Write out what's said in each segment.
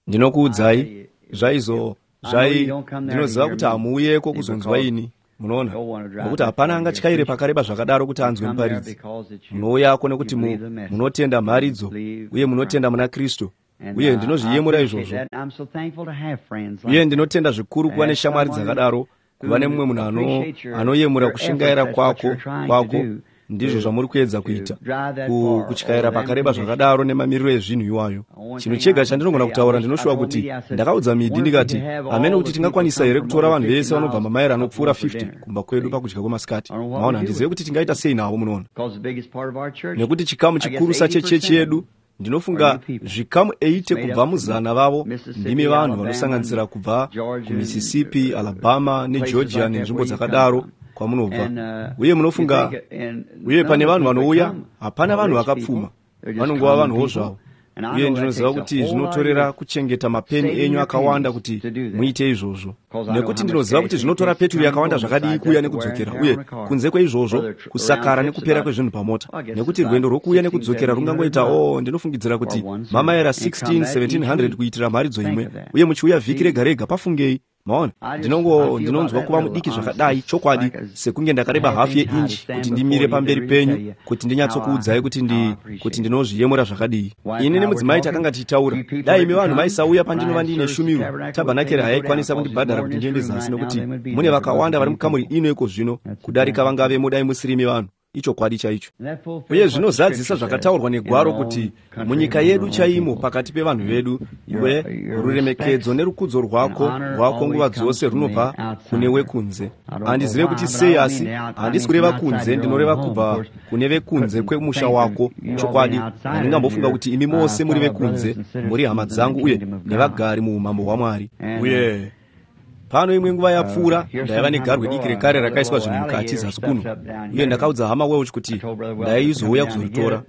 Ndinokuudzai, zvaizo zvai ndinoziva kuti hamuuyeko kuzonzwa ini, munoona, nokuti hapana angatyaire pakareba zvakadaro kuti anzwe muparidzi. Munouyako nekuti munotenda mharidzo uye munotenda muna Kristu, uye ndinozviyemura izvozvo. Uye ndinotenda zvikuru kuva neshamwari dzakadaro, kuva nemumwe munhu anoyemura kushingaira kwako kwako Ndizvo zvamuri kuedza kuita, kutyaira pakareba zvakadaro nemamiriro ezvinhu iwayo. Chinhu chega chandinogona kutaura, ndinoshuva kuti ndakaudza Midhi ndikati, hamene kuti tingakwanisa here kutora vanhu vese vanobva mamaira anopfuura 50 kumba kwedu pakudya kwemasikati. Maona, handizive kuti tingaita sei navo, munoona, nekuti chikamu chikurusa chechechi yedu, ndinofunga zvikamu 80 kubva muzana vavo ndimi vanhu vanosanganisira kubva kuMississippi, Alabama neGeorgia nenzvimbo dzakadaro kwamunobva. Uye munofunga, uye pane vanhu vanouya, hapana vanhu vakapfuma, vanongova vanhuwo zvavo. Uye ndinoziva kuti zvinotorera kuchengeta mapeni enyu akawanda kuti muite izvozvo, nekuti ndinoziva kuti zvinotora peturu yakawanda zvakadii kuuya nekudzokera, uye kunze kweizvozvo kusakara nekupera kwezvinhu pamota, nekuti rwendo rwokuuya nekudzokera rungangoita, o, ndinofungidzira kuti mamaera 16 1700 kuitira mharidzo imwe, uye muchiuya vhiki rega rega. Pafungei, maona. Ndinongo ndinonzwa kuva mudiki zvakadai, chokwadi, sekunge ndakareba hafu yeinji kuti ndimire pamberi penyu kuti ndinyatsokuudzai kuti ndi kuti ndinozviyemura zvakadii. Ini nemudzimai takanga tichitaura, dai imi vanhu maisauya pandinova ndiine shumiro, tabhanakeri hayaikwanisa kundibhadhara kuti ndiende zasi, nokuti mune vakawanda vari mukamuri ino iko zvino kudarika vangavemo dai musiri imi vanhu. Ichokwadi chaicho. Uye zvinozadzisa zvakataurwa negwaro kuti munyika yedu chaimo, pakati pevanhu vedu, iwe ruremekedzo nerukudzo rwako rwako nguva dzose runobva kune wekunze. Handizive kuti sei, asi handisi kureva kunze, ndinoreva kubva kune vekunze kwemusha wako. Chokwadi, handingambofunga kuti imi mose muri vekunze, muri hama dzangu uye nevagari muumambo hwaMwari. Uye pano imwe nguva yapfuura ndaiva negarwe diki rekare rakaiswa zvinhu mukati zasi kuno, uye ndakaudza Hama Welch kuti ndaizouya kuzoritora.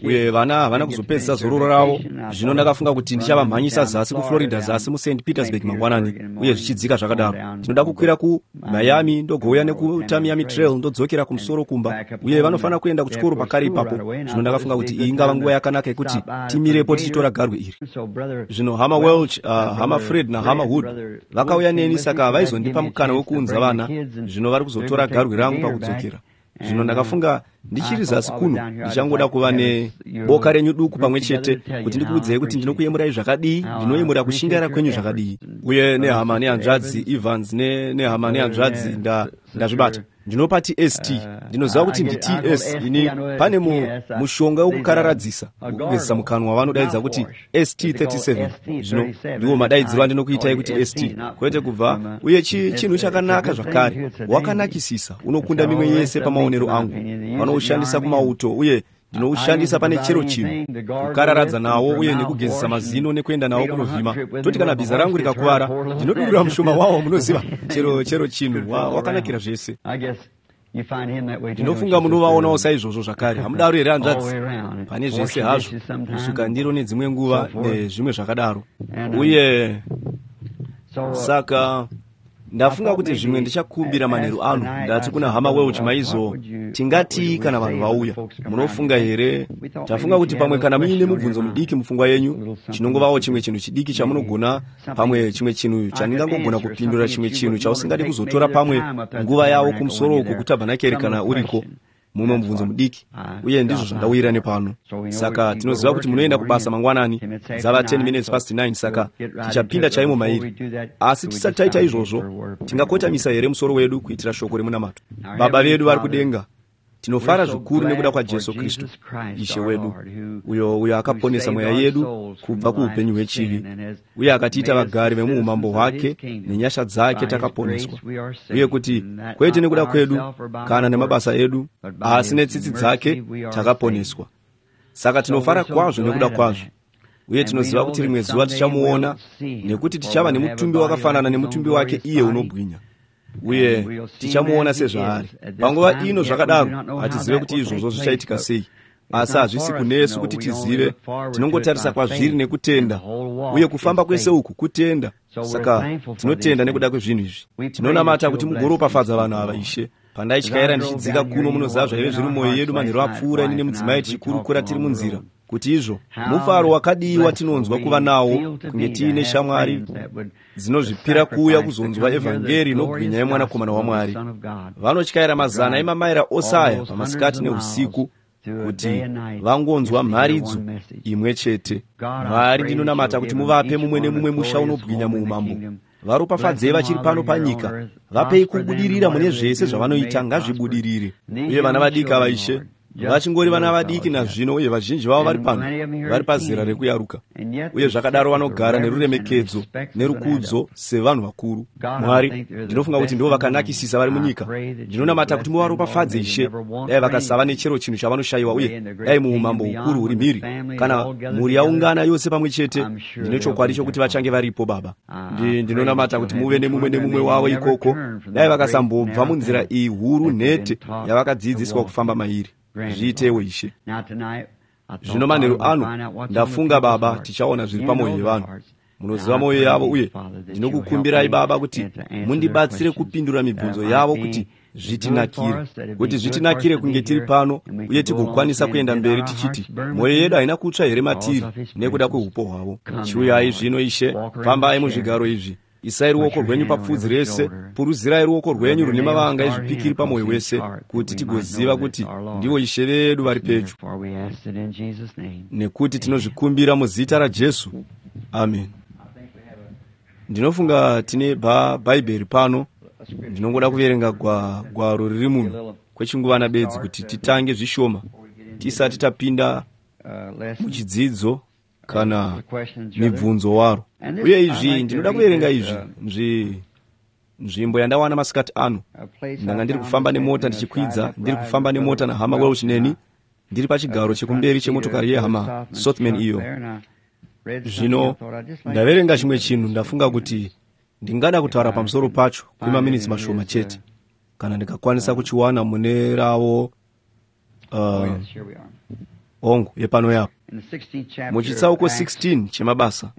Uye vana havana kuzopedzisa zororo ravo. Zvino ndakafunga kuti ndichavamhanyisa zasi kuFlorida, zasi muSt Petersburg mangwanani, uye zvichidzika zvakadaro. Ndinoda kukwira kuMiami, ndogouya nekuTamiami Trail, ndodzokera kumusoro kumba, uye vanofanira kuenda kuchikoro pakare ipapo. Zvino ndakafunga kuti iyi ingava nguva yakanaka yekuti timirepo tichitora garwe iri. Zvino Hama Welch, Hama Fred naHama Wood vakauya neni, saka vaizondipa mukana wekuunza vana. Zvino vari kuzotora garwe rangu pakudzokera. Zvino ndakafunga ndichiri zasi kuno ndichangoda kuva neboka renyu duku pamwe chete kuti ndikuudzei kuti ndinokuyemurai zvakadii, ndinoyemura kushingaira kwenyu zvakadii. Uye nehama nehanzvadzi Evans nehama nehanzvadzi, ndazvibata, ndinopa tst, ndinoziva kuti ndits ini. Pane mushonga wekukararadzisa, wekugezesa mukanwa, vanodaidza kuti ST37. Zvino ndiwo madaidziro andinokuitai kuti ST, kwete kubva. Uye chinhu chakanaka zvakare, wakanakisisa, unokunda mimwe yese pamaonero angu. Vanoushandisa kumauto, uye ndinoushandisa pane chero chinhu, kukararadza nawo uye nekugezesa mazino nekuenda nawo kunovhima. Toti kana bhiza rangu rikakuvara, ndinodurura mushoma wawo, munoziva, chero chinhu. Wakanakira zvese. Ndinofunga munovaonawo saizvozvo zvakare, hamudaro here, hanzvadzi? Pane zvese hazvo, kusuka ndiro nedzimwe nguva nezvimwe zvakadaro. Uye saka ndafunga kuti zvimwe ndichakumbira manheru ano, ndati kuna Hama Welch, maizo tingatii kana vanhu vauya? Munofunga here, tafunga kuti pamwe kana muine mubvunzo mudiki mupfungwa yenyu, chinongovawo chimwe chinhu chidiki chamunogona, pamwe chimwe chinhu chandingangogona kupindura, chimwe chinhu chausingadi kuzotora pamwe nguva yavo kumusoro uko kutabhanakeri kana uriko, mumwe mubvunzo mudiki. Uye ndizvo zvandawira nepano. Saka tinoziva kuti munoenda kubasa mangwanani. Dzava 10 minutes past 9, saka tichapinda chaimo mairi. Asi tisati taita izvozvo, tingakotamisa here musoro wedu kuitira shoko remunamato? Baba vedu vari kudenga, tinofara zvikuru nekuda kwaJesu Kristu Ishe wedu, uyo akaponesa mweya yedu kubva kuupenyu hwechivi uye akatiita vagari vemuumambo hwake. Nenyasha dzake takaponeswa, uye kuti kwete nekuda kwedu kana nemabasa edu, asi netsitsi dzake takaponeswa. Saka tinofara kwazvo nekuda kwazvo, uye tinoziva kuti rimwe zuva tichamuona, nekuti tichava nemutumbi wakafanana nemutumbi wake iye unobwinya, uye tichamuona sezvaari. Panguva ino zvakadaro hatizive kuti izvozvo zvichaitika sei, asi hazvisi kunesu kuti tizive. Tinongotarisa kwazviri nekutenda, uye kufamba kwese uku kutenda. Saka tinotenda nekuda kwezvinhu izvi. Tinonamata kuti mugoropafadza vanhu ava, Ishe. Pandaityaira ndichidzika kuno, munoziva zvaive zviri mumwoyo yedu manheru apfuura, ini nemudzimai tichikurukura tiri munzira. Kuti izvo mufaro wakadii watinonzwa kuva nawo kunge tiine shamwari dzinozvipira kuuya kuzonzwa evhangeri inobwinya yemwanakomana waMwari. Vanotyaira mazana emamaira ose aya pamasikati neusiku kuti vangonzwa mharidzo imwe chete. Mwari, ndinonamata kuti muvape mumwe nemumwe musha unobwinya muumambo. Varopafadzei vachiri pano panyika, vapei kubudirira mune zvese zvavanoita, ngazvibudirire. Uye vana vadiki ava, Ishe, vachingori vana vadiki nazvino, uye vazhinji vavo vari pano vari pazera rekuyaruka, uye zvakadaro vanogara neruremekedzo nerukudzo sevanhu vakuru. Mwari, ndinofunga kuti ndivo vakanakisisa vari munyika. Ndinonamata kuti muvaropafadze, Ishe. Dai vakasava nechero chinhu chavanoshayiwa, uye dai muumambo hukuru huri mhiri, kana mhuri yaungana yose pamwe chete, ndine chokwadi chokuti vachange varipo, Baba. Ndinonamata kuti muve nemumwe nemumwe wavo ikoko. Dai vakasambobva munzira iyi huru nhete yavakadzidziswa kufamba mairi. Zviitewo, Ishe. Zvino manheru ano ndafunga, Baba, tichaona zviri pamwoyo yevanhu. Munoziva mwoyo yavo, uye ndinokukumbirai, Baba, kuti mundibatsire kupindura mibvunzo yavo, kuti zvitinakire, kuti zvitinakire kunge tiri pano uye tigokwanisa kuenda mberi tichiti, mwoyo yedu haina kutsva here matiri nekuda kweupo hwavo. Chiuyai zvino, Ishe, fambai muzvigaro izvi. Isai ruoko rwenyu papfudzi rese, puruzirai ruoko rwenyu rune mavanga ezvipikiri pamwoyo wese, kuti tigoziva kuti ndivo Ishe vedu vari pedyo. Nekuti tinozvikumbira muzita raJesu, amen. Ndinofunga tine bhaibheri pano. Ndinongoda kuverenga gwaro riri muno kwechinguvana bedzi kuti titange zvishoma tisati tapinda muchidzidzo kana mibvunzo waro. Uye izvi, ndinoda kuverenga izvi, nzvimbo yandawana masikati ano. Ndanga ndiri kufamba nemota ndichikwidza, ndiri kufamba nemota nahama Welsh neni, ndiri pachigaro chekumberi chemotokari yehama Sothman iyo. Zvino ndaverenga chimwe chinhu, ndafunga kuti ndingada kutaura pamusoro pacho kwemaminitsi mashoma chete, kana ndikakwanisa kuchiwana mune ravo. Hongu, yepano yapo muchitsauko 16 chemabasa,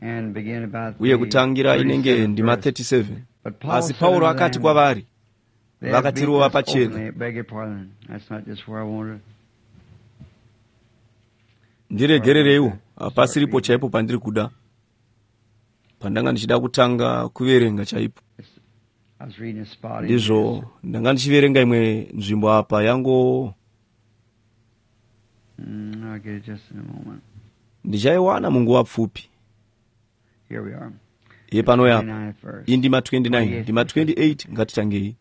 uye kutangira inenge ndima 37. Asi Pauro akati kwavari, vakatirova pachena. Ndiregerereiwo, hapasiripo chaipo pandiri kuda, pandanga ndichida kutanga kuverenga chaipo. Ndizvo, ndanga ndichiverenga imwe nzvimbo apa yango. Ndichaiwana munguva pfupi. Yepano yapa indima 29, ndima 28. Ngatitangei.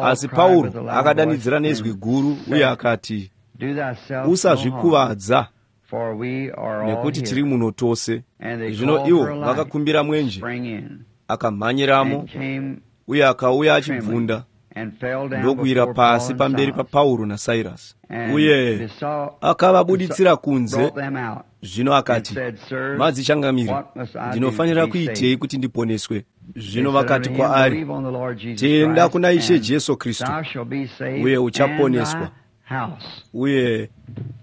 Asi Pauro akadanidzira nezwi guru uye akati, usazvikuvadza, nekuti tiri muno tose. Zvino ivo vakakumbira mwenje, akamhanyiramo, uye akauya achibvunda, ndokuwira pasi pamberi paPauro naSairasi, uye akavabuditsira kunze. Zvino akati, madzichangamiri, ndinofanira kuitei kuti ndiponeswe? Zvino vakati kwaari, tenda kuna Ishe Jesu Kristu, uye uchaponeswa, uye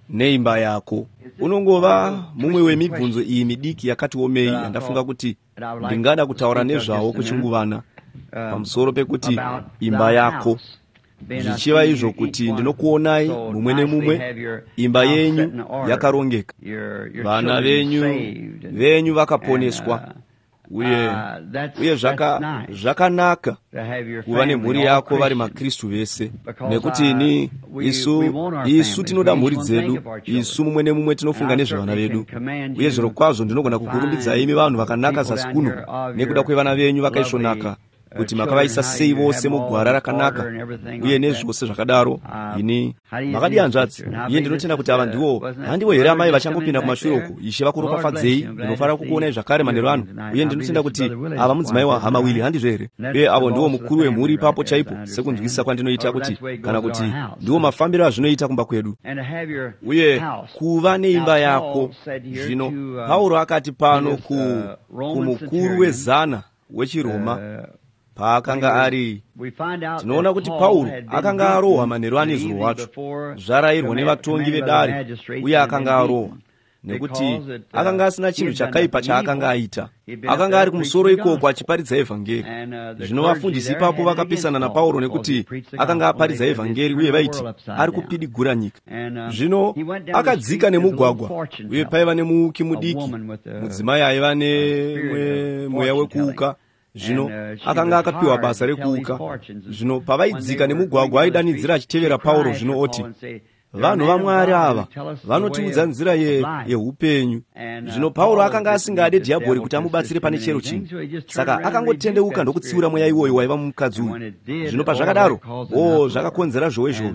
neimba yako. Unongova mumwe wemibvunzo iyi midiki yakati omei yandafunga kuti ndingada kutaura nezvawo kwechinguvana, pamusoro pekuti imba yako, zvichiva izvo kuti ndinokuonai mumwe nemumwe imba yenyu yakarongeka, vana venyu vakaponeswa, uye uye zvakanaka kuva nemhuri yako vari maKristu vese, nekuti ini isu tinoda mhuri dzedu. Isu mumwe nemumwe tinofunga nezvevana vedu, uye zvirokwazvo ndinogona kukurumbidzai imi vanhu vakanaka zasi kuno nekuda kwevana venyu vakaisvonaka, kuti makavaisa sei vose mugwara rakanaka uye nezvose zvakadaro. Ini makadi, hanzvadzi? Iye ndinotenda kuti ava ndivo, handivo here amai vachangopinda kumashure uku? Ishe vakuropafadzei. Ndinofara kukuonai zvakare manheru ano. Uye ndinotenda kuti ava mudzimai wahama Wili, handizvo here? Uye avo ndiwo mukuru wemhuri ipapo chaipo, sekunzwisisa kwandinoita kuti, kana kuti ndiwo mafambiro azvinoita kumba kwedu. Uye kuva neimba yako. Zvino Pauro akati pano kumukuru wezana wechiRoma paakanga ari, tinoona kuti Pauro akanga arohwa manheru anezuro wacho, zvarayirwa nevatongi vedare, uye akanga arohwa. Nekuti akanga asina chinhu chakaipa chaakanga aita. Akanga ari kumusoro ikoko achiparidza evhangeri. Zvino vafundisi ipapo vakapesana naPauro nekuti akanga aparidza evhangeri, uye vaiti ari kupidigura nyika. Zvino akadzika nemugwagwa, uye paiva nemuuki mudiki, mudzimai aiva nemweya wekuuka. Zvino akanga akapiwa basa rekuuka. Zvino pavaidzika nemugwagwa aidanidzira achitevera Pauro, zvino oti, vanhu vaMwari ava vanotiudza nzira yeupenyu. Zvino Pauro akanga asingade dhiabhori kuti amubatsire pane chero chinhu, saka akangotendeuka ndokutsiura mweya iwoyo waiva mumukadzi uyu. Zvino pazvakadaro, zvakakonzera zhowe zhowe.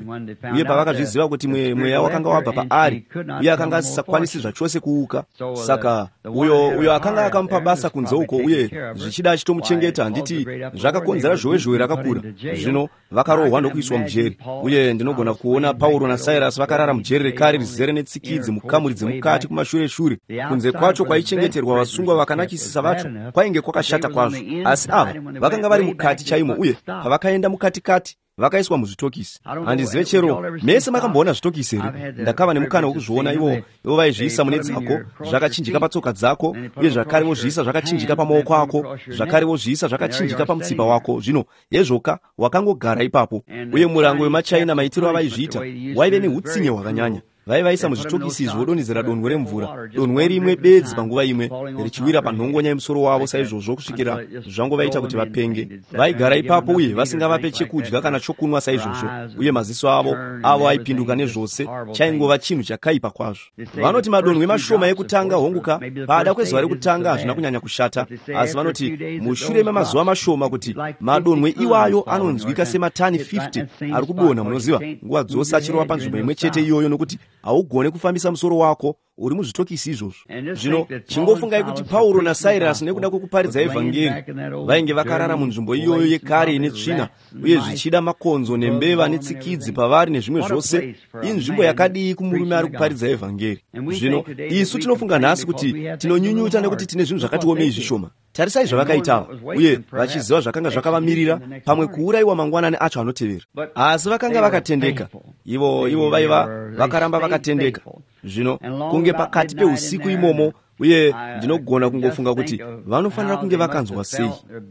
Uye pavakazviziva kuti mweya wakanga wabva paari, uye akanga asisakwanisi zvachose kuuka, saka uyo akanga akamupa basa kunze uko, uye zvichida achitomuchengeta, handiti zvakakonzera zhowe zhowe rakakura. Zvino vakarohwa ndokuiswa mujeri. Uye ndinogona kuona Pauro naSairasi vakarara mujeri rekare rizere netsikidzi mukamuri dzemukati kumashure shure. Kunze kwacho kwaichengeterwa vasungwa vakanakisisa vacho kwainge kwakashata kwazvo, asi ava vakanga vari mukati chaimo, uye pavakaenda mukatikati vakaiswa muzvitokisi. Handizive chero mese makamboona zvitokisi here? Ndakava nemukana wekuzviona. Ivo vaizviisa mune dzako zvakachinjika patsoka dzako, uye zvakare vozviisa zvakachinjika pamaoko ako, zvakare vozviisa zvakachinjika pamutsipa wako. Zvino hezvoka wakangogara ipapo. Uye murango wemachina, maitiro avaizviita waive neutsinye hwakanyanya. Vaivaisa muzvitokisi izvi vodonhedzera donhwe remvura, donhwe rimwe bedzi panguva imwe, richiwira panhongonya yemusoro wavo saizvozvo kusvikira zvangovaita kuti vapenge. Vaigara ipapo uye vasingavape chekudya kana chokunwa saizvozvo, uye maziso avo aipinduka nezvose. Chaingova chinhu chakaipa kwazvo. Vanoti madonhwe mashoma ekutanga, honguka, pada kwezuva rekutanga hazvina kunyanya kushata, asi vanoti mushure memazuva mashoma kuti madonhwe iwayo anonzwika sematani 50 ari kudonha, munoziva, nguva dzose achirova panzvimbo imwe chete iyoyo, nokuti haugone kufambisa musoro wako uri muzvitokisi izvozvo. Zvino chingofungai kuti Pauro naSairasi nekuda kwekuparidza evhangeri vainge vakarara munzvimbo iyoyo yekare ine tsvina, uye zvichida makonzo nembeva netsikidzi pavari nezvimwe zvose. Inzvimbo yakadii kumurume ari kuparidza evhangeri? Zvino isu tinofunga nhasi kuti tinonyunyuta nekuti tine zvinhu zvakatiomei zvishoma. Tarisai zvavakaita, uye vachiziva zvakanga zvakavamirira, pamwe kuurayiwa mangwanani acho anotevera. Asi vakanga vakatendeka. Ivo vaiva vakaramba vakatendeka. Zvino kunge pakati peusiku imomo, uye ndinogona kungofunga kuti vanofanira kunge vakanzwa sei.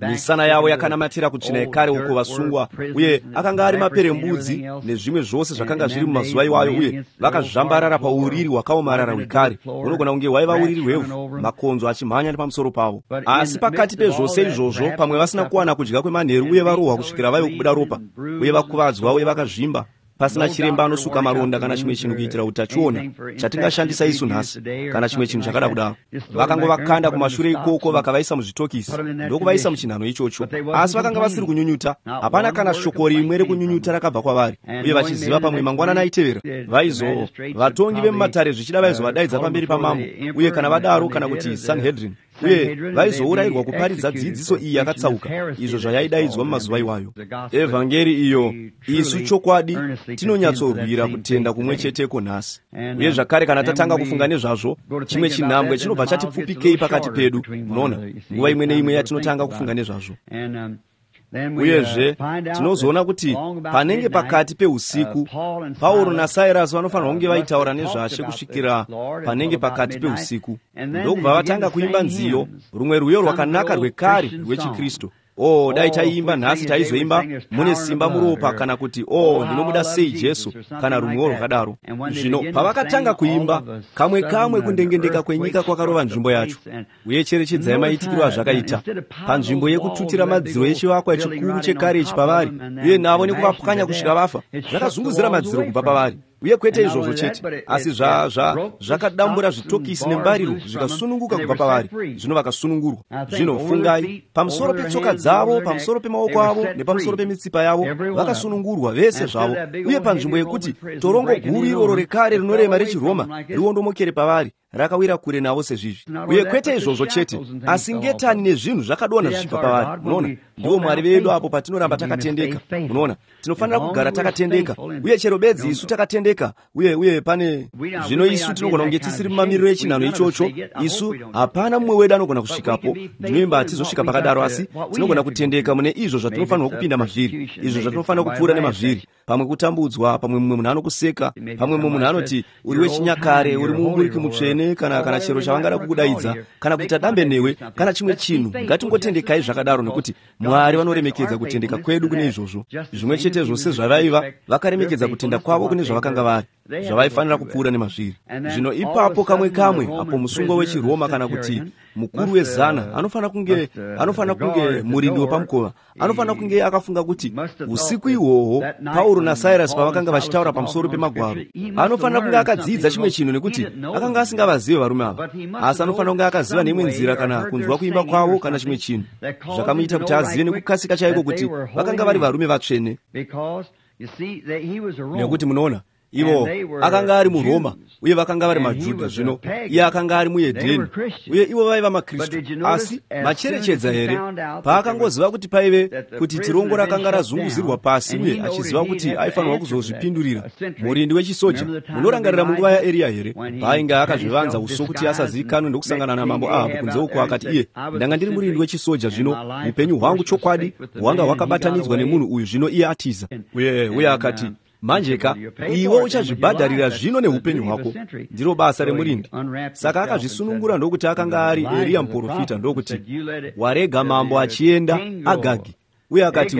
Misana yavo yakanamatira kutsvina yekare uko vasungwa, uye akanga ari maperembudzi nezvimwe zvose zvakanga zviri mumazuva iwayo, uye vakazvambarara pauriri hwakaomarara hwekare. Hunogona kunge hwaiva uriri hwevhu, makonzo achimhanya nepamusoro pavo. Asi pakati pezvose izvozvo, pamwe vasina kuwana kudya kwemanheru, uye varohwa kusvikira vave kubuda ropa, uye vakuvadzwa, uye vakazvimba, pasina chiremba anosuka maronda kana chimwe chinhu kuitira utachiona chatingashandisa isu nhasi, kana chimwe chinhu chakada kudaro. Vakangovakanda kumashure ikoko, vakavaisa muzvitokisi ndokuvaisa muchinhano ichocho. Asi vakanga vasiri kunyunyuta. Hapana kana shoko rimwe rekunyunyuta rakabva kwavari. Uye vachiziva pamwe mangwanani aitevera vatongi vemumatare zvichida vaizovadaidza pamberi pamambo, uye kana vadaro, kana kuti Sanhedrin, uye vaizourayirwa kuparidza dzidziso iyi yakatsauka, izvo zvayaidaidzwa mumazuva iwayo. Evhangeri iyo isu chokwadi tinonyatsorwira kutenda kumwe cheteko nhasi. Uye zvakare kana tatanga kufunga nezvazvo, chimwe chinhambwe chinobva chatipfupikei pakati pedu. Munoona, nguva imwe neimwe yatinotanga kufunga nezvazvo. Uyezve tinozoona kuti panenge pakati peusiku, Pauro naSairasi vanofanirwa kunge vaitaura nezvashe kusvikira panenge pakati peusiku, ndokubva vatanga kuimba nziyo, rumwe rwiyo rwakanaka rwekare rwechiKristu. Dai taiimba nhasi, taizoimba mune simba muropa, kana kuti ndinomuda sei Jesu, kana rumwewo rwakadaro. Zvino pavakatanga kuimba, kamwe kamwe kundengendeka kwenyika kwakarova nzvimbo yacho. Uye cherechedzai maitikiro azvakaita. Panzvimbo yekututira madziro echivakwa chikuru chekare ichi pavari, uye navo nekuvapwanya kusvika vafa, zvakazunguzira madziro kubva pavari. Uye kwete izvozvo chete, asi zvakadambura zvitokisi nembariro zvikasununguka kubva pavari. Zvino vakasunungurwa. Zvino fungai, pamusoro petsoka dzavo, pamusoro pemaoko avo nepamusoro pemitsipa yavo, vakasunungurwa vese zvavo. Uye panzvimbo yekuti torongo guru iroro rekare rinorema rechiRoma riondomokere pavari, rakawira kure navo sezvizvi. Uye kwete izvozvo chete, asi ngetani nezvinhu zvakadonha zvichibva pavari. Munoona, ndiwo Mwari vedu apo patinoramba takatendeka. Munoona, tinofanira kugara takatendeka, uye chero bedzi isu takatendeka. akatendeka uye pane zvino isu tinogona kunge tisiri mumamiriro echinhano ichocho. Isu hapana mumwe wedu anogona kusvikapo. Ndinoimba hatizosvika pakadaro, asi tinogona kutendeka mune izvo zvatinofanirwa kupinda mazviri, izvo zvatinofanira kupfuura nemazviri. Pamwe kutambudzwa, pamwe mumwe munhu anokuseka, pamwe mumwe munhu anoti uri wechinyakare, uri muumburiki mutsvene, kana chero chavangada kukudaidza, kana kuita dambe newe, kana chimwe chinhu. Ngatingotendekai zvakadaro, nekuti Mwari vanoremekedza kutendeka kwedu kune izvozvo. Zvimwe chetezvo sezvavaiva vakaremekedza kutenda kwavo kune zvavakanga vari, zvavaifanira kupfuura nemazviri. Zvino ipapo kamwe kamwe apo musungwa wechiRoma kana kuti mukuru wezana anofanira kunge murindi wepamukova anofanira kunge akafunga kuti usiku ihwohwo Pauro naSirasi pavakanga vachitaura pamusoro pemagwaro, anofanira kunge akadzidza chimwe chinhu, nekuti akanga asingavazive varume ava, asi anofanira kunge akaziva neimwe nzira kana kunzwa kuimba kwavo kana chimwe chinhu zvakamuita kuti azive nekukasika chaiko kuti vakanga vari varume vatsvene. Nekuti munoona, ivo akanga ari muRoma uye vakanga vari maJudha. Zvino iye akanga ari muHedheni uye ivo vaiva maKristu. Asi macherechedza here, paakangoziva kuti paive kuti tirongo rakanga razunguzirwa pasi uye achiziva kuti aifanirwa kuzozvipindurira, murindi wechisoja, munorangarira munguva yaEriya here, paainge akazvivanza uso kuti asazivikanwe ndokusangana namambo Ahabhu kunze uko, akati iye, ndanga ndiri murindi wechisoja, zvino upenyu hwangu chokwadi hwanga hwakabatanidzwa nemunhu uyu, zvino iye atiza. Uye akati, manjeka iwe uchazvibhadharira zvino neupenyu hwako, ndiro basa remurindi. Saka akazvisunungura ndokuti akanga ari Eriya muprofita, ndokuti warega mambo achienda Agagi, uye akati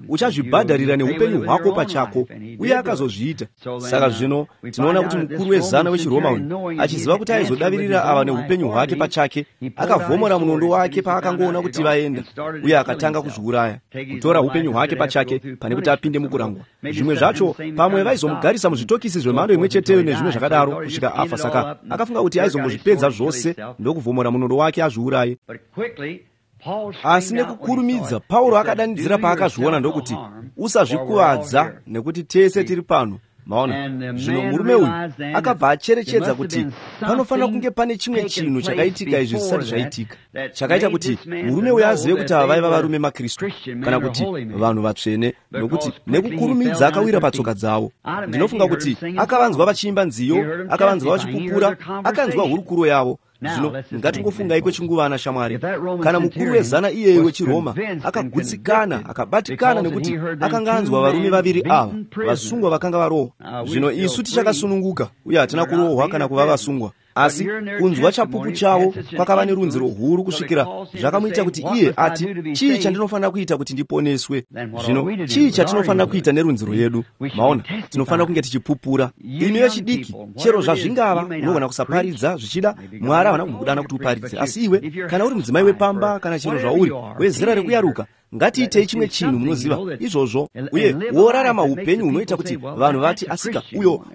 uchazvibhadharira neupenyu hwako pachako, uye akazozviita. Saka zvino tinoona kuti mukuru wezana wechiRoma uyu, achiziva kuti aizodavirira ava neupenyu hwake pachake, akavhomora munondo wake paakangoona kuti vaenda, uye akatanga kuzviuraya, kutora upenyu hwake pachake pane kuti apinde mukurangwa. Zvimwe zvacho pamwe vaizomugarisa muzvitokisi zvemhando imwe cheteyo nezvimwe zvakadaro kusvika afa. Saka akafunga kuti aizombozvipedza zvose ndokuvhomora munondo wake azviuraye. Asi nekukurumidza Pauro akadanidzira paakazviona ndokuti, usazvikuvadza nekuti tese tiri pano. Maona, zvino murume uyu akabva acherechedza kuti panofanira kunge pane chimwe chinhu chakaitika izvi zvisati zvaitika, chakaita kuti murume uyu azive kuti ava vaiva varume maKristu kana kuti vanhu vatsvene, nokuti nekukurumidza akawira patsoka dzavo. Ndinofunga kuti akavanzwa vachiimba nziyo, akavanzwa vachipupura, akanzwa hurukuro yavo. Zvino ngatingofungai kwechinguvana, shamwari. Kana mukuru wezana iyeyo wechiRoma akagutsikana, akabatikana nekuti akanga anzwa varume vaviri ava vasungwa vakanga varohwa. Zvino isu tichakasununguka uye hatina kurohwa kana kuva vasungwa, asi kunzwa chapupu chavo kwakava nerunziro huru kusvikira zvakamuita kuti iye ati, chii chandinofanira kuita kuti ndiponeswe? Zvino chii chatinofanira kuita nerunziro yedu? Maona, tinofanira kunge tichipupura. Imi vechidiki, chero zvazvingava, unogona kusaparidza, zvichida Mwari havana kumbokudana kuti uparidze, asi iwe kana uri mudzimai wepamba kana chero zvauri wezera rekuyaruka, ngatiitei chimwe chinhu, munoziva izvozvo, uye worarama upenyu hunoita kuti vanhu vati, asika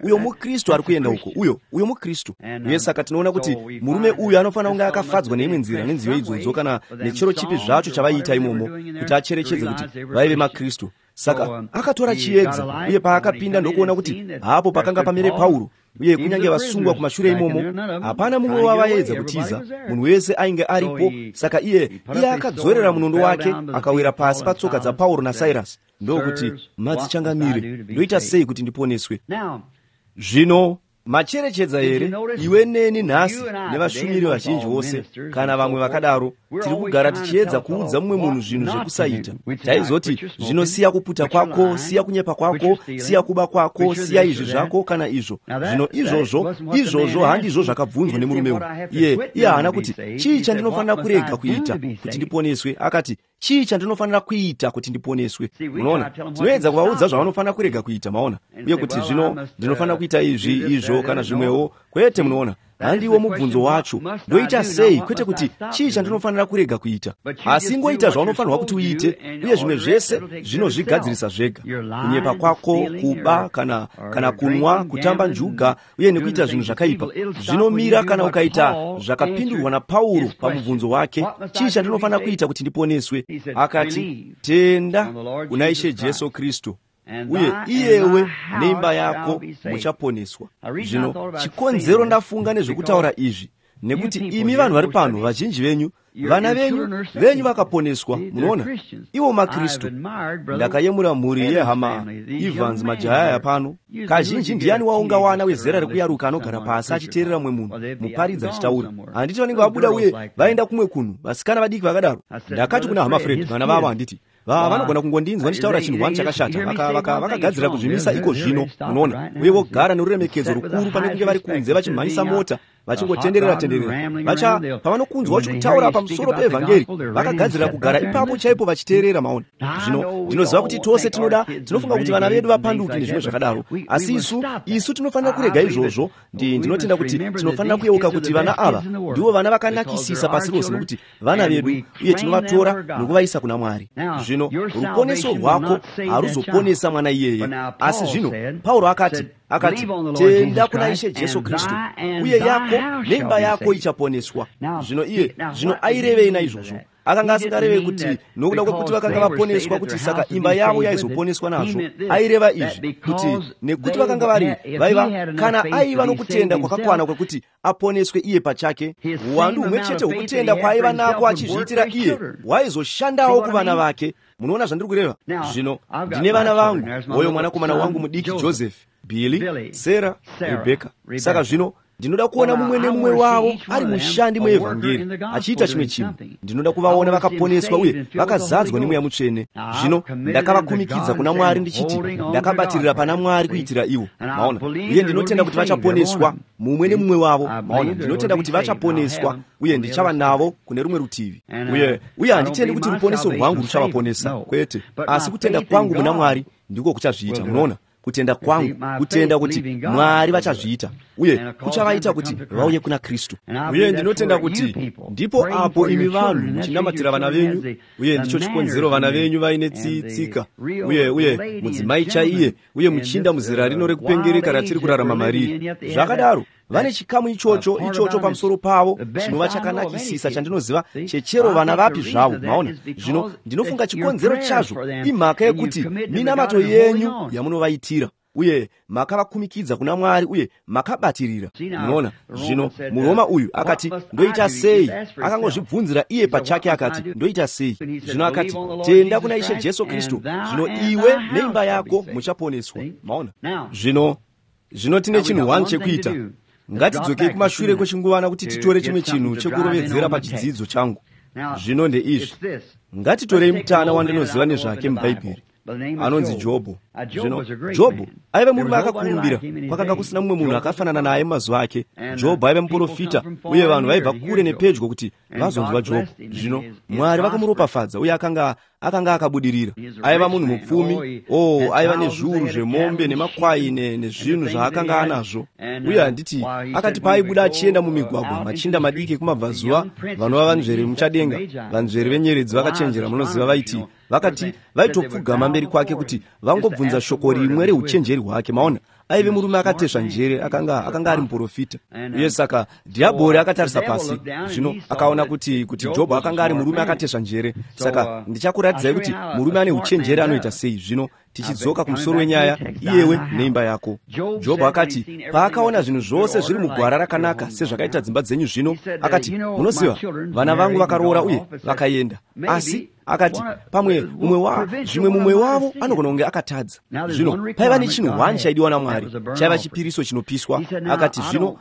uyo muKristu ari kuenda uko, uyo muKristu. Uye saka tinoona kuti murume uyu anofanira kunge akafadzwa neimwe nzira nenziyo idzodzo kana nechero chipi zvacho chavaiita imomo, kuti acherechedze kuti vaive maKristu. Saka akatora chiedza, uye paakapinda ndokuona kuti hapo pakanga pamire Pauro, uye kunyange vasungwa kumashure imomo, hapana mumwe wavaedza kutiza, munhu wese ainge aripo. Saka iye akadzorera munondo wake akawira pasi patsoka dzaPauro naSirasi, ndokuti, madzichangamire, ndoita sei kuti ndiponeswe? Zvino macherechedza here, iwe neni nhasi nevashumiri vazhinji vose kana vamwe vakadaro, tiri kugara tichiedza kuudza mumwe munhu zvinhu zvekusaita. Taizoti, zvino siya kuputa kwako, siya kunyepa kwako, siya kuba kwako, siya izvi zvako kana izvo. Zvino izvozvo handizvo zvakabvunzwa nemurume uyu. Iye haana kuti, chii chandinofanira kurega kuita kuti ndiponeswe? Akati, chii chandinofanira kuita kuti ndiponeswe? Unoona, tinoedza kuvaudza zvavanofanira kurega kuita, maona, uye kuti zvino ndinofanira kuita izvi, izvo kana zvimwewo. Kwete, munoona, handiwo mubvunzo wacho. Ndoita sei? Kwete kuti chii chandinofanira kurega kuita, asi ingoita zvaunofanirwa kuti uite, uye zvimwe zvese zvinozvigadzirisa zvega. Kunyepa kwako, kuba kana kunwa, kutamba njuga uye nekuita zvinhu zvakaipa zvinomira kana ukaita zvakapindurwa naPauro pamubvunzo wake, chii chandinofanira kuita kuti ndiponeswe? Akati, tenda kuna Ishe Jesu Kristu, uye iyewe neimba yako muchaponeswa. Zvino chikonzero ndafunga nezvekutaura izvi nekuti imi vanhu vari pano, vazhinji venyu Vana venyu vakaponeswa, munoona, ivo maKristu. Ndakayemura mhuri yehama Evans majaya pano. Kazhinji ndiani waungawana wezera rekuyaruka anogara pasi achiteerera mumwe munhu muparidzi achitaura? Handiti vanenge vabuda uye vaenda kumwe kunhu, vasikana vadiki vakadaro. Ndakati kuna hama Fred, vana vavo, handiti vanogona kungondinzwa ndichitaura chinhu wani chakashata, vakagadzira kuzvimisa iko zvino, munoona, uye vogara neruremekedzo rukuru pane kunge vari kunze vachimhanyisa mota vachingotenderera tenderera. Pavanokunzwa vachikutaura pamusoro peevhangeri, vakagadzirira kugara ipapo chaipo vachiteerera, maona. Zvino ndinoziva kuti tose tinofunga kuti vana vedu vapanduki nezvimwe zvakadaro, asi isu tinofanira kurega izvozvo. Ndinotenda kuti tinofanira kuyeuka kuti vana ava ndivo vana vakanakisisa pasi rose, nokuti vana vedu, uye tinovatora nokuvaisa kuna Mwari. Zvino ruponeso rwako haruzoponesa mwana iyeye. Asi zvino Pauro akati, tenda kuna Ishe Jesu Kristu, uye yako neimba yako ichaponeswa. Zvino iye zvino airevei naizvozvo? Akanga asingareve kuti nokuda kwekuti vakanga vaponeswa kuti saka imba yavo yaizoponeswa nazvo. Aireva izvi kuti nekuti vakanga vari vaiva, kana aiva nokutenda kwakakwana kwekuti aponeswe iye pachake, uwandu humwe chete hwokutenda kwaaiva nako achizviitira iye hwaizoshandawo kuvana vake. Munoona zvandiri kureva? Zvino ndine vana vangu, hoyo mwanakomana wangu mudiki Joseph, Billy, Sarah, Rebecca. Saka zvino ndinoda kuona mumwe nemumwe wavo ari mushandi muevhangeri achiita chimwe chinhu. Ndinoda kuvaona vakaponeswa uye vakazadzwa nemweya mutsvene. Zvino ndakavakumikidza kuna Mwari ndichiti ndakabatirira pana Mwari kuitira ivo, maona. Uye ndinotenda kuti vachaponeswa, mumwe nemumwe wavo, maona. Ndinotenda kuti vachaponeswa uye ndichava navo kune rumwe rutivi. Uye handitendi kuti ruponeso rwangu ruchavaponesa, kwete, asi kutenda kwangu muna Mwari ndiko kuchazviita, munoona. Kutenda kwangu, kutenda kuti Mwari vachazviita, uye kuchavaita kuti vauye kuna Kristu. Uye ndinotenda kuti ndipo apo imi vanhu muchinamatira vana venyu, uye ndicho chikonzero vana venyu vaine tsika, uye mudzimai chaiye, uye muchinda muzera rino rekupengereka ratiri kurarama mariri. Zvakadaro vane chikamu ichocho pamusoro pavo chinova chakanakisisa chandinoziva chechero vana vapi zvavo, maona. Zvino ndinofunga chikonzero chazvo imhaka yekuti minamato yenyu yamunovaitira, uye makavakumikidza kuna Mwari uye makabatirira, munoona. Zvino muRoma uyu akati, ndoita sei? Akangozvibvunzira iye pachake akati, ndoita sei? Zvino akati, tenda kuna Ishe Jesu Kristu, zvino iwe neimba yako muchaponeswa, maona. Zvino tine chinhu 1 chekuita. Ngatidzokei kumashure kwechinguvana kuti titore chimwe chinhu chekurovedzera pachidzidzo changu. Zvino ndeizvi. Ngatitorei mutana wandinoziva nezvake muBhaibheri, anonzi Jobho. Zvino Jobho aiva murume akakurumbira, kwakanga kusina mumwe munhu akafanana naye mumazuva ake. Jobho aiva muprofita, uye vanhu vaibva kure nepedyo kuti vazonzwa Jobho. Zvino Mwari vakamuropafadza, uye akanga akabudirira. Aiva munhu mupfumi, aiva nezviuru zvemombe nemakwai nezvinhu zvaakanga anazvo. Uye handiti akati paaibuda achienda mumigwagwa, machinda madiki ekumabvazuva vanova vanzveri muchadenga, vanzveri venyeredzi vakachenjera, munoziva, vaiti vakati vaitopfugama mberi kwake kuti vangobvunza shoko rimwe reuchenjeri hwake, maona. Aive murume akatesva njere, akanga ari muprofita. Uye saka dhiabhori akatarisa pasi, zvino akaona kuti Jobho akanga ari murume akatesva njere. Saka ndichakuratidzai kuti murume ane uchenjeri anoita sei. Zvino tichidzoka kumusoro wenyaya, iyewe neimba yako. Jobho akati paakaona zvinhu zvose zviri mugwara rakanaka sezvakaita dzimba dzenyu zvino, akati, munoziva, vana vangu vakaroora uye vakaenda, asi akati pamwe zvimwe mumwe wavo anogona kunge akatadza. Zvino paiva nechinhu 1 chaidiwa naMwari, chaiva chipiriso chinopiswa. Akati zvino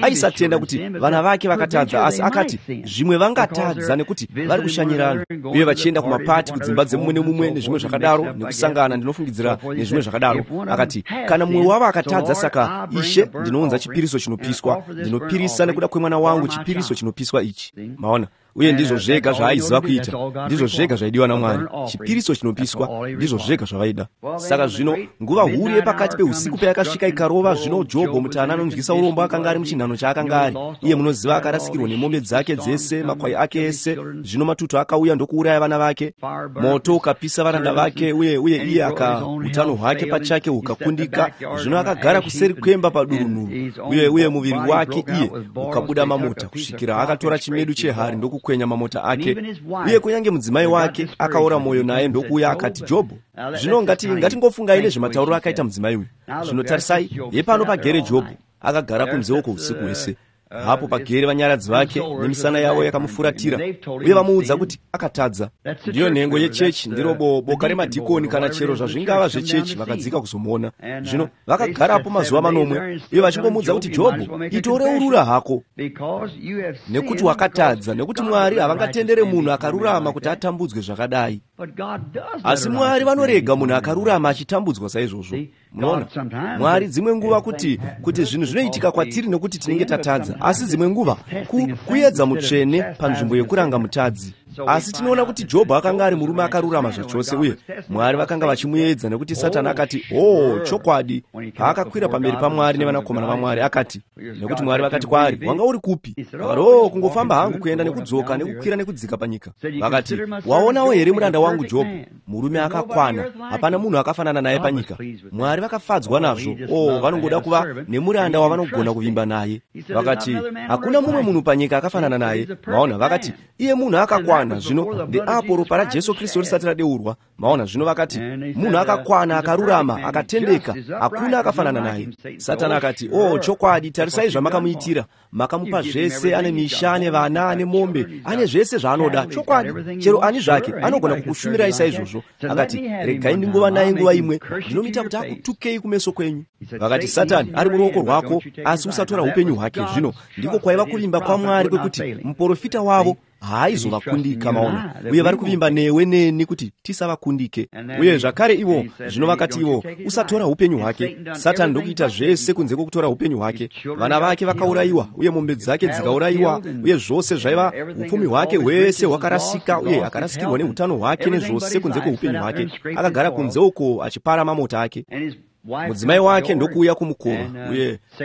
aisatenda kuti vana vake vakatadza, asi akati zvimwe vangatadza nekuti vari kushanyirana uye vachienda kumapati kudzimba dzemumwe nemumwe nezvimwe zvakadaro, nekusangana ndinofungidzira nezvimwe zvakadaro. Akati kana mumwe wavo akatadza, saka Ishe, ndinounza chipiriso chinopiswa, ndinopirisa nekuda kwemwana wangu chipiriso chinopiswa ichi, maona. Uye ndizvo zvega zvaaiziva kuita, ndizvo zvega zvaidiwa naMwari, chipiriso chinopiswa, ndizvo zvega zvavaida. Saka zvino nguva huru yepakati peusiku payakasvika ikarova, zvino Jobho mutana anonzwisa urombo akanga ari muchinhano chaakanga ari. Iye munoziva akarasikirwa nemombe dzake dzese, makwai ake ese. Zvino matutu akauya ndokuuraya vana vake, moto ukapisa varanda vake, uye iye aka utano hwake pachake hukakundika. Zvino akagara kuseri kwemba padurunhuru, uye muviri wake iye ukabuda mamota kusvikira akatora chimedu chehari ndokukwenya mamota ake. Uye kunyange mudzimai wake akaora moyo naye ndokuuya akati, Jobho, zvino ngatingofungai nezvematauriro akaita mudzimai uyu. Zvino tarisai, yepano pagere Jobho akagara kunze uko usiku hwese. Hapo pagere vanyaradzi vake nemisana yavo yakamufuratira, uye vamuudza kuti akatadza. Ndiyo nhengo yechechi, ndiro boka remadhikoni kana chero zvazvingava zvechechi, vakadzika kuzomuona. Zvino vakagarapo mazuva manomwe, uye vachingomuudza kuti, Jobho, itoreurura hako, nekuti wakatadza, nekuti Mwari havangatendere munhu akarurama kuti atambudzwe zvakadai. Asi Mwari vanorega munhu akarurama achitambudzwa saizvozvo. Munoona, Mwari dzimwe nguva kuti zvinhu zvinoitika kwatiri nekuti tinenge tatadza, asi dzimwe nguva kuedza mutsvene panzvimbo yekuranga mutadzi. Asi tinoona kuti Jobho akanga ari murume akarurama zvachose, uye Mwari vakanga vachimuedza, nekuti Satani akati, "Oh, chokwadi," paakakwira pamberi paMwari nevanakomana vaMwari, akati, nekuti Mwari vakati kwaari, "Wanga uri kupi?" Akati, "Oh, kungofamba hangu kuenda nekudzoka nekukwira nekudzika panyika." Vakati, "Waonawo here muranda wangu Jobho, murume akakwana, hapana munhu akafanana naye panyika." Mwari vakafadzwa nazvo. Oh, vanongoda kuva nemuranda wavanogona kuvimba naye. Vakati, "Hakuna mumwe munhu panyika akafanana naye." Maona, vakati, "Iye munhu akakwana." Zvino ndeapo ropa raJesu Kristu risati radeurwa. Maona, zvino vakati, "Munhu akakwana, akarurama, akatendeka, hakuna akafanana naye." Satani akati, "Oh, chokwadi, tarisai zvamakamuitira. Makamupa zvese, ane misha, ane vana, ane mombe, ane zvese zvaanoda. Chokwadi, chero ani zvake anogona kukushumirai saizvozvo." Akati, "Regai ndingova naye nguva imwe, ndinomuita kuti akutukei kumeso kwenyu." Vakati, "Satani ari muruoko rwako, asi usatora upenyu hwake." Zvino ndiko kwaiva kuvimba kwaMwari kwekuti muprofita wavo haaizovakundika. Maona, uye vari kuvimba newe neni kuti tisavakundike. Uye zvakare ivo zvino vakati ivo, "Usatora upenyu hwake." Satani ndokuita zvese kunze kwokutora upenyu hwake. Vana vake vakaurayiwa, uye mombe dzake dzikaurayiwa, uye zvose zvaiva upfumi hwake hwese hwakarasika, uye akarasikirwa neutano hwake nezvose kunze kweupenyu hwake. Akagara kunze uko achipara mamota ake. Mudzimai wake ndokuuya kumukova,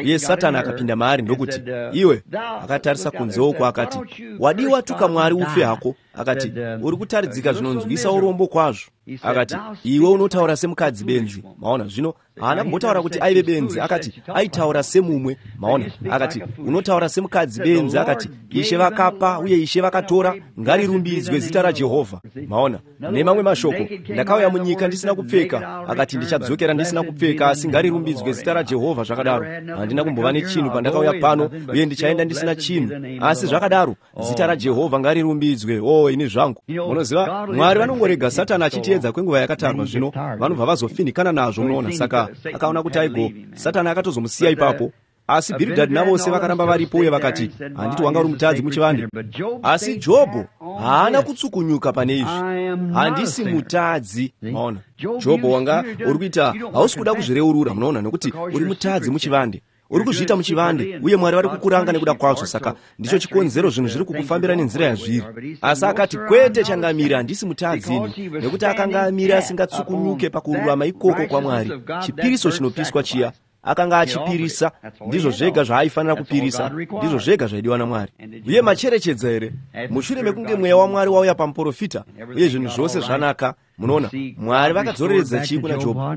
uye Satani akapinda maari ndokuti, "Iwe," akatarisa kunze uko akati, "Wadiwa tuka Mwari ufe hako." Akati, "Uri kutaridzika zvinonzwisa urombo kwazvo." Akati, "Iwe unotaura semukadzi benzi." Maona, zvino haana kumbotaura kuti aive benzi, akati aitaura semumwe. Maona, akati, "Unotaura semukadzi benzi." Akati, "Ishe vakapa uye Ishe vakatora, ngarirumbidzwe zita raJehovha." Maona, nemamwe mashoko, "Ndakauya munyika ndisina kupfeka," akati, "ndichadzokera ndisina kupfeka, asi ngarirumbidzwe zita raJehovha." Zvakadaro, handina kumbova nechinhu pandakauya pano, uye ndichaenda ndisina chinhu, asi zvakadaro zita raJehovha ngarirumbidzwe. Oh, ini zvangu. Munoziva, Mwari vanongorega Satani achitiedza kwenguva yakatarwa, zvino vanobva vazofinhikana nazvo. Munoona, saka akaona kuti aigo Satani akatozomusiya ipapo. Asi Bhiridhadhi navose vakaramba varipo, uye vakati, "Handiti wanga uri mutadzi muchivande?" Asi Jobho haana kutsukunyuka pane izvi. "Handisi mutadzi." Maona, Jobho, wanga uri kuita, hausi kuda kuzvireurura. Munoona, nokuti uri mutadzi muchivande, uri kuzviita muchivande, uye Mwari vari kukuranga nekuda kwazvo. Saka ndicho chikonzero zvinhu zviri kukufambira nenzira yazviri. Asi akati, "Kwete, changamire, handisi mutadzi ini," nekuti akanga amire asingatsukunyuke pakururama ikoko kwaMwari. Chipiriso chinopiswa chiya akanga achipirisa, ndizvo zvega zvaaifanira kupirisa, ndizvo zvega zvaidiwa naMwari. Uye macherechedza here, mushure mekunge mweya waMwari wauya pamuprofita uye zvinhu zvose zvanaka, munoona, Mwari vakadzoreredza chii kuna Jobho?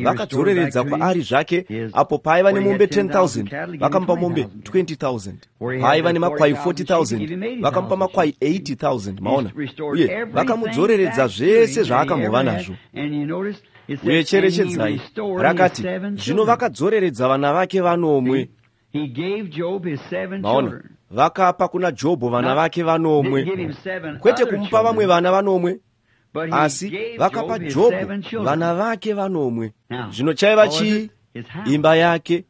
Vakadzoreredza kwaari zvake. Apo paaiva nemombe 10,000, vakamupa mombe 20,000. Paaiva nemakwai 40,000, vakamupa makwai 80,000. Maona, uye vakamudzoreredza zvese zvaakambova nazvo. Uye cherechedzai, rakati, zvino vakadzoreredza vana vake vanomwe. Maona, vakapa kuna Jobho vana vake vanomwe, kwete kumupa vamwe vana vanomwe, asi vakapa Jobho vana vake vanomwe. Zvino chaiva chii? Imba yake,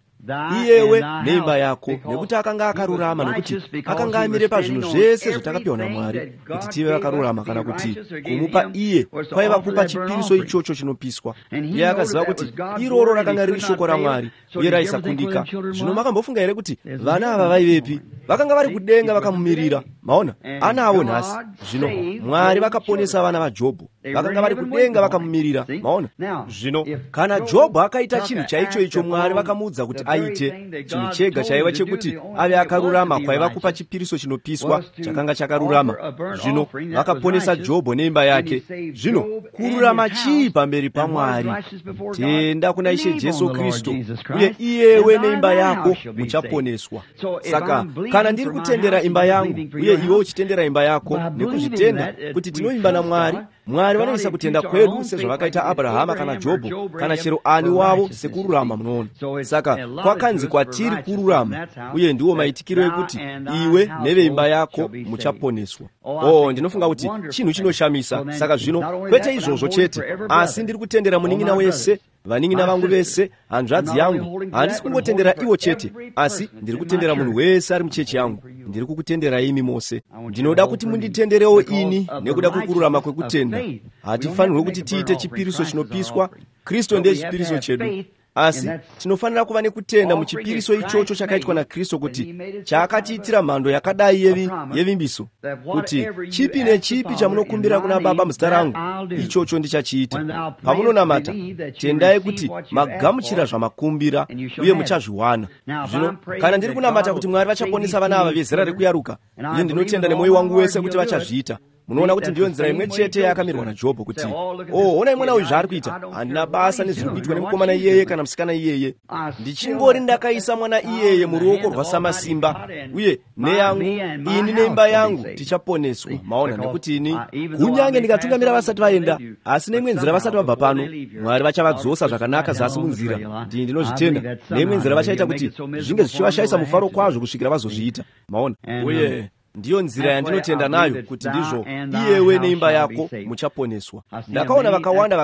iyewe neimba yako, nekuti akanga akarurama, nekuti akanga amire pazvinhu zvese zvatakapiwa naMwari kuti tive vakarurama, kana kuti kumupa iye kwaiva kupa chipiriso ichocho chinopiswa. Iye akaziva kuti iroro rakanga riri shoko raMwari uye raisakundika. Zvino makambofunga here kuti vana ava vaivepi? Vakanga vari kudenga vakamumirira. Maona, anavo nhasi. Zvino Mwari vakaponesa vana vaJobho, vakanga vari kudenga vakamumirira. Maona, zvino kana Jobho akaita chinhu chaicho icho Mwari vakamuudza kuti aite, chinhu chega chaiva chekuti ave akarurama kwaiva kupa chipiriso chinopiswa chakanga chakarurama. Zvino vakaponesa Jobho neimba yake. Zvino kururama chii pamberi paMwari? Tenda kuna Ishe Jesu Kristu, uye iyewe neimba yako muchaponeswa. Saka kana ndiri kutendera imba yangu, uye iwe uchitendera imba yako, nekuzviita tinozvitenda kuti tinovimba naMwari, Mwari vanoisa kutenda kwedu sezvavakaita Abrahama kana Jobho kana chero ani wavo sekururama, munoona. Saka kwakanzi kwatiri kururama, uye ndiwo maitikiro ekuti iwe neveimba yako muchaponeswa. Oh, ndinofunga kuti chinhu chinoshamisa. Saka zvino kwete izvozvo chete, asi ndiri kutendera munin'ina wese, vanin'ina vangu vese, hanzvadzi yangu. Handisi kungotendera ivo chete, asi ndiri kutendera munhu wese ari muchechi yangu. Ndiri kukutenderai imi mose. Ndinoda kuti munditenderewo ini nekuda kwekururama kwekutenda. Hatifanirwe kuti tiite chipiriso chinopiswa. Kristu ndiye chipiriso chedu, asi tinofanira kuva nekutenda muchipiriso ichocho chakaitwa naKristu, kuti chaakatiitira mhando yakadai yevimbiso, kuti chipi nechipi chamunokumbira kuna Baba muzita rangu, ichocho ndichachiita. Pamunonamata, tendai kuti magamuchira zvamakumbira, uye muchazviwana. Zvino kana ndiri kunamata kuti Mwari vachaponesa vana ava vezera rekuyaruka, uye ndinotenda nemwoyo wangu wese kuti vachazviita, munoona kuti ndiyo nzira imwe chete yakamirwa naJobho, kuti, "Oh, onai mwana uyu zvaari kuita. Handina basa nezviri kuitwa nemukomana iyeye kana musikana iyeye. Ndichingori ndakaisa mwana iyeye muruoko rwaSamasimba, uye neyangu ini neimba yangu tichaponeswa." Maona, nekuti ini kunyange ndikatungamira vasati vaenda, asi neimwe nzira vasati vabva pano, Mwari vachavadzosa zvakanaka zasi munzira. Ndii ndinozvitenda. Neimwe nzira vachaita kuti zvinge zvichivashayisa mufaro kwazvo kusvikira vazozviita. Maona? Uye ndiyo nzira yandinotenda nayo kuti ndizvo, iyewe neimba yako muchaponeswa. Ndakaona vakawanda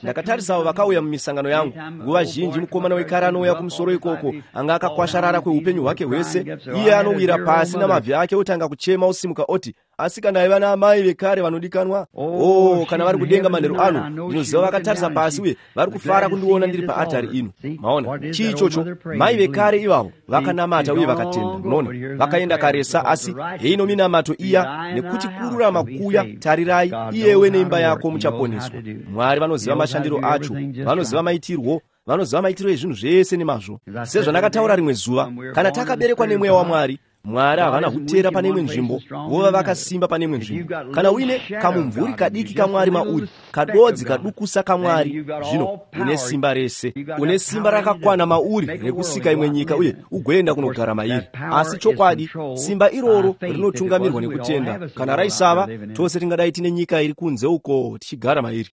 ndakatarisavo vakauya mumisangano yangu. Nguva zhinji mukomana wekare anouya kumusoro ikoko, anga akakwasharara kweupenyu hwake hwese. Iye anowira pasi namabvi ake, otanga kuchema, osimuka oti, "Asi kana aiva naamai vekare vanodikanwa, oh, kana vari kudenga manheru ano, ndinoziva vakatarisa pasi uye vari kufara kundiona ndiri paatari ino." Maona, chii ichocho? Mai vekare ivavo vakanamata uye vakatenda. Munoona, vakaenda karesa, asi heino minamato iya, nekuti kururama kuya, tarirai, iyewe neimba yako muchaponeswa. Mwari vanoziva mashandiro acho, vanoziva maitirwo, vanoziva maitiro ezvinhu zvese nemazvo. Sezvandakataura rimwe zuva, kana takaberekwa nemweya waMwari, Mwari havana kutera pane imwe nzvimbo vova vakasimba pane imwe nzvimbo. Kana uine kamumvuri kadiki kaMwari mauri, kadodzi kadukusa kaMwari, zvino une simba rese. Une simba rakakwana mauri rekusika imwe nyika uye ugoenda kunogara mairi. Asi chokwadi, simba iroro rinotungamirwa nekutenda. Kana raisava, tose tingadai tine nyika iri kunze uko tichigara mairi.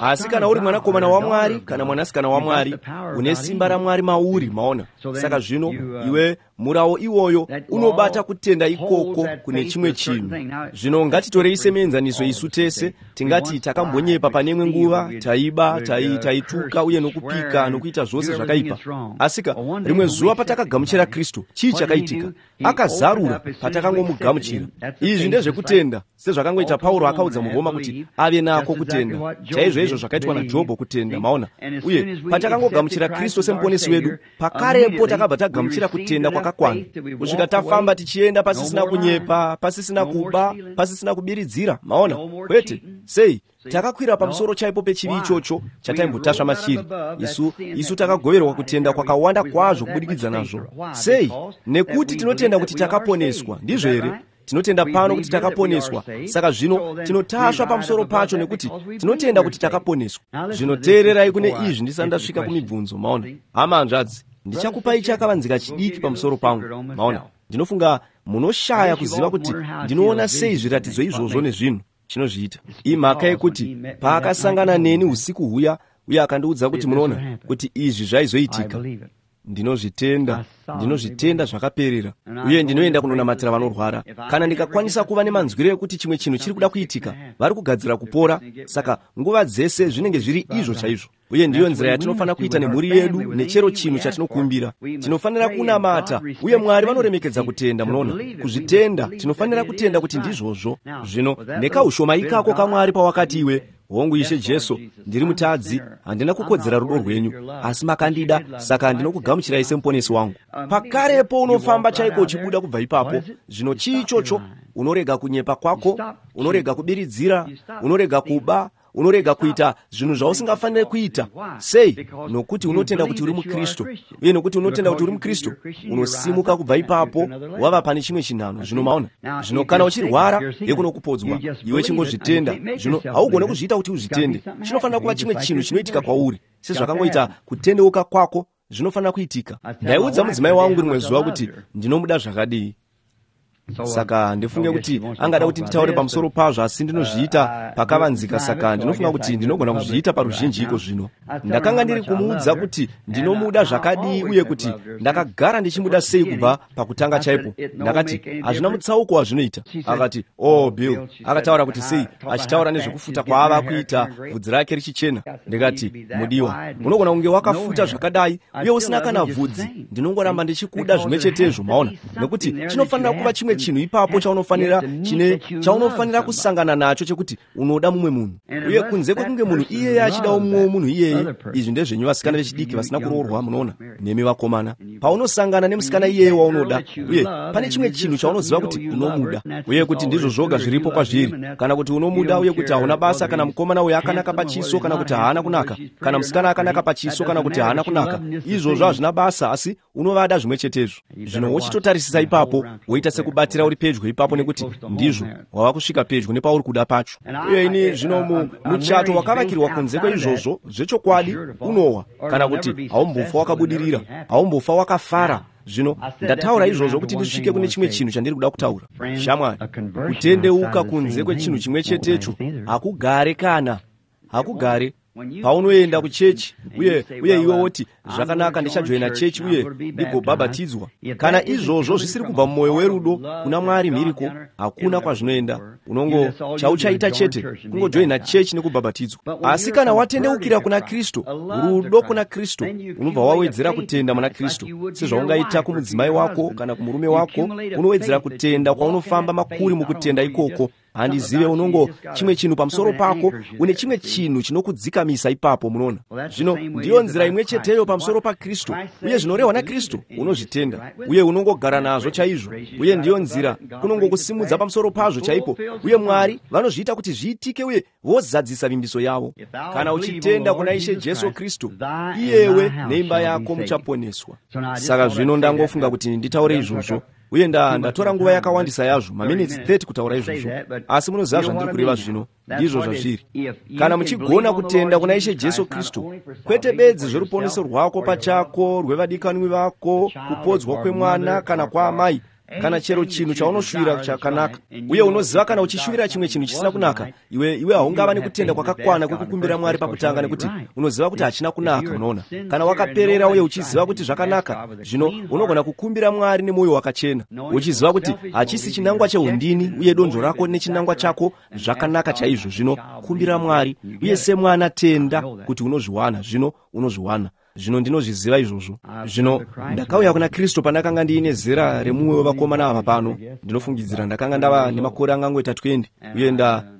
Asi kana uri mwanakomana waMwari kana mwanasikana waMwari, une simba raMwari mauri. Maona? Saka zvino iwe, murawo iwoyo unobata kutenda ikoko kune chimwe chinhu. Zvino ngatitorei semuenzaniso isu tese, tingati takambonyepa pane imwe nguva, taiba, taituka uye nokupika nokuita zvose zvakaipa. Asika rimwe zuva patakagamuchira Kristu, chii chakaitika? Akazarura patakangomugamuchira. Izvi ndezvekutenda, sezvakangoita Pauro akaudza muRoma kuti ave nako kutenda, chaizvo izvo zvakaitwa naJobho kutenda. Maona? Uye patakangogamuchira Kristu semuponesi wedu, pakarepo takabva tagamuchira kutenda kwakakwana kusvika tafamba tichienda pasisina kunyepa, pasisina kuba, pasisina kubiridzira. Maona? Kwete. Sei? Takakwira pamusoro chaipo pechivi ichocho chataimbotasva machiri. Isu takagoverwa kutenda kwakawanda kwazvo kubudikidza nazvo. Sei? Nekuti tinotenda kuti takaponeswa. Ndizvo here? Tinotenda pano kuti takaponeswa, saka zvino tinotasva pamusoro pacho nekuti tinotenda kuti takaponeswa. Zvino teererai kune izvi ndisati ndasvika kumibvunzo. Maona, hama, hanzvadzi, ndichakupai chakavanzika chidiki pamusoro pangu. Maona, ndinofunga munoshaya kuziva kuti ndinoona sei zviratidzo izvozvo nezvinhu chinozviita. Imhaka yekuti paakasangana neni usiku huya uye akandiudza kuti, munoona, kuti izvi zvaizoitika, ndinozvitenda, ndinozvitenda zvakaperera. Uye ndinoenda kunonamatira vanorwara. Kana ndikakwanisa kuva nemanzwiro ekuti chimwe chinhu chiri kuda kuitika, vari kugadzira kupora, saka nguva dzese zvinenge zviri izvo chaizvo. Uye ndiyo nzira yatinofanira kuita nemhuri yedu nechero chinhu chatinokumbira. Tinofanira kunamata, uye Mwari vanoremekedza kutenda. Munoona, kuzvitenda, tinofanira kutenda kuti ndizvozvo. Zvino nekaushoma ikako kaMwari, pawakati iwe, "Hongu, Ishe Jesu, ndiri mutadzi, handina kukodzera rudo rwenyu, asi makandida, saka ndinokugamuchirai semuponesi wangu," pakarepo unofamba chaiko uchibuda kubva ipapo. Zvino chii ichocho? Unorega kunyepa kwako, unorega kubiridzira, unorega kuba, unorega kuita zvinhu zvausingafaniri kuita. Sei? Nokuti unotenda kuti uri muKristu. Uye nokuti unotenda kuti uri muKristu, unosimuka kubva ipapo, wava pane chimwe chinhano. Zvino maona? Zvino kana uchirwara, yekunokupodzwa, iwe chingozvitenda. Zvino haugone kuzviita kuti uzvitende. Chinofanira kuva chimwe chinhu chinoitika kwauri, sezvakangoita kutendeuka kwako, zvinofanira kuitika. Ndaiudza mudzimai wangu rimwe zuva kuti ndinomuda zvakadii. Saka ndifunge kuti angada kuti nditaure pamusoro pazvo, asi ndinozviita pakavanzika, saka ndinofunga kuti ndinogona kuzviita paruzhinji iko zvino. Ndakanga ndiri kumuudza kuti ndinomuda zvakadii uye kuti ndakagara ndichimuda sei kubva pakutanga chaipo. Ndakati, hazvina mutsauko wazvinoita. Akati, oh Bill, akataura kuti sei, achitaura nezvekufuta kwaava kuita bvudzi rake richichena. Ndikati, mudiwa, unogona kunge wakafuta zvakadai uye usina kana bvudzi, ndinongoramba ndichikuda zvimwe chetezvo, maona, nekuti chinofanira kuva chimwe chinhu ipapo chaunofanira chaunofanira kusangana nacho chekuti unoda mumwe munhu. Uye kunze kwekunge munhu iyeye achidawo mumwewo munhu iyeye, izvi ndezvenyu vasikana vechidiki vasina kuroorwa, munoona, nemi vakomana. Paunosangana nemusikana iyeye waunoda, uye pane chimwe chinhu chaunoziva kuti unomuda, uye kuti ndizvo zvoga zviripo kwazviri, kana kuti unomuda uye kuti hauna basa kana mukomana uyo akanaka pachiso kana kuti haana kunaka, kana musikana akanaka pachiso kana kuti haana kunaka, izvozvo hazvina basa, asi unovada zvimwe chetezvo. Zvino wochitotarisisa ipapo, woita sekubatira uri pedyo ipapo, nekuti ndizvo wava kusvika pedyo nepauri kuda pacho. Uye ini zvino muchato wakavakirwa kunze kweizvozvo, zvechokwadi unowa, kana kuti haumbofa wakabudirira, haumbofa wakafara. Zvino ndataura izvozvo kuti ndisvike kune chimwe chinhu chandiri kuda kutaura. Shamwari, kutendeuka kunze kwechinhu chimwe chetecho hakugare kana hakugare. Paunoenda kuchechi uye iwe woti, zvakanaka, ndichajoina chechi uye ndigobhabhatidzwa, kana izvozvo zvisiri kubva mumwoyo werudo kuna Mwari mhiriko, hakuna kwazvinoenda. Unongo chauchaita chete kungojoina chechi nekubhabhatidzwa. Asi kana watendeukira kuna Kristu, rudo kuna Kristu, unobva wawedzera kutenda muna Kristu. Sezvaungaita kumudzimai wako kana kumurume wako, unowedzera kutenda kwaunofamba makuri mukutenda ikoko. Handizive, unongo chimwe chinhu pamusoro pako, une chimwe chinhu chinokudzikamisa ipapo, munoona. Zvino ndiyo nzira imwe cheteyo pamusoro paKristu, uye zvinorehwa naKristu unozvitenda uye unongogara nazvo chaizvo, uye ndiyo nzira kunongokusimudza pamusoro pazvo chaipo, uye Mwari vanozviita kuti zviitike uye vozadzisa vimbiso yavo. Kana uchitenda kuna Ishe Jesu Kristu, iyewe neimba yako muchaponeswa. Saka zvino ndangofunga kuti nditaure izvozvo, uye ndatora nguva yakawandisa yazvo, maminitsi 30 kutaura izvozvo, asi munoziva zvandiri kureva zvino. Ndizvo zvazviri. Kana muchigona kutenda kuna Ishe Jesu Kristu, kwete bedzi zveruponeso rwako pachako, rwevadikanwi vako, kupodzwa kwemwana kana kwaamai, kana chero chinhu chaunoshuvira chakanaka, uye unoziva kana uchishuvira chimwe chinhu chisina kunaka, iwe haungava nekutenda kwakakwana kwekukumbira Mwari pakutanga, nekuti unoziva kuti hachina kunaka. Unoona, kana wakaperera uye uchiziva kuti zvakanaka, zvino unogona kukumbira Mwari nemwoyo wakachena, uchiziva kuti hachisi chinangwa cheundini uye donzvo rako nechinangwa chako zvakanaka chaizvo. Zvino kumbira Mwari, uye semwana tenda kuti unozviwana. Zvino unozviwana. Zvino ndinozviziva izvozvo. Zvino ndakauya kuna Kristu pandakanga ndiine zera remumwe wevakomana ava pano. Ndinofungidzira ndakanga ndava nemakore angangoita 20, uye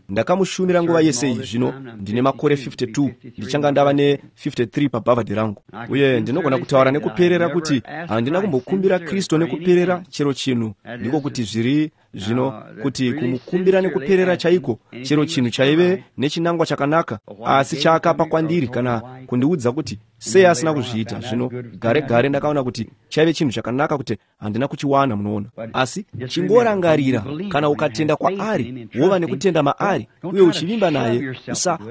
ndakamushumira nguva yese iyi. Zvino ndine makore 52, ndichanga ndava ne53 pabhavhadhi rangu, uye ndinogona kutaura nekuperera kuti handina kumbokumbira Kristu nekuperera chero chinhu. Ndiko kuti zviri zvino kuti kumukumbira nekuperera chaiko chero chinhu chaive nechinangwa chakanaka, asi chaakapa kwandiri kana kundiudza kuti sei asina kuzviita. Zvino gare gare ndakaona kuti chaive chinhu chakanaka kuti handina kuchiwana, munoona. Asi chingorangarira, kana ukatenda kwaari, wova nekutenda maari uye uchivimba naye,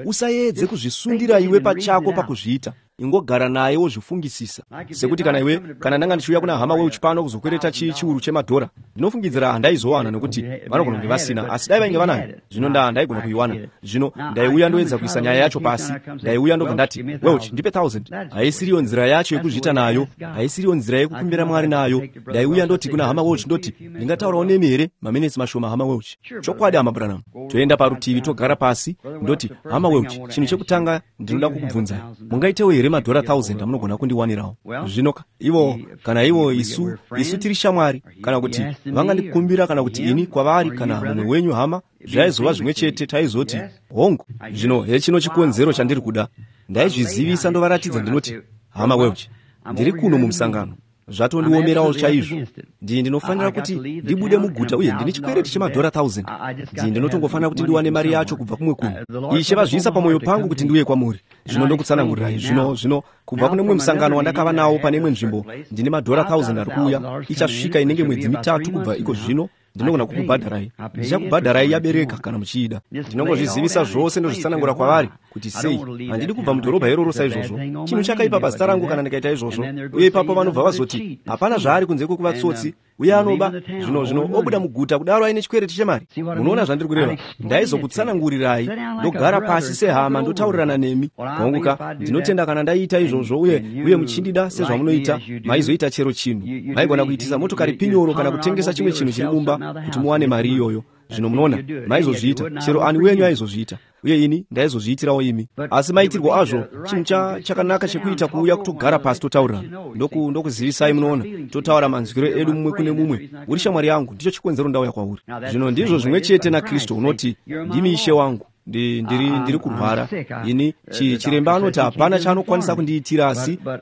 usaedze kuzvisundira iwe pachako pakuzviita. Ingogara naye wozvifungisisa. Sekuti kana iwe, kana ndanga ndichiuya kuna hama Welch pano kuzokwereta chiuru chemadhora, ndinofungidzira handaizowana, nekuti vanogona kunge vasina, asi dai vainge vanayo, zvino ndaigona kuiwana. Zvino ndaiuya ndoedza kuisa nyaya yacho pasi, ndaiuya ndobva ndati, Welch, ndipe 1000. Haisiriyo nzira yacho yekuzviita nayo, haisiriyo nzira yekukumbira Mwari nayo. Ndaiuya ndoti kuna hama Welch, ndoti, ndingataurawo nemi here maminitsi mashoma, hama Welch? Chokwadi, hama Branham. Toenda parutivi, togara pasi, ndoti, hama Welch, chinhu chekutanga ndinoda kukubvunzai, mungaitewo here madhora 1000 amunogona kundiwanirawo? Zvino ivo, kana ivo, isu tiri shamwari, kana kuti vangandikumbira, kana kuti ini kwavari, kana mumwe wenyu hama, zvaizova zvimwe chete, taizoti hongu. Zvino hechino chikonzero chandiri kuda. Ndaizvizivisa ndovaratidza, ndinoti, hama Welch, ndiri kuno mumusangano, zvatondiomerawo chaizvo. Ndinofanira kuti ndibude muguta uye ndine chikwereti chemadhora 1000. Ndinotongofanira kuti ndiwane mari yacho kubva kumwe kunhu. Ishe vazviisa pamwoyo pangu kuti ndiuye kwamuri. Zvino ndokutsanangurirai. Zvino kubva kune mumwe musangano wandakava nawo pane imwe nzvimbo, ndine madhora 1000 ari kuuya. Ichasvika inenge mwedzi mitatu kubva iko zvino. Ndinogona kukubhadharai. Ndichakubhadharai yabereka kana muchiida. Ndinongozvizivisa zvose ndozvitsanangura kwavari kuti sei handidi kubva mudhorobha iroro saizvozvo. Chinhu chakaipa pazita rangu kana ndikaita izvozvo. Uye ipapo vanobva vazoti hapana zvaari kunze kwekuva tsotsi. Uye anoba zvino obuda muguta kudaro aine chikwereti chemari. Munoona zvandiri kureva? Ndaizokutsanangurirai, ndogara pasi sehama, ndotaurirana nemi. Honguka, ndinotenda kana ndaiita izvozvo uye muchindida sezvamunoita, maizoita chero chinhu. Maigona kuitisa motokari pinyoro kana kutengesa chimwe chinhu chiri mumba kuti muwane mari iyoyo. Zvino munoona, maizozviita, chero ani wenyu aizozviita. Uye ini ndaizozviitirawo imi. Asi maitirwo azvo chinhu chakanaka chekuita kuuya kutogara pasi totaurirana. Ndokuzivisai, munoona, totaura manzwiro edu mumwe kune mumwe. Uri shamwari yangu, ndicho chikonzero ndauya kwauri. Zvino ndizvo zvimwe chete naKristu unoti, ndimi Ishe wangu. Ndiri kurwara. Ini chiremba anoti hapana chaanokwanisa kundiitira,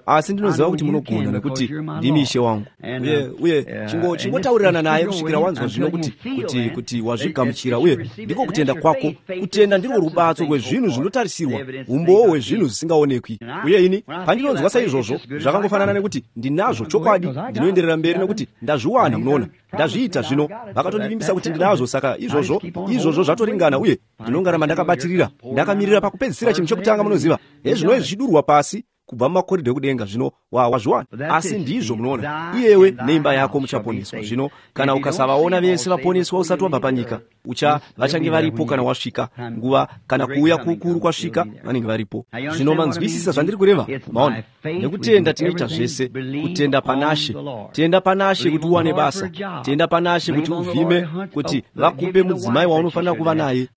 asi ndinoziva kuti munogona nekuti ndimi Ishe wangu. Uye chingotaurirana naye kusvikira wanzwa zvino kuti wazvigamuchira. Uye ndiko kutenda kwako. Kutenda ndirwo rubatso rwezvinhu zvinotarisirwa, umbowo hwezvinhu zvisingaonekwi. Uye ini pandinonzwa saizvozvo, zvakangofanana nekuti ndinazvo chokwadi, ndinoenderera mberi nekuti ndazviwana. Munoona, ndazviita zvino, vakatondivimbisa kuti ndinazvo, saka izvozvo zvatoringana. Uye ndinongaramba ndakabatirira, ndakamirira pakupedzisira chinhu chekutanga. Munoziva, hezvino zvichidurwa pasi kubva mumakoridho ekudenga. Zvino wazviwana. Asi ndizvo, munoona, iyewe neimba yako muchaponeswa. Zvino kana ukasavaona vese vaponeswa usati wabva panyika, vachange varipo kana wasvika nguva, kana kuuya kukuru kwasvika, vanenge varipo. Zvino manzwisisa zvandiri kureva? Maona, nekutenda tinoita zvese. Kutenda panashe. Tenda panashe kuti uwane basa. Tenda panashe kuti uvhime, kuti vakupe mudzimai waunofanira kuva naye.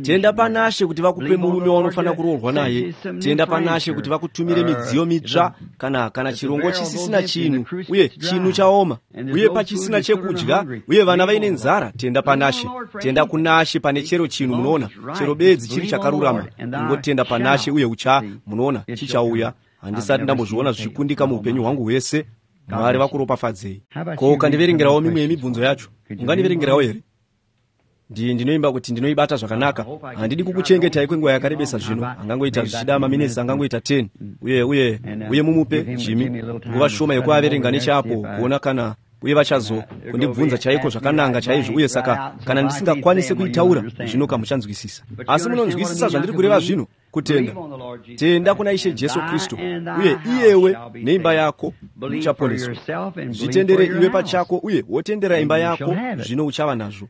Tenda panashe kuti vakupe murume waunofanira kuroorwa naye. Tenda panashe kuti vakutumire midziyo mitsva, kana chirongo chisisina chinhu, uye chinhu chaoma, uye pachisina chekudya, uye vana vaine nzara. Tenda panashe. Tenda kunashe pane chero chinhu, munoona, chero bedzi chiri chakarurama. Ingotenda panashe uye munoona, chichauya. Handisati ndambozviona zvichikundika muupenyu hwangu hwese. Mwari vakuropafadzei. Ko ukandiverengerawo mimwe yemibvunzo yacho? Ungandiverengerawo here? Ndinoimba kuti ndinoibata zvakanaka. Handidi kukuchengetai kwenguva yakarebesa zvino. Angangoita zvichida maminitsi angangoita 10. Uye mumupe Jimmy nguva shoma yekuaverenga nechapo kuona kana uye vachazo kundibvunza chaiko zvakananga chaizvo. Uye saka kana ndisingakwanisi kuitaura zvino kamuchanzwisisa. Asi munonzwisisa zvandiri kureva zvino? Kutenda. Tenda kuna Ishe Jesu Kristu, uye iyewe neimba yako muchaponeswa. Zvitendere iwe pachako uye wotendera imba yako, zvino uchava nazvo.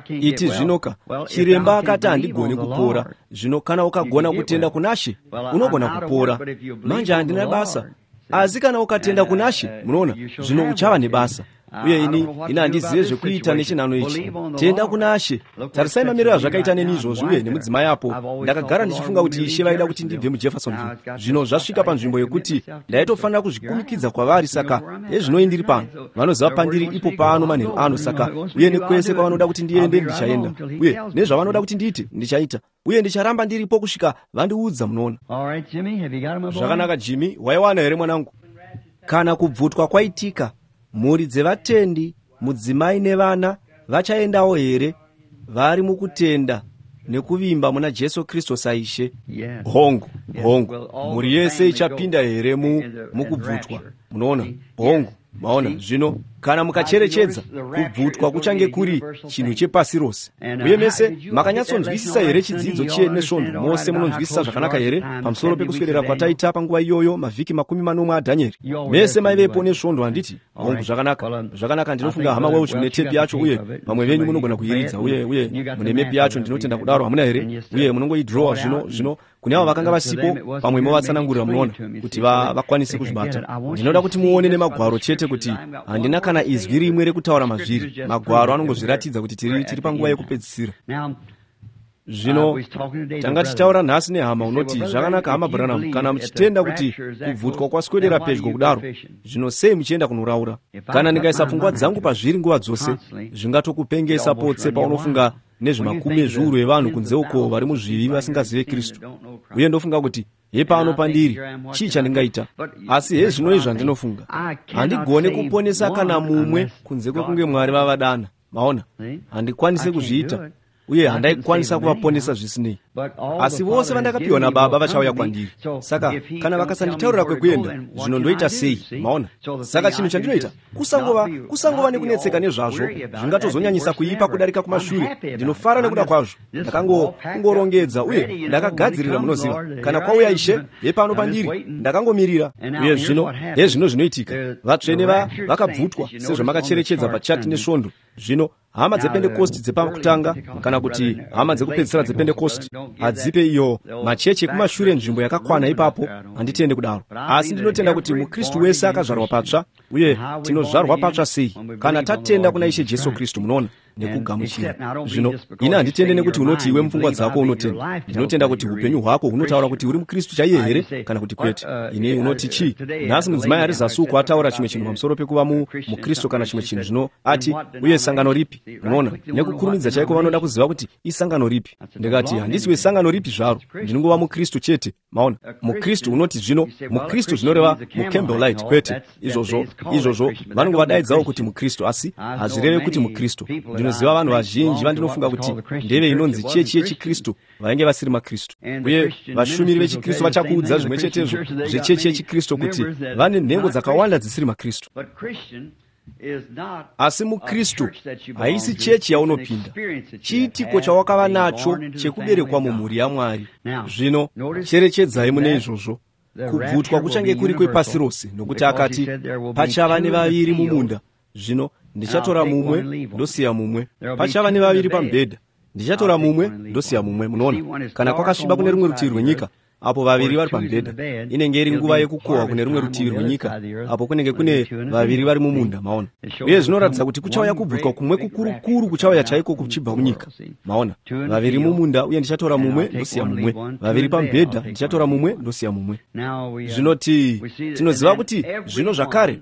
Iti zvinoka, chiremba akati handigoni kupora. Zvino kana ukagona kutenda kunashe, unogona kupora. Manje handina basa. Asi kana ukatenda kunashe, munoona, zvino uchava nebasa. Uye ini handizive zvekuita nechinhano ichi. Tenda kunashe. Tarisai mamiriro azvakaita neni izvozvi uye nemudzimai apo. Ndakagara ndichifunga kuti Ishe vaida kuti ndibve muJeffersonville. Zvino zvasvika panzvimbo yekuti ndaitofanira kuzvikumikidza kwavari, saka hezvinoi ndiri pano. Vanoziva pandiri ipo pano manheru ano, saka uye nekwese kwavanoda kuti ndiende ndichaenda. Uye nezvavanoda kuti ndiite ndichaita. Uye ndicharamba ndiripo kusvika vandiudza, munoona. Zvakanaka Jimmy, waiwana here mwanangu? Kana kubvutwa kwaitika, mhuri dzevatendi, mudzimai nevana vachaendawo here vari mukutenda nekuvimba muna Jesu Kristu saIshe? Hongu, hongu. Mhuri yese ichapinda here mukubvutwa? Munoona? Hongu. Maona, zvino kana mukacherechedza, kubvutwa kuchange kuri chinhu chepasi rose. Uye mese makanyatsonzwisisa here chidzidzo chenesvondo? Mose munonzwisisa zvakanaka here pamusoro pekuswedera kwataita panguva iyoyo mavhiki 17 aDhanieri? Mese maivepo nesvondo, handiti? Hongu, zvakanaka. Zvakanaka, ndinofunga hama Welch mune tepi yacho, uye vamwe venyu munogona kuiridza, uye mune mepi yacho, ndinotenda kudaro, hamuna here? Uye munongoidhirowa zvino kune avo vakanga vasipo, pamwe movatsanangurira, munoona, kuti vakwanise kuzvibata. Ndinoda kuti muone nemagwaro chete kuti handina kana izwi rimwe rekutaura mazviri. Magwaro anongozviratidza kuti tiri panguva yekupedzisira. Zvino tanga tichitaura nhasi nehama unoti, zvakanaka hama Branham, kana muchitenda kuti kubvutwa kwaswedera pedyo kudaro, zvino sei muchienda kunoraura? Kana ndingaisa pfungwa dzangu pazviri nguva dzose, zvingatokupengesa potse paunofunga nezvemakumi ezviuru evanhu kunze uko vari muzvivi vasingazive Kristu. Uye ndofunga kuti hepano pandiri, chii chandingaita? Asi hezvino izvi zvandinofunga, handigone kuponesa kana mumwe kunze kwekunge Mwari vavadana. Maona, handikwanisi kuzviita. Uye handaikwanisa kuvaponesa zvisinei. Asi vose vandakapiwa naBaba vachauya kwandiri. Saka kana vakasanditaurira kwekuenda, zvino ndoita sei? Maona? Saka chinhu chandinoita kusangova nekunetseka nezvazvo, zvingatozonyanyisa kuipa kudarika kumashure. Ndinofara nekuda kwazvo. Ndakangorongedza uye ndakagadzirira, munoziva. Kana kwauya Ishe, hepano pandiri, ndakangomirira. Uye zvino hezvino zvinoitika. Vatsvene vakabvutwa sezvamakacherechedza pachati nesvondo. Zvino hama dzePentekosti dzepakutanga, kana kuti hama dzekupedzisira dzePentekosti, hadzipe iyo machechi ekumashure nzvimbo yakakwana ipapo. Handitende kudaro, asi ndinotenda kuti muKristu wese akazvarwa patsva. Uye tinozvarwa patsva sei? Kana tatenda kuna Ishe Jesu Kristu, munoona, nekugamuchira. Zvino ini handitende nekuti unoti iwe mupfungwa dzako unotenda. Ndinotenda kuti upenyu hwako hunotaura kuti uri muKristu chaiye here kana kuti kwete. Ini unoti chii? Nhasi mudzimai ari zasi uko ataura chimwe chinhu pamusoro pekuva muKristu kana chimwe chinhu. Zvino ati, uye sangano ripi? Unoona, nekukurumidza chaiko vanoda kuziva kuti isangano ripi. Ndikati, handisi wesangano ripi zvaro, ndinongova muKristu chete. Maona, muKristu unoti zvino muKristu zvinoreva muCampbellite. Kwete izvozvo vanongovadaidzawo kuti muKristu, asi hazvireve kuti muKristu. Ndinoziva vanhu vazhinji vandinofunga kuti ndeve inonzi chechi yechiKristu vainge vasiri maKristu. Uye vashumiri vechiKristu vachakuudza zvimwe chetezvo zvechechi yechiKristu, kuti vane nhengo dzakawanda dzisiri maKristu. Asi muKristu haisi chechi yaunopinda, chiitiko chawakava nacho chekuberekwa mumhuri yaMwari. Zvino cherechedzai mune izvozvo, kubvutwa kuchange kuri kwepasi rose, nokuti akati pachava nevaviri mumunda. Zvino ndichatora mumwe ndosiya mumwe. Pachava nevaviri pamubhedha, ndichatora mumwe ndosiya mumwe. Munoona, kana kwakasviba kune rumwe rutivi rwenyika, apo vaviri vari pamubhedha, inenge iri nguva yekukohwa kune rumwe rutivi rwenyika, apo kunenge kune vaviri vari mumunda. Maona? Uye zvinoratidza kuti kuchauya kubvutwa kumwe kukurukuru kuchauya chaiko kuchibva munyika. Maona, vaviri mumunda, uye ndichatora mumwe ndosiya mumwe. Vaviri pamubhedha, ndichatora mumwe ndosiya mumwe. Zvinoti tinoziva kuti zvino zvakare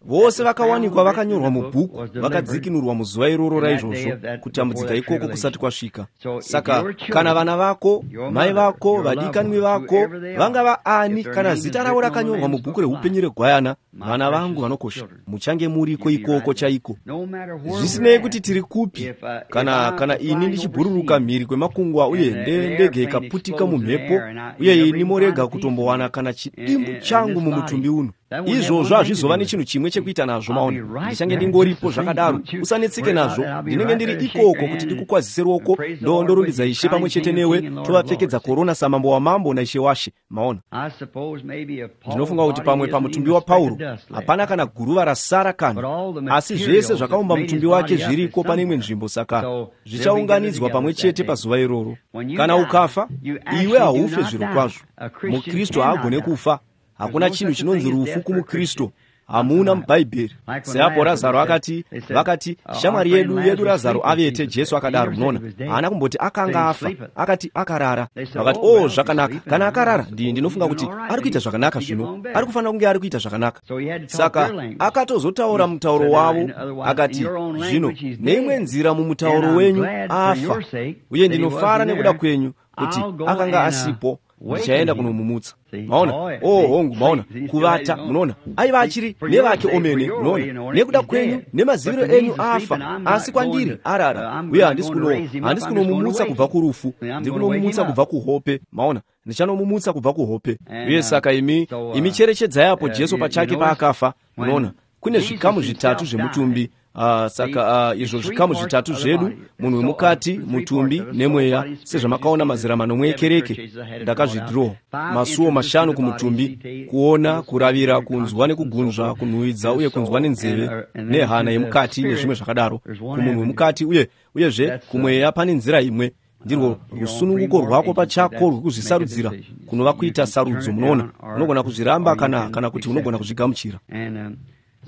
vose vakawanikwa vakanyorwa mubhuku vakadzikinurwa muzuva iroro raizvozvo, kutambudzika ikoko kusati kwasvika. Saka kana vana vako, mai vako, vadikanwi vako vangava ani, kana zita ravo rakanyorwa mubhuku reupenyu regwayana, vana vangu vanokosha, muchange muriko ikoko chaiko. Zvisinei kuti tiri kupi, kana ini ndichibhururuka mhiri kwemakungwa uye ndege ikaputika mumhepo, uye ini morega kutombowana kana chidimbu changu mumutumbi uno, izvozvo hazvizova nechinhu chimwe chekuita nazvo. Maona, ndichange ndingoripo zvakadaro. Usanetseke nazvo, ndinenge ndiri ikoko kuti ndikukwazise ruoko, ndorumbidza Ishe pamwe chete newe, tovapfekedza korona samambo wamambo naIshe washe. Maona, ndinofunga kuti pamwe pamutumbi waPauro hapana kana guruva rasara kana, asi zvese zvakaumba mutumbi wake zviriko pane imwe nzvimbo, saka zvichaunganidzwa pamwe chete pazuva iroro. Kana ukafa, iwe haufe zviro kwazvo. MuKristu haagone kufa. Hakuna chinhu chinonzi rufu kumuKristu, hamuna muBhaibheri. Seapo Razaro akati, vakati shamwari yedu Razaro avete, Jesu akadaro. Munoona, haana kumboti akanga afa, akati akarara. Vakati, oh, zvakanaka, kana akarara, ndinofunga kuti ari kuita zvakanaka zvino, ari kufanira kunge ari kuita zvakanaka. Saka akatozotaura mutauro wavo, akati, zvino neimwe nzira mumutauro wenyu afa, uye ndinofara nekuda kwenyu kuti akanga asipo, ndichaenda kunomumutsa. Maona? Oh, hongu, maona, kuvata, munoona, aiva achiri nevake omene. Munoona, nekuda kwenyu nemaziviro enyu afa, asi kwandiri arara, uye handisi kunomumutsa kubva kurufu, ndiri kunomumutsa kubva kuhope. Maona, ndichanomumutsa kubva kuhope. Uye saka imi cherechedzai apo Jesu pachake paakafa. Munoona, kune zvikamu zvitatu zvemutumbi. Saka izvo zvikamu zvitatu zvedu, munhu wemukati, mutumbi nemweya, sezvamakaona mazera manomwe ekereke ndakazvidhirowa. Masuo mashanu kumutumbi: kuona, kuravira, kunzwa nekugunzva, kunhuhwidza uye kunzwa nenzeve, nehana yemukati nezvimwe zvakadaro. Kumunhu wemukati uyezve kumweya pane nzira imwe, ndirwo rusununguko rwako pachako rwekuzvisarudzira, kunova kuita sarudzo. Munoona, unogona kuzviramba kana kuti unogona kuzvigamuchira.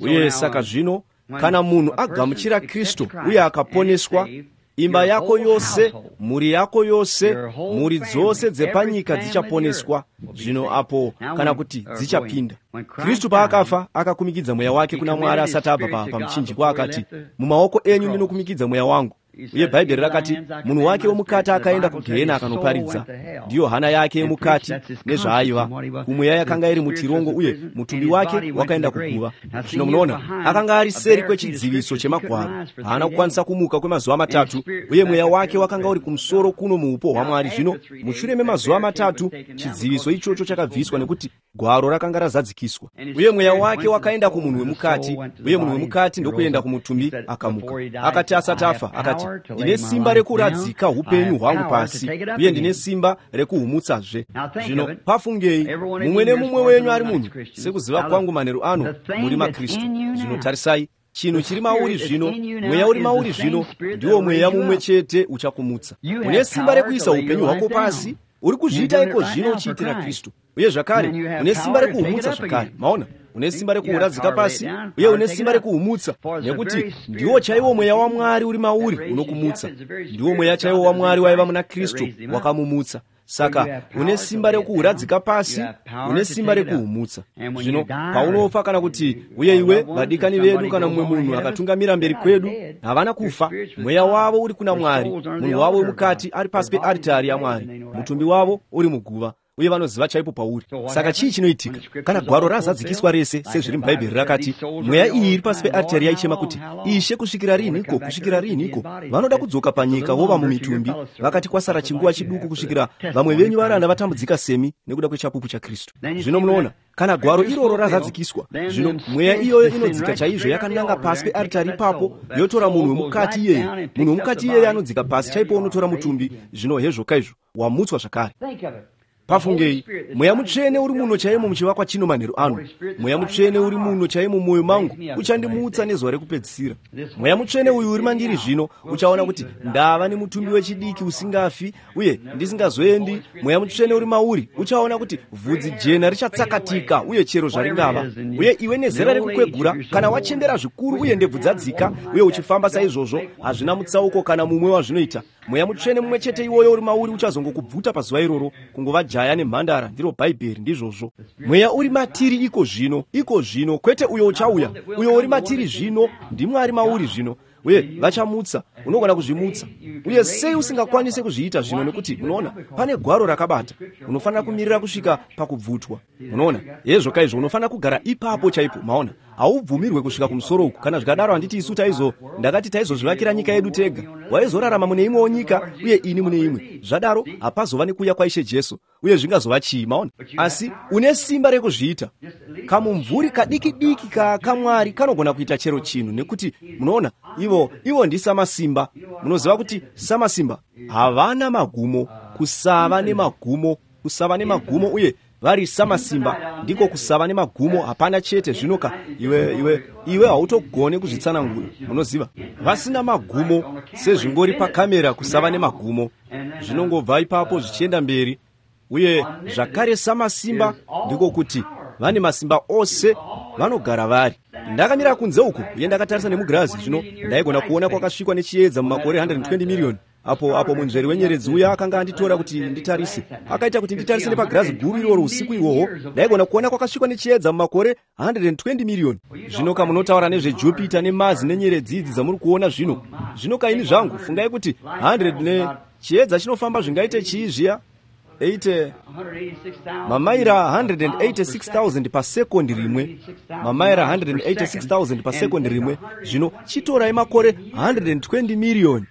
Uye saka zvino kana munhu agamuchira Kristu uye akaponeswa, imba yako yose, mhuri yako yose, mhuri dzose dzepanyika dzichaponeswa. Zvino apo kana kuti dzichapinda. Kristu paakafa akakumikidza mweya wake kuna Mwari asati abva pamuchinjikwa, akati, mumaoko enyu ndinokumikidza mweya wangu. Uye Bhaibheri rakati munhu wake womukati akaenda kugehena akanoparidza. Ndiyo hana yake yemukati nezvaaiva. Kumweya yakanga iri mutirongo uye mutumbi wake wakaenda kuguva. Zvino munoona, akanga ari seri kwechidziviso chemagwaro. Haana kukwanisa kumuka kwemazuva matatu, uye mweya wake wakanga uri kumusoro kuno muupo hwaMwari. Zvino mushure memazuva matatu chidziviso ichocho chakabviswa nekuti gwaro rakanga razadzikiswa. Uye mweya wake wakaenda kumunhu wemukati, uye munhu wemukati ndokuenda kumutumbi akamuka. Akati asati afa, akati, ndine simba rekuradzika upenyu hwangu pasi, uye ndine simba rekuhumutsazve. Zvino pafungei, mumwe nemumwe wenyu ari munhu, sekuziva kwangu manheru ano, muri maKristu. Zvino tarisai, chinhu chiri mauri zvino, mweya uri mauri zvino, ndiwo mweya mumwe chete uchakumutsa. Une simba rekuisa upenyu hwako pasi, uri kuzviita iko zvino uchiitira Kristu. Uye zvakare, une simba rekuhumutsa zvakare. Maona? Une simba rekuuradzika pasi, uye une simba rekuhumutsa, nekuti ndiwo chaiwo mweya waMwari uri mauri unokumutsa. Ndiwo mweya chaiwo waMwari waiva muna Kristu wakamumutsa. Saka une simba rekuuradzika pasi, une simba rekuhumutsa. Zvino paunofa kana kuti uye iwe, vadikani vedu kana mumwe munhu akatungamira mberi kwedu, havana kufa. Mweya wavo uri kuna Mwari, munhu wavo wemukati ari pasi pearitari yaMwari, mutumbi wavo uri muguva, uye vanoziva chaipo pauri. Saka chii chinoitika kana gwaro razadzikiswa rese sezviri muBhaibheri rakati, mweya iyi iri pasi pearitari yaichema kuti, Ishe, kusvikira rinhiko, kusvikira rinhiko? Vanoda kudzoka panyika vova mumitumbi. Vakati kwasara chinguva chiduku kusvikira vamwe venyu varanda vatambudzika semi nekuda kwechapupu chaKristu. Zvino munoona, kana gwaro iroro razadzikiswa, zvino mweya iyoyo inodzika chaizvo yakananga pasi pearitari ipapo, yotora munhu wemukati iyeye. Munhu wemukati iyeye anodzika pasi chaipo unotora mutumbi. Zvino hezvo kaizvo, wamutswa zvakare. Pafungei, mweya mutsvene uri muno chaimo muchivakwa chino manheru ano. Mweya mutsvene uri muno chaimo mumwoyo mangu uchandimutsa nezuva rekupedzisira. Mweya mutsvene uyu uri mandiri zvino uchaona kuti ndava nemutumbi wechidiki usingafi uye ndisingazoendi. Mweya mutsvene uri mauri uchaona kuti vhudzi jena richatsakatika uye chero zvaringava. Uye iwe nezera rekukwegura, kana wachembera zvikuru uye ndebvu dzadzika uye uchifamba saizvozvo, hazvina mutsauko kana mumwe wazvinoita. Mweya mutsvene mumwe chete iwoyo uri mauri uchazongokubvuta pazuva iroro, kungova jaya nemhandara. Ndiro Bhaibheri, ndizvozvo. Mweya uri matiri iko zvino, iko zvino, kwete uyo uchauya, uyo uri matiri zvino, ndiMwari mauri zvino. Uye vachamutsa, unogona kuzvimutsa. Uye sei usingakwanise kuzviita zvino? Nekuti unoona, pane gwaro rakabata. Unofanira kumirira kusvika pakubvutwa. Unoona, hezvo kaizvo, unofanira kugara ipapo chaipo. Maona, haubvumirwe kusvika kumusoro uku. Kana zvikadaro, handiti isu taizo, ndakati taizozvivakira nyika yedu tega. Waizorarama mune imwewo nyika uye ini mune imwe. Zvadaro hapazova nekuuya kwaIshe Jesu, uye zvingazova chii? Maona, asi une simba rekuzviita. Kamumvuri kadiki diki kaMwari kanogona kuita chero chinhu, nekuti munoona, ivo ndisamasimba. Munoziva kuti samasimba havana magumo, kusava nemagumo, kusava nemagumo, uye vari samasimba ndiko kusava nemagumo. Hapana chete zvinoka iwe hautogone kuzvitsanangura. Munoziva, vasina magumo sezvingori pakamera, kusava nemagumo zvinongobva ipapo zvichienda mberi. Uye zvakare samasimba ndiko kuti vane masimba ose, vanogara vari. Ndakamira kunze uku uye ndakatarisa nemugirazi. Zvino ndaigona kuona kwakasvikwa nechiedza mumakore 120 miriyoni. Apo munzveri wenyeredzi uya akanga anditora kuti nditarise, akaita kuti nditarise nepagirazi guru iroro usiku ihwohwo, ndaigona kuona kwakasvikwa nechiedza mumakore 120 miriyoni. Zvino kamunotaura nezveJupita nemazi nenyeredzi idzi dzamuri kuona zvino, zvino kaini zvangu, fungai kuti 100 ne chiedza chinofamba zvingaite chii zviya? 8 mamaira 186,000 pasekondi rimwe, mamaira 186,000 pasekondi rimwe. Zvino chitorai makore 120 miriyoni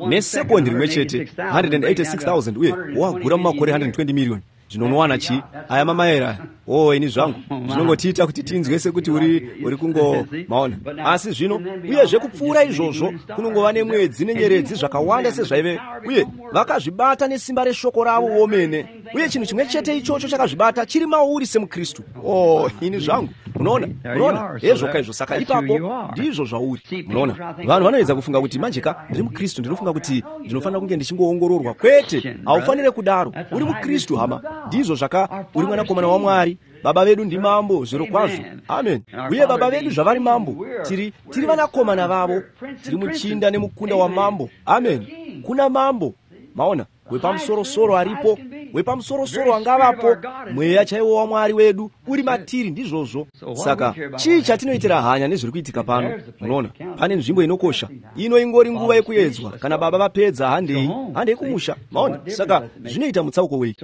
nesekondi rimwe chete, 186,000, uye wagura mumakore 120 miriyoni. Zvino unowana chii? Aya mamaera aya. Oh, ini zvangu, zvinongotiita kuti tinzwe sekuti uri kungo, maona. Asi zvino, uyezve kupfuura izvozvo, kunongova nemwedzi nenyeredzi zvakawanda sezvaive, uye vakazvibata nesimba reshoko ravo vomene. Uye chinhu chimwe chete ichocho chakazvibata chiri mauri semuKristu. Oh, ini zvangu, munoona, munoona, hezvo kaizvo. Saka ipapo ndizvo zvauri. Munoona, vanhu vanoedza kufunga kuti manjeka ndiri muKristu, ndinofunga kuti ndinofanira kunge ndichingoongororwa. Kwete, haufanire kudaro. Uri muKristu, hama. Ndizvo zvaka, uri mwanakomana waMwari. Baba vedu ndimambo, zviro kwazvo. Amen. Uye baba vedu zvavari mambo, tiri vanakomana vavo. Tiri muchinda nemukunda wamambo. Amen. Kuna mambo. Maona, Wepamusorosoro aripo, wepamusorosoro angavapo, mweya chaiwo waMwari wedu uri matiri. Ndizvozvo. Saka chii chatinoitira hanya nezviri kuitika pano? Munoona, pane nzvimbo inokosha ino, ingori nguva yekuedzwa. Kana Baba vapedza, handei, handei kumusha. Maona? Saka zvinoita mutsauko wei?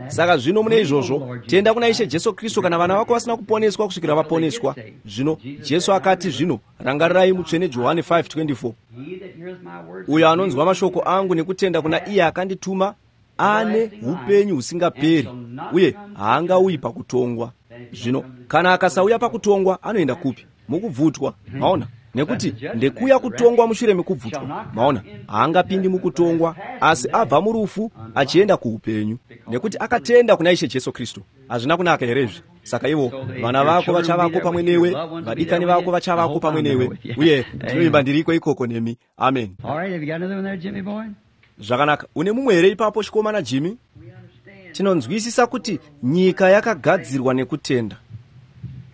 Saka zvino mune izvozvo, tenda kuna Ishe Jesu Kristu kana vana vako vasina kuponeswa kusvikira vaponeswa. Zvino Jesu akati, zvino rangarirai Mutsvene Johani 5:24, uyo anonzwa mashoko angu nekutenda kuna iye akandituma ane upenyu husingaperi, uye haangauyi pakutongwa. Zvino kana akasauya pakutongwa, anoenda kupi? Mukubvutwa. Maona? Nekuti ndekuya kutongwa mushure mekubvutwa. Maona? Haangapindi mukutongwa, asi abva murufu achienda kuupenyu, nekuti akatenda kuna Ishe Jesu Kristu. Hazvina kunaka here izvi? Saka ivo vana vako vachavako pamwe newe, vadikani vako vachavako pamwe newe, uye ndinovimba ndiriko ikoko nemi. Amen. Zvakanaka. Une mumwe here ipapo, chikomana Jimmy? Tinonzwisisa kuti nyika yakagadzirwa nekutenda.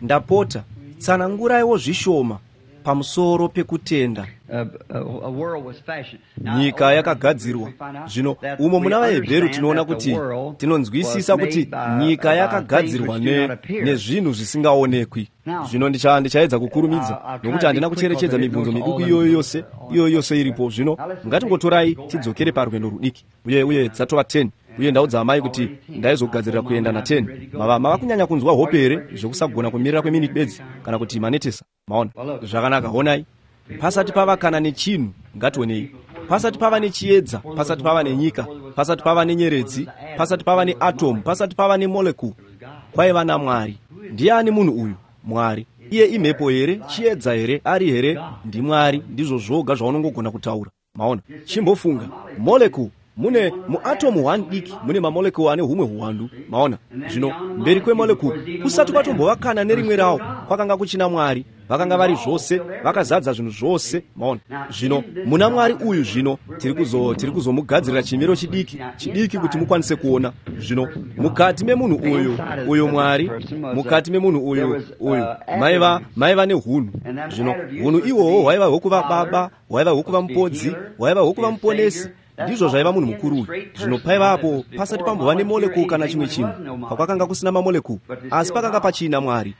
Ndapota tsananguraiwo zvishoma pamusoro pekutenda. Nyika yakagadzirwa. Zvino umo muna vaHebheru tinoona kuti tinonzwisisa kuti nyika yakagadzirwa nezvinhu zvisingaonekwi. Zvino ndichaedza kukurumidza, nokuti handina kucherechedza mibvunzo miduku iyoyo yose, iyoyo yose iripo. Zvino ngatingotorai tidzokere parwendo rudiki, uye dzatova 10, uye ndaudza amai kuti ndaizogadzirira kuenda na10. Mava kunyanya kunzwa hope here zvokusagona kumirira kweminiti bedzi, kana kuti manetesa? Maona? Zvakanaka. Honai, pasati pava kana nechinhu, ngationei, pasati pava nechiedza, pasati pava nenyika, pasati pava nenyeredzi, pasati pava neatomu, pasati pava nemolecule, kwaiva naMwari. Ndiani munhu uyu? Mwari. Iye imhepo here? Chiedza here? Ari here? NdiMwari. Ndizvo zvoga zvaunongogona kutaura. Maona? Chimbofunga, molecule, mune muatomu 1 diki mune mamolecule ane humwe huwandu. Maona? Zvino mberi kwemolecule, kusati kwatombova kana nerimwe rawo, kwakanga kuchina Mwari. Vakanga vari zvose, vakazadza zvinhu zvose. Maona? Zvino muna Mwari uyu, zvino tiri kuzomugadzirira chimiro chidiki chidiki kuti mukwanise kuona. Zvino mukati memunhu uyu Mwari, mukati memunhu uyu maiva nehunhu. Zvino hunhu ihwohwo hwaiva hwokuva baba, hwaiva hwokuva mupodzi, hwaiva hwokuva muponesi. Ndizvo zvaiva munhu mukuru uyu. Zvino paivapo pasati pambova nemolecule kana chimwe chinhu, pakwakanga kusina mamolecule, asi pakanga pachina Mwari.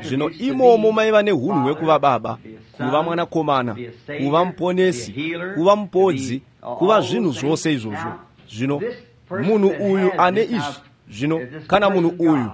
Zvino imomo maiva nehunhu hwekuva baba, kuva mwanakomana, kuva muponesi, kuva mupodzi, kuva zvinhu zvose izvozvo. Zvino munhu uyu ane izvi. Zvino kana munhu uyu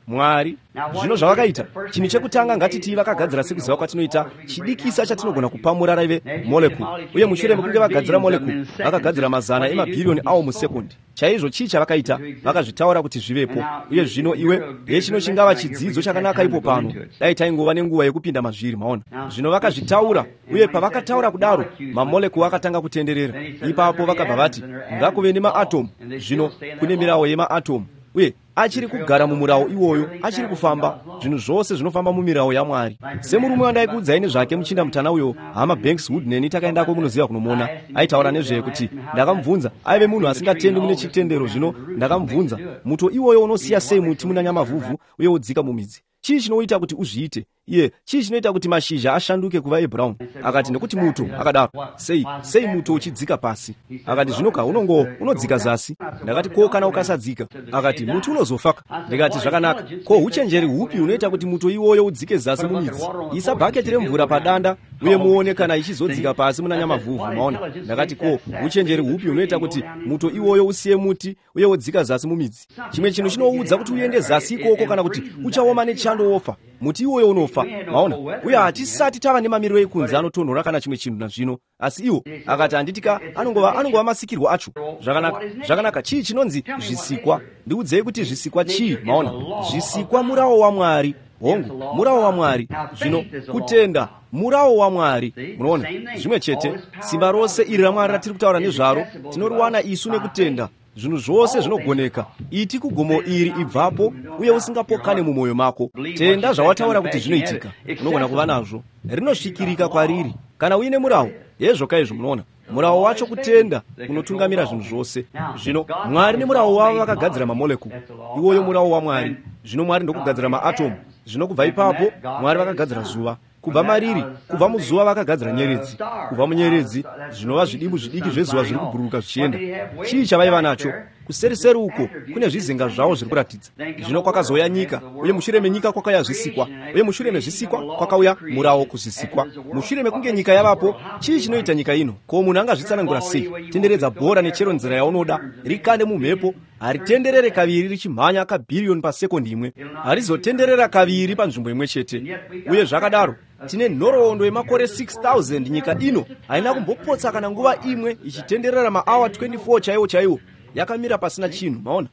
Mwari, zvino zvavakaita, chinhu chekutanga, ngatiti vakagadzira, sekuziva kwatinoita, chidikisa chatinogona kupamura raive molecule. Uye mushure mekunge vagadzira molecule, vakagadzira mazana emabhiriyoni awo musekondi chaizvo. Chii chavakaita? Vakazvitaura kuti zvivepo. Uye zvino iwe yechino chingava chidzidzo chakanaka ipo pano, dai taingova nenguva yekupinda mazviri. Maona? Zvino vakazvitaura, uye pavakataura kudaro, mamolecule akatanga kutenderera. Ipapo vakabva vati, ngakuve nemaatomu. Zvino kune mirawo yemaatomu, uye achiri kugara mumurawo iwoyo, achiri kufamba. Zvinhu zvose zvinofamba mumirawo yaMwari. Semurume wandaikuudzai nezvake, muchinda mutana uyo, Hama Banks Wood neni takaendako, munoziva, kunomona. Aitaura nezvekuti ndakamubvunza, aive munhu asingatendi mune chitendero. Zvino ndakamubvunza, muto iwoyo unosiya sei muti muna nyamavhuvhu uye wodzika mumidzi? Chii chinoita kuti uzviite? Iye, chii chinoita kuti mashizha ashanduke kuva ebrown? Akati, nekuti muto. Akadaro, sei muto uchidzika pasi? Akati, zvinoka unongo unodzika zasi. Ndakati, ko kana ukasadzika? Akati, muti unozofaka. Ndikati, zvakanaka, ko uchenjeri hupi hunoita kuti muto iwoyo udzike zasi mumidzi? Isa bhaketi remvura padanda uye muone kana ichizodzika pasi muna nyamavhuvhu. Maona? Ndakati, ko uchenjeri hupi hunoita kuti muto iwoyo usiye muti uye wodzika zasi mumidzi? Chimwe chinhu chinoudza kuti uende zasi ikoko, kana kuti uchaoma nechando wofa, muti iwoyo unofa. Maona? Uye hatisati tava nemamiriro ekunze anotonhora kana chimwe chinhu nazvino, asi iwo. Akati, handitika, anongova masikirwo acho. Zvakanaka, zvakanaka. Chii chinonzi zvisikwa? Ndiudzei kuti zvisikwa chii. Maona? Zvisikwa murawo waMwari. Hongu, murawo waMwari. Zvino kutenda murawo waMwari. Munoona, zvimwe chete. Simba rose iri raMwari ratiri kutaura nezvaro, tinoriwana isu nekutenda. Zvinhu zvose zvinogoneka. Iti kugomo iri, ibvapo, uye usingapokane mumwoyo mako, tenda zvawataura kuti zvinoitika, unogona kuva nazvo. Rinosvikirika kwariri kana uine murawo. Hezvo kaizvo. Munoona, murawo wacho kutenda unotungamira zvinhu zvose. Zvino Mwari nemurawo wavo vakagadzira mamolecule iwoyo, murawo waMwari. Zvino Mwari ndokugadzira maatomu. Zvino kubva ipapo Mwari vakagadzira zuva. Kubva mariri, kubva muzuva vakagadzira nyeredzi, kubva munyeredzi zvinova zvidimbu zvidiki zvezuva zviri kubhururuka zvichienda. Chii chavaiva nacho? Kuseriseri uko kune zvizinga zvavo zviri kuratidza. Zvino kwakazouya nyika, uye mushure menyika kwakauya zvisikwa, uye mushure mezvisikwa kwakauya murawo kuzvisikwa. Mushure mekunge nyika yavapo, chii chinoita nyika ino? Ko munhu angazvitsanangura sei? Tenderedza bhora nechero nzira yaunoda, rikande mumhepo, haritenderere kaviri richimhanya kabhiriyoni pasekondi imwe, harizotenderera kaviri panzvimbo imwe chete. Uye zvakadaro tine nhoroondo yemakore 6000 nyika ino haina kumbopotsa kana nguva imwe ichitenderera maawa 24 chaiwo chaiwo, yakamira pasina chinhu. Maona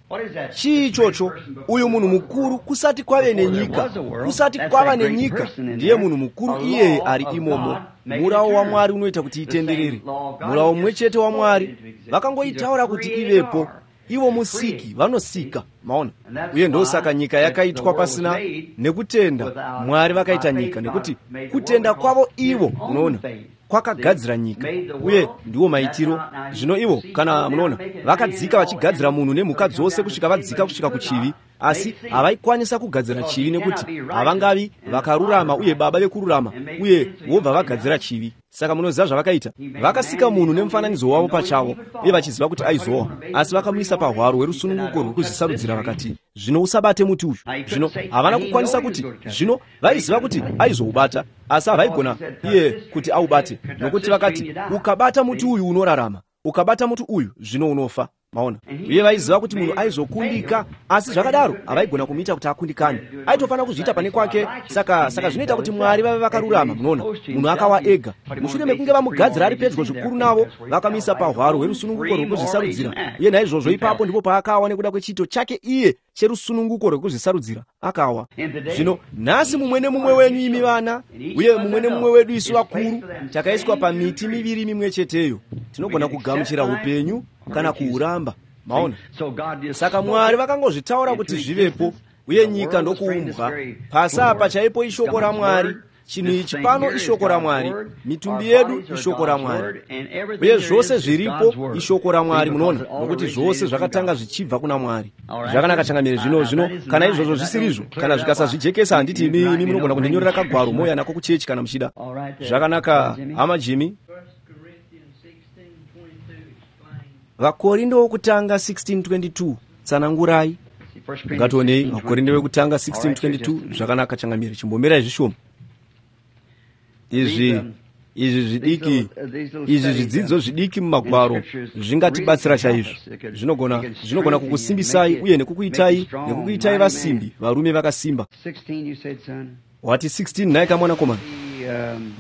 chii ichocho? Uyu munhu mukuru kusati kwave nenyika, kusati kwava nenyika, ndiye munhu mukuru iyeye ari imomo. Murawo waMwari unoita kuti itenderere, murawo mumwe chete waMwari. Vakangoitaura kuti ivepo, ivo musiki vanosika. Maona? Uye ndosaka nyika yakaitwa pasina nekutenda. Mwari vakaita nyika nekuti kutenda kwavo ivo, unoona, kwakagadzira nyika. Uye ndiwo maitiro zvino ivo, kana munoona, vakadzika vachigadzira munhu nemhuka dzose kusvika vadzika kusvika kuchivi, asi havaikwanisa kugadzira chivi nekuti havangavi vakarurama uye baba vekururama, uye vobva vagadzira chivi. Saka munoziva zvavakaita? Vakasika munhu nemufananidzo wavo pachavo, uye vachiziva kuti aizowa, asi vakamuisa pahwaro hwerusununguko rwekuzvisarudzira. Vakati, zvino usabate muti uyu. Zvino havana kukwanisa kuti, zvino vaiziva kuti aizoubata, asi havaigona iye kuti aubate, nokuti vakati, ukabata muti uyu unorarama, ukabata muti uyu zvino unofa. Maona? Uye vaiziva kuti munhu aizokundika, asi zvakadaro havaigona kumuita kuti akundikane. Aitofanira kuzviita pane kwake. Saka zvinoita kuti Mwari vave vakarurama. Munoona, munhu akawa ega. Mushure mekunge vamugadzira ari pedyo zvikuru navo, vakamuisa pahwaro hwerusununguko rwekuzvisarudzira, uye naizvozvo ipapo ndipo paakawa nekuda kwechiito chake iye cherusununguko rwekuzvisarudzira, akawa. Zvino nhasi mumwe nemumwe wenyu imi vana, uye mumwe nemumwe wedu isu vakuru, takaiswa pamiti miviri mimwe cheteyo. Tinogona kugamuchira upenyu kana kuuramba. Maona? Saka Mwari vakangozvitaura kuti zvivepo, uye nyika ndokuumbwa. Pasi apa chaipo ishoko raMwari. Chinhu ichi pano ishoko raMwari, mitumbi yedu ishoko raMwari, uye zvose zviripo ishoko raMwari. Munoona, nokuti zvose zvakatanga zvichibva kuna Mwari. Zvakanaka changamire. Zvino kana izvozvo zvisirizvo, kana zvikasazvijekesa, handiti imi munogona kundinyorera kagwaro mouya nako kuchechi kana muchida. Zvakanaka, hama Jimmy. Vakorinde wokutanga 16:22, tsanangurai. Ngationei Vakorinde wekutanga 16:22. Zvakanaka changamire, chimbomirai zvishoma. Izvi zvidiki, izvi zvidzidzo zvidiki mumagwaro zvingatibatsira chaizvo. Zvinogona kukusimbisai uye nekukuitai vasimbi, varume vakasimba. Wati 16 nhai kamwanakomana?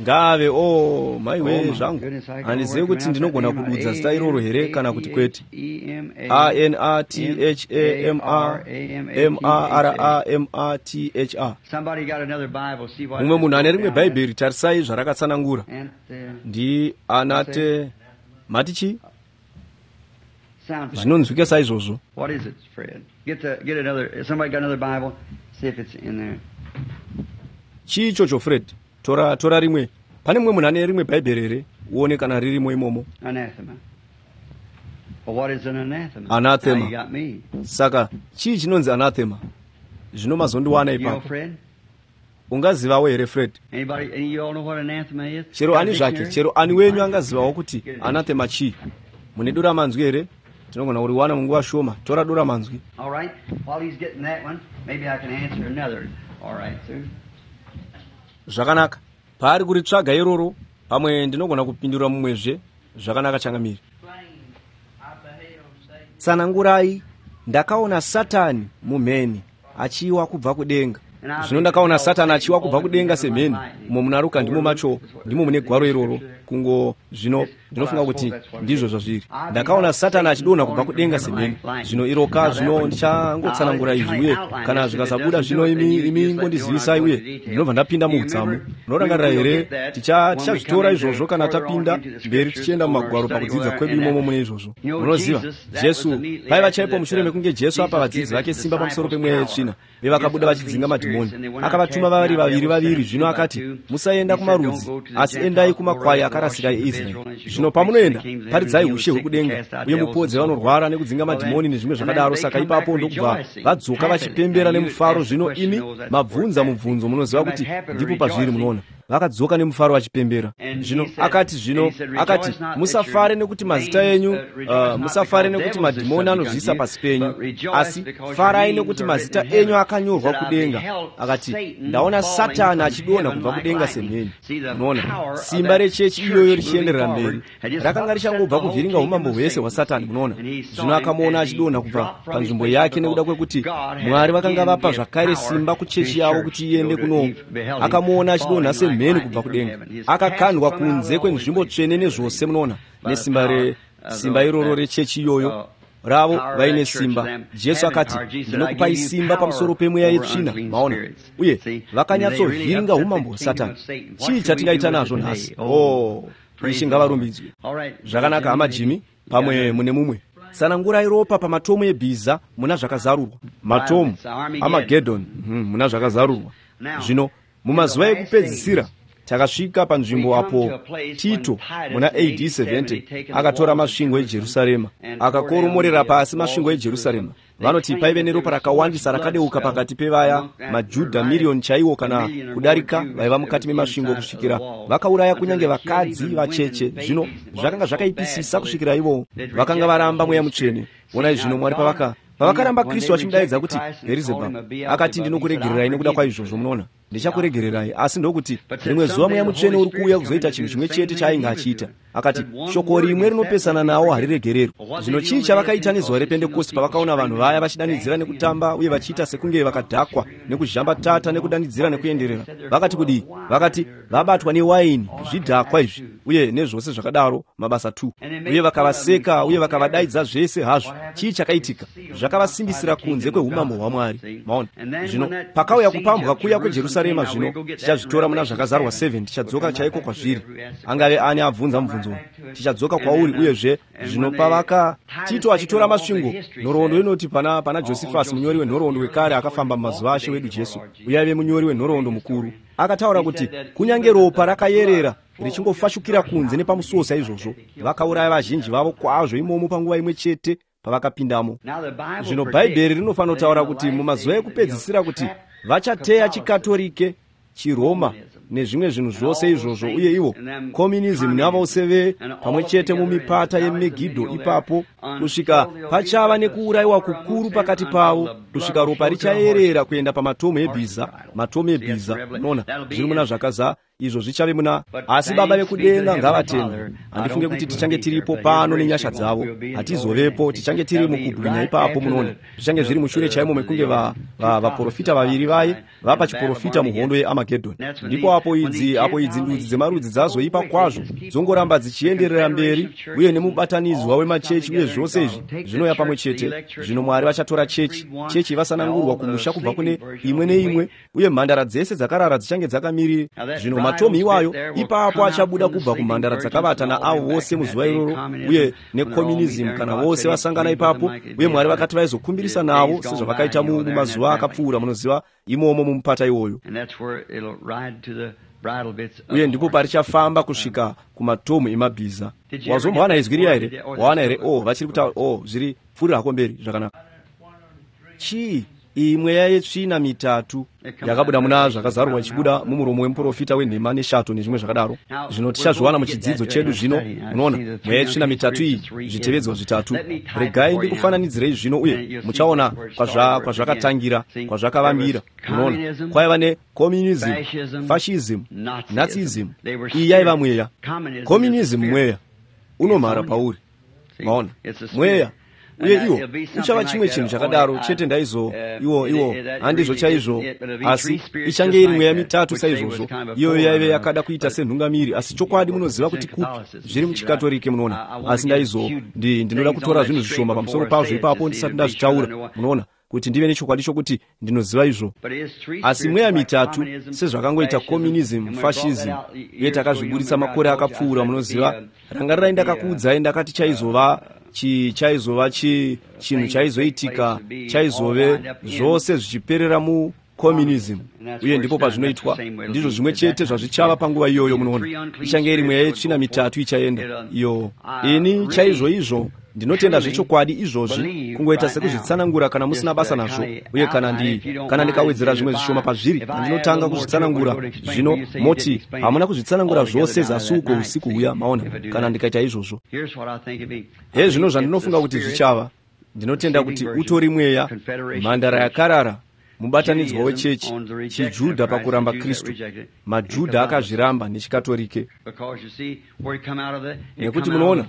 Ngave, o maiwe zvangu, handizivi kuti ndinogona kududza zita iroro here kana kuti kwete. A-N-A-T-H-A-M-A M-A-R-A-M-A-T-H-A. Mumwe munhu ane rimwe bhaibheri, tarisai zvarakatsanangura. Ndi anate mati chii? Zvinonzwika saizvozvo. Chii ichocho, Fred? Tora rimwe. Pane mumwe munhu ane rimwe bhaibheri here? Uone kana ririmo imomo. Anathema. Saka chii chinonzi anathema? Zvino mazondiwana ipapo. Ungazivawo here, Fred? Chero ani zvake, chero ani wenyu angazivawo kuti anathema chii? Mune dura manzwi here? Tinogona kuriwana munguva shoma. Tora dura manzwi. Zvakanaka. Paari kuritsvaga iroro, pamwe ndinogona kupindura mumwezve. Zvakanaka changamire. Tsanangurai, ndakaona Satani mumheni achiwa kubva kudenga. Zvino ndakaona Satani achiwa kubva kudenga semheni. Umo muna Ruka ndimo macho, ndimo mune gwaro iroro. Kungo zvino ndinofunga kuti ndizvo zvazviri. Ndakaona Satani achidonha kubva kudenga semheni. Zvino iroka, zvino ndichangotsanangura izvi, uye kana zvikasabuda zvino imi ngondizivisai, uye ndinobva ndapinda muudzamu. Munorangarira here? Tichazvitora izvozvo kana tapinda mberi tichienda mumagwaro pakudzidza kwedu imomo mune izvozvo. Munoziva, Jesu paiva chaipo mushure mekunge Jesu apa vadzidzi vake simba pamusoro pemweya yetsvina, vevakabuda vachidzinga madhimoni. Akavatuma vari vaviri vaviri. Zvino akati, musaenda kumarudzi, asi endai kumakwai akarasika eIsraeri. Zvino pamunoenda, paridzai ushe hwekudenga, uye mupodze vanorwara nekudzinga madhimoni nezvimwe zvakadaro. Saka ipapo ndokubva vadzoka vachipembera nemufaro. Zvino imi mabvunza mubvunzo, munoziva kuti ndipo pazviri. Munoona? Vakadzoka nemufaro vachipembera. Zvino akati, zvino akati, musafare nekuti mazita enyu, musafare nekuti madhimoni anozviisa pasi penyu, asi farai nekuti mazita enyu akanyorwa kudenga. Akati, ndaona Satani achidonha kubva kudenga semheni. Unoona simba rechechi iyoyo richienderera mberi, rakanga richangobva kuvhiringa umambo hwese hwaSatani. Munoona, zvino akamuona achidonha kubva panzvimbo yake nekuda kwekuti Mwari vakanga vapa zvakare simba kuchechi yavo kuti iende kuno. Akamuona achidonha semheni kubva kudenga, akakandwa kunze kwenzvimbo tsvene nezvose. Munoona, nesimba resimba iroro rechechi iyoyo ravo vaine simba. Jesu akati, ndinokupai simba pamusoro pemweya yetsvina. Maona, uye vakanyatsovhiringa umambo hwaSatani. Chii chatingaita nazvo nhasi? Oh, Ishe ngavarumbidzwe. Zvakanaka, hama Jimmy, pamwe mune mumwe. Tsanangurai ropa pamatomu ebhiza muna Zvakazarurwa. Matomu Amagedon muna Zvakazarurwa. Zvino mumazuva ekupedzisira takasvika panzvimbo apo Tito muna AD 70 akatora masvingo eJerusarema, akakoromorera pasi masvingo eJerusarema. Vanoti paive neropa rakawandisa rakadeuka pakati pevaya maJudha miriyoni chaiwo kana kudarika vaiva mukati memasvingo, kusvikira vakauraya kunyange vakadzi vacheche. Zvino zvakanga zvakaipisisa kusvikira ivo vakanga varamba Mweya Mutsvene. Onai zvino Mwari pavakaramba Kristu vachimudaidza kuti Bherizebhabhu, akati, ndinokuregererai nekuda kwaizvozvo. Munoona, ndichakuregererai. Asi ndokuti rimwe zuva Mweya Mutsvene uri kuuya kuzoita chinhu chimwe chete chaainge achiita. Akati, shoko rimwe rinopesana nawo hariregererwi. Zvino chii chavakaita nezuva rePentekosti pavakaona vanhu vaya vachidanidzira nekutamba uye vachiita sekunge vakadhakwa nekuzhambatata nekudanidzira nekuenderera? Vakati kudii? Vakati, vabatwa newaini, zvidhakwa izvi, uye nezvose zvakadaro. Mabasa 2. Uye vakavaseka uye vakavadaidza zvese hazvo. Chii chakaitika? Zvakavasimbisira kunze kweumambo hwaMwari. Maona, zvino pakauya kupambwa kuya kweJerusarema, zvino tichazvitora muna Zvakazarwa 7, tichadzoka chaiko kwazviri. Angave ani abvunza mubvunzo, tichadzoka kwauri. Uyezve zvino pavaka Tito achitora masvingo, nhoroondo inoti pana Josephus, munyori wenhoroondo wekare akafamba mumazuva ashe wedu Jesu, uye aive munyori wenhoroondo mukuru, akataura kuti kunyange ropa rakayerera richingofashukira kunze nepamusuo saizvozvo. Vakauraya vazhinji vavo kwazvo imomo panguva imwe chete pavakapindamo. Zvino Bhaibheri rinofanotaura kuti mumazuva ekupedzisira kuti vachateya chiKatorike, chiRoma nezvimwe zvinhu zvose izvozvo, uye ivo communism navose ve pamwe chete mumipata yeMegidho ipapo, kusvika pachava nekuurayiwa kukuru pakati pavo, kusvika ropa richayerera kuenda pamatomu ebhiza. Matomu ebhiza, unoona, zviri muna Zvakaza izvo zvichave muna. Asi Baba vekudenga ngavatendwe, handifunge kuti tichange tiripo pano. Nenyasha dzavo hatizovepo, tichange tiri mukubwinya ipapo. Munoona, zvichange zviri mushure chaimo mekunge vaprofita vaviri vaye vapa chiprofita muhondo yeAmagedhoni. Ndipo apo idzi ndudzi dzemarudzi dzazoipa kwazvo, dzongoramba dzichienderera mberi, uye nemubatanidzwa wemachechi uye zvose izvi zvinoya pamwe chete. Zvino Mwari vachatora chechi vasanangurwa kumusha kubva kune imwe neimwe, uye mhandara dzese dzakarara dzichange dzakamirira. Zvino matomu iwayo ipapo achabuda kubva kumhandara dzakavata naavo vose muzuva iroro, uye necommunism kana vose vasangana ipapo, uye Mwari vakati vaizokumbirisa navo sezvavakaita mumazuva akapfuura, munoziva, imomo mumupata iwoyo. Uye ndipo parichafamba kusvika kumatomu emabhiza. Wazombowana izwi riya here? Wawana here? Oh, vachiri kutaura. Oh, zviri pfuurira hako mberi zvakanaka. Chii? Iyi mweya yetsvina mitatu yakabuda muna Zvakazarurwa, ichibuda mumuromo wemuprofita wenhema neshato nezvimwe zvakadaro. Zvino tichazviwana muchidzidzo chedu zvino. Munoona, mweya yetsvina mitatu iyi, zvitevedzwa zvitatu. Regai ndikufananidzirei zvino, uye muchaona kwazvakatangira, kwazvakavambira. Munoona, kwaiva necommunism, fascism, Nazism. Iyi yaiva mweya. Communism mweya unomhara pauri. Maona, mweya. Uye iwo uchava chimwe chinhu chakadaro chete. Ndaizo iwo handizvo chaizvo, asi ichange iri mweya mitatu saizvozvo. Iyoyo yaive yakada kuita senhungamiri, asi chokwadi munoziva kuti kupi zviri muchiKatorike. Munoona, asi ndaizo ndinoda kutora zvinhu zvishoma pamusoro pazvo ipapo ndisati ndazvitaura, munoona, kuti ndive nechokwadi chokuti ndinoziva izvo. Asi mweya mitatu sezvakangoita communism, fascism, uye takazviburitsa makore akapfuura, munoziva. Rangarirai, ndakakuudzai, ndakati chaizova chaizova chinhu chaizoitika, chaizove zvose zvichiperera mucommunism, uye ndipo pazvinoitwa. Ndizvo zvimwe chete zvazvichava panguva iyoyo. Munoona, ichange iri mweya yetsvina mitatu ichaenda iyo. Ini chaizvo izvo Ndinotenda zvechokwadi izvozvi, kungoita sekuzvitsanangura kana musina basa nazvo, uye kana ndikawedzera zvimwe zvishoma pazviri, pandinotanga kuzvitsanangura, zvino moti hamuna kuzvitsanangura zvose zasi uko usiku huya, maona, kana ndikaita izvozvo. Hezvino zvandinofunga kuti zvichava. Ndinotenda kuti utori mweya, mhandara yakarara, mubatanidzwa wechechi, chiJudha pakuramba Kristu. MaJudha akazviramba nechikatorike. Nekuti munoona,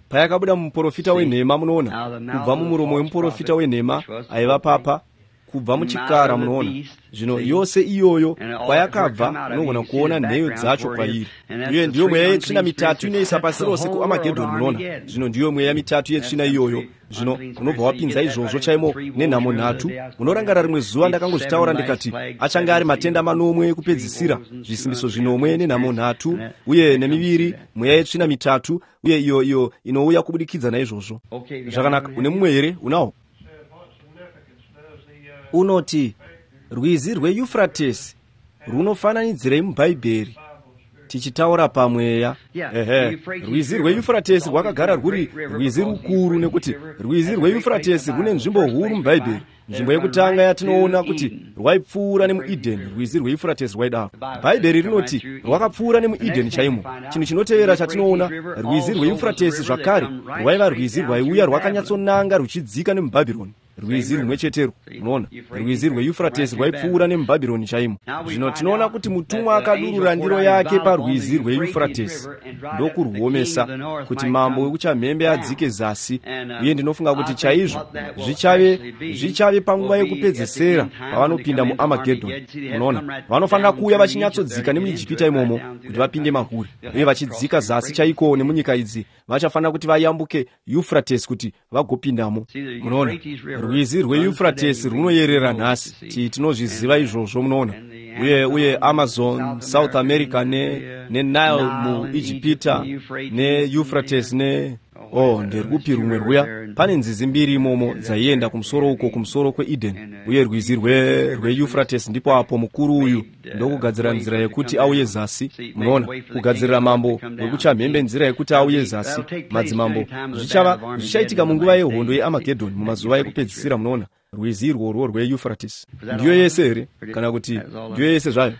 payakabuda mumuprofita wenhema, munoona, kubva mumuromo wemuprofita wenhema aiva papa, kubva muchikara, munoona. Zvino yose iyoyo kwayakabva, unogona kuona nheyo dzacho kwairi. Uye ndiyo mweya yetsvina mitatu inoisa pasi rose kuAmagedhoni, munoona. Zvino ndiyo mweya mitatu yetsvina iyoyo. Zvino unobva wapinza izvozvo chaimo nenhamo nhatu. Munorangarira rimwe zuva ndakangozvitaura ndikati achange ari matenda manomwe ekupedzisira, zvisimbiso zvinomwe nenhamo nhatu, uye nemiviri, mweya yetsvina mitatu, uye iyo inouya kubudikidza naizvozvo. Zvakanaka, une mumwe here? Unawo? Unoti, rwizi rweYufratesi runofananidzirei muBhaibheri? Tichitaura pamweya. Ehe, rwizi rweYufratesi rwakagara rwuri rwizi rukuru, nekuti rwizi rweYufratesi rune nzvimbo huru muBhaibheri. Nzvimbo yekutanga yatinoona kuti rwaipfuura nemuEdeni, rwizi rweYufratesi rwaidaro. Bhaibheri rinoti rwakapfuura nemuEdeni chaimo. Chinhu chinotevera chatinoona, rwizi rweYufratesi zvakare rwaiva rwizi rwaiuya rwakanyatsonanga ruchidzika nemuBhabhironi. Rwizi rumwe cheterwo, unoona, rwizi rweYufratesi rwaipfuura nemuBhabhironi chaimo. Zvino tinoona kuti mutumwa akadurura ndiro yake parwizi rweYufratesi ndokurwomesa, kuti mambo wekuchamhembe adzike zasi. Uye ndinofunga kuti chaizvo zvichave panguva yekupedzesera pavanopinda muAmagedhoni. Unoona, vanofanira kuuya vachinyatsodzika nemuIjipita imomo kuti vapinde mahuri, uye vachidzika zasi chaiko nemunyika idzi, vachafanira kuti vayambuke Yufratesi kuti vagopindamo. Munoona, rwizi rweYufratesi runoyerera nhasi, tinozviziva izvozvo, munoona. Uye Amazon, South America neNile muIjipita neYufratesi ne nderwupi rumwe rwuya? Pane nzizi mbiri imomo dzaienda kumusoro uko, kumusoro kweEden, uye rwizi rweYufratesi ndipo apo mukuru uyu ndokugadzira nzira yekuti auye zasi. Munoona, kugadzirira mambo wekuchamhembe nzira yekuti auye zasi. Madzimambo zvichaitika munguva yehondo yeAmagedhoni, mumazuva ekupedzisira, munoona, rwizi irworwo rweYufratesi. Ndiyo yese here? Kana kuti ndiyo yese zvayo?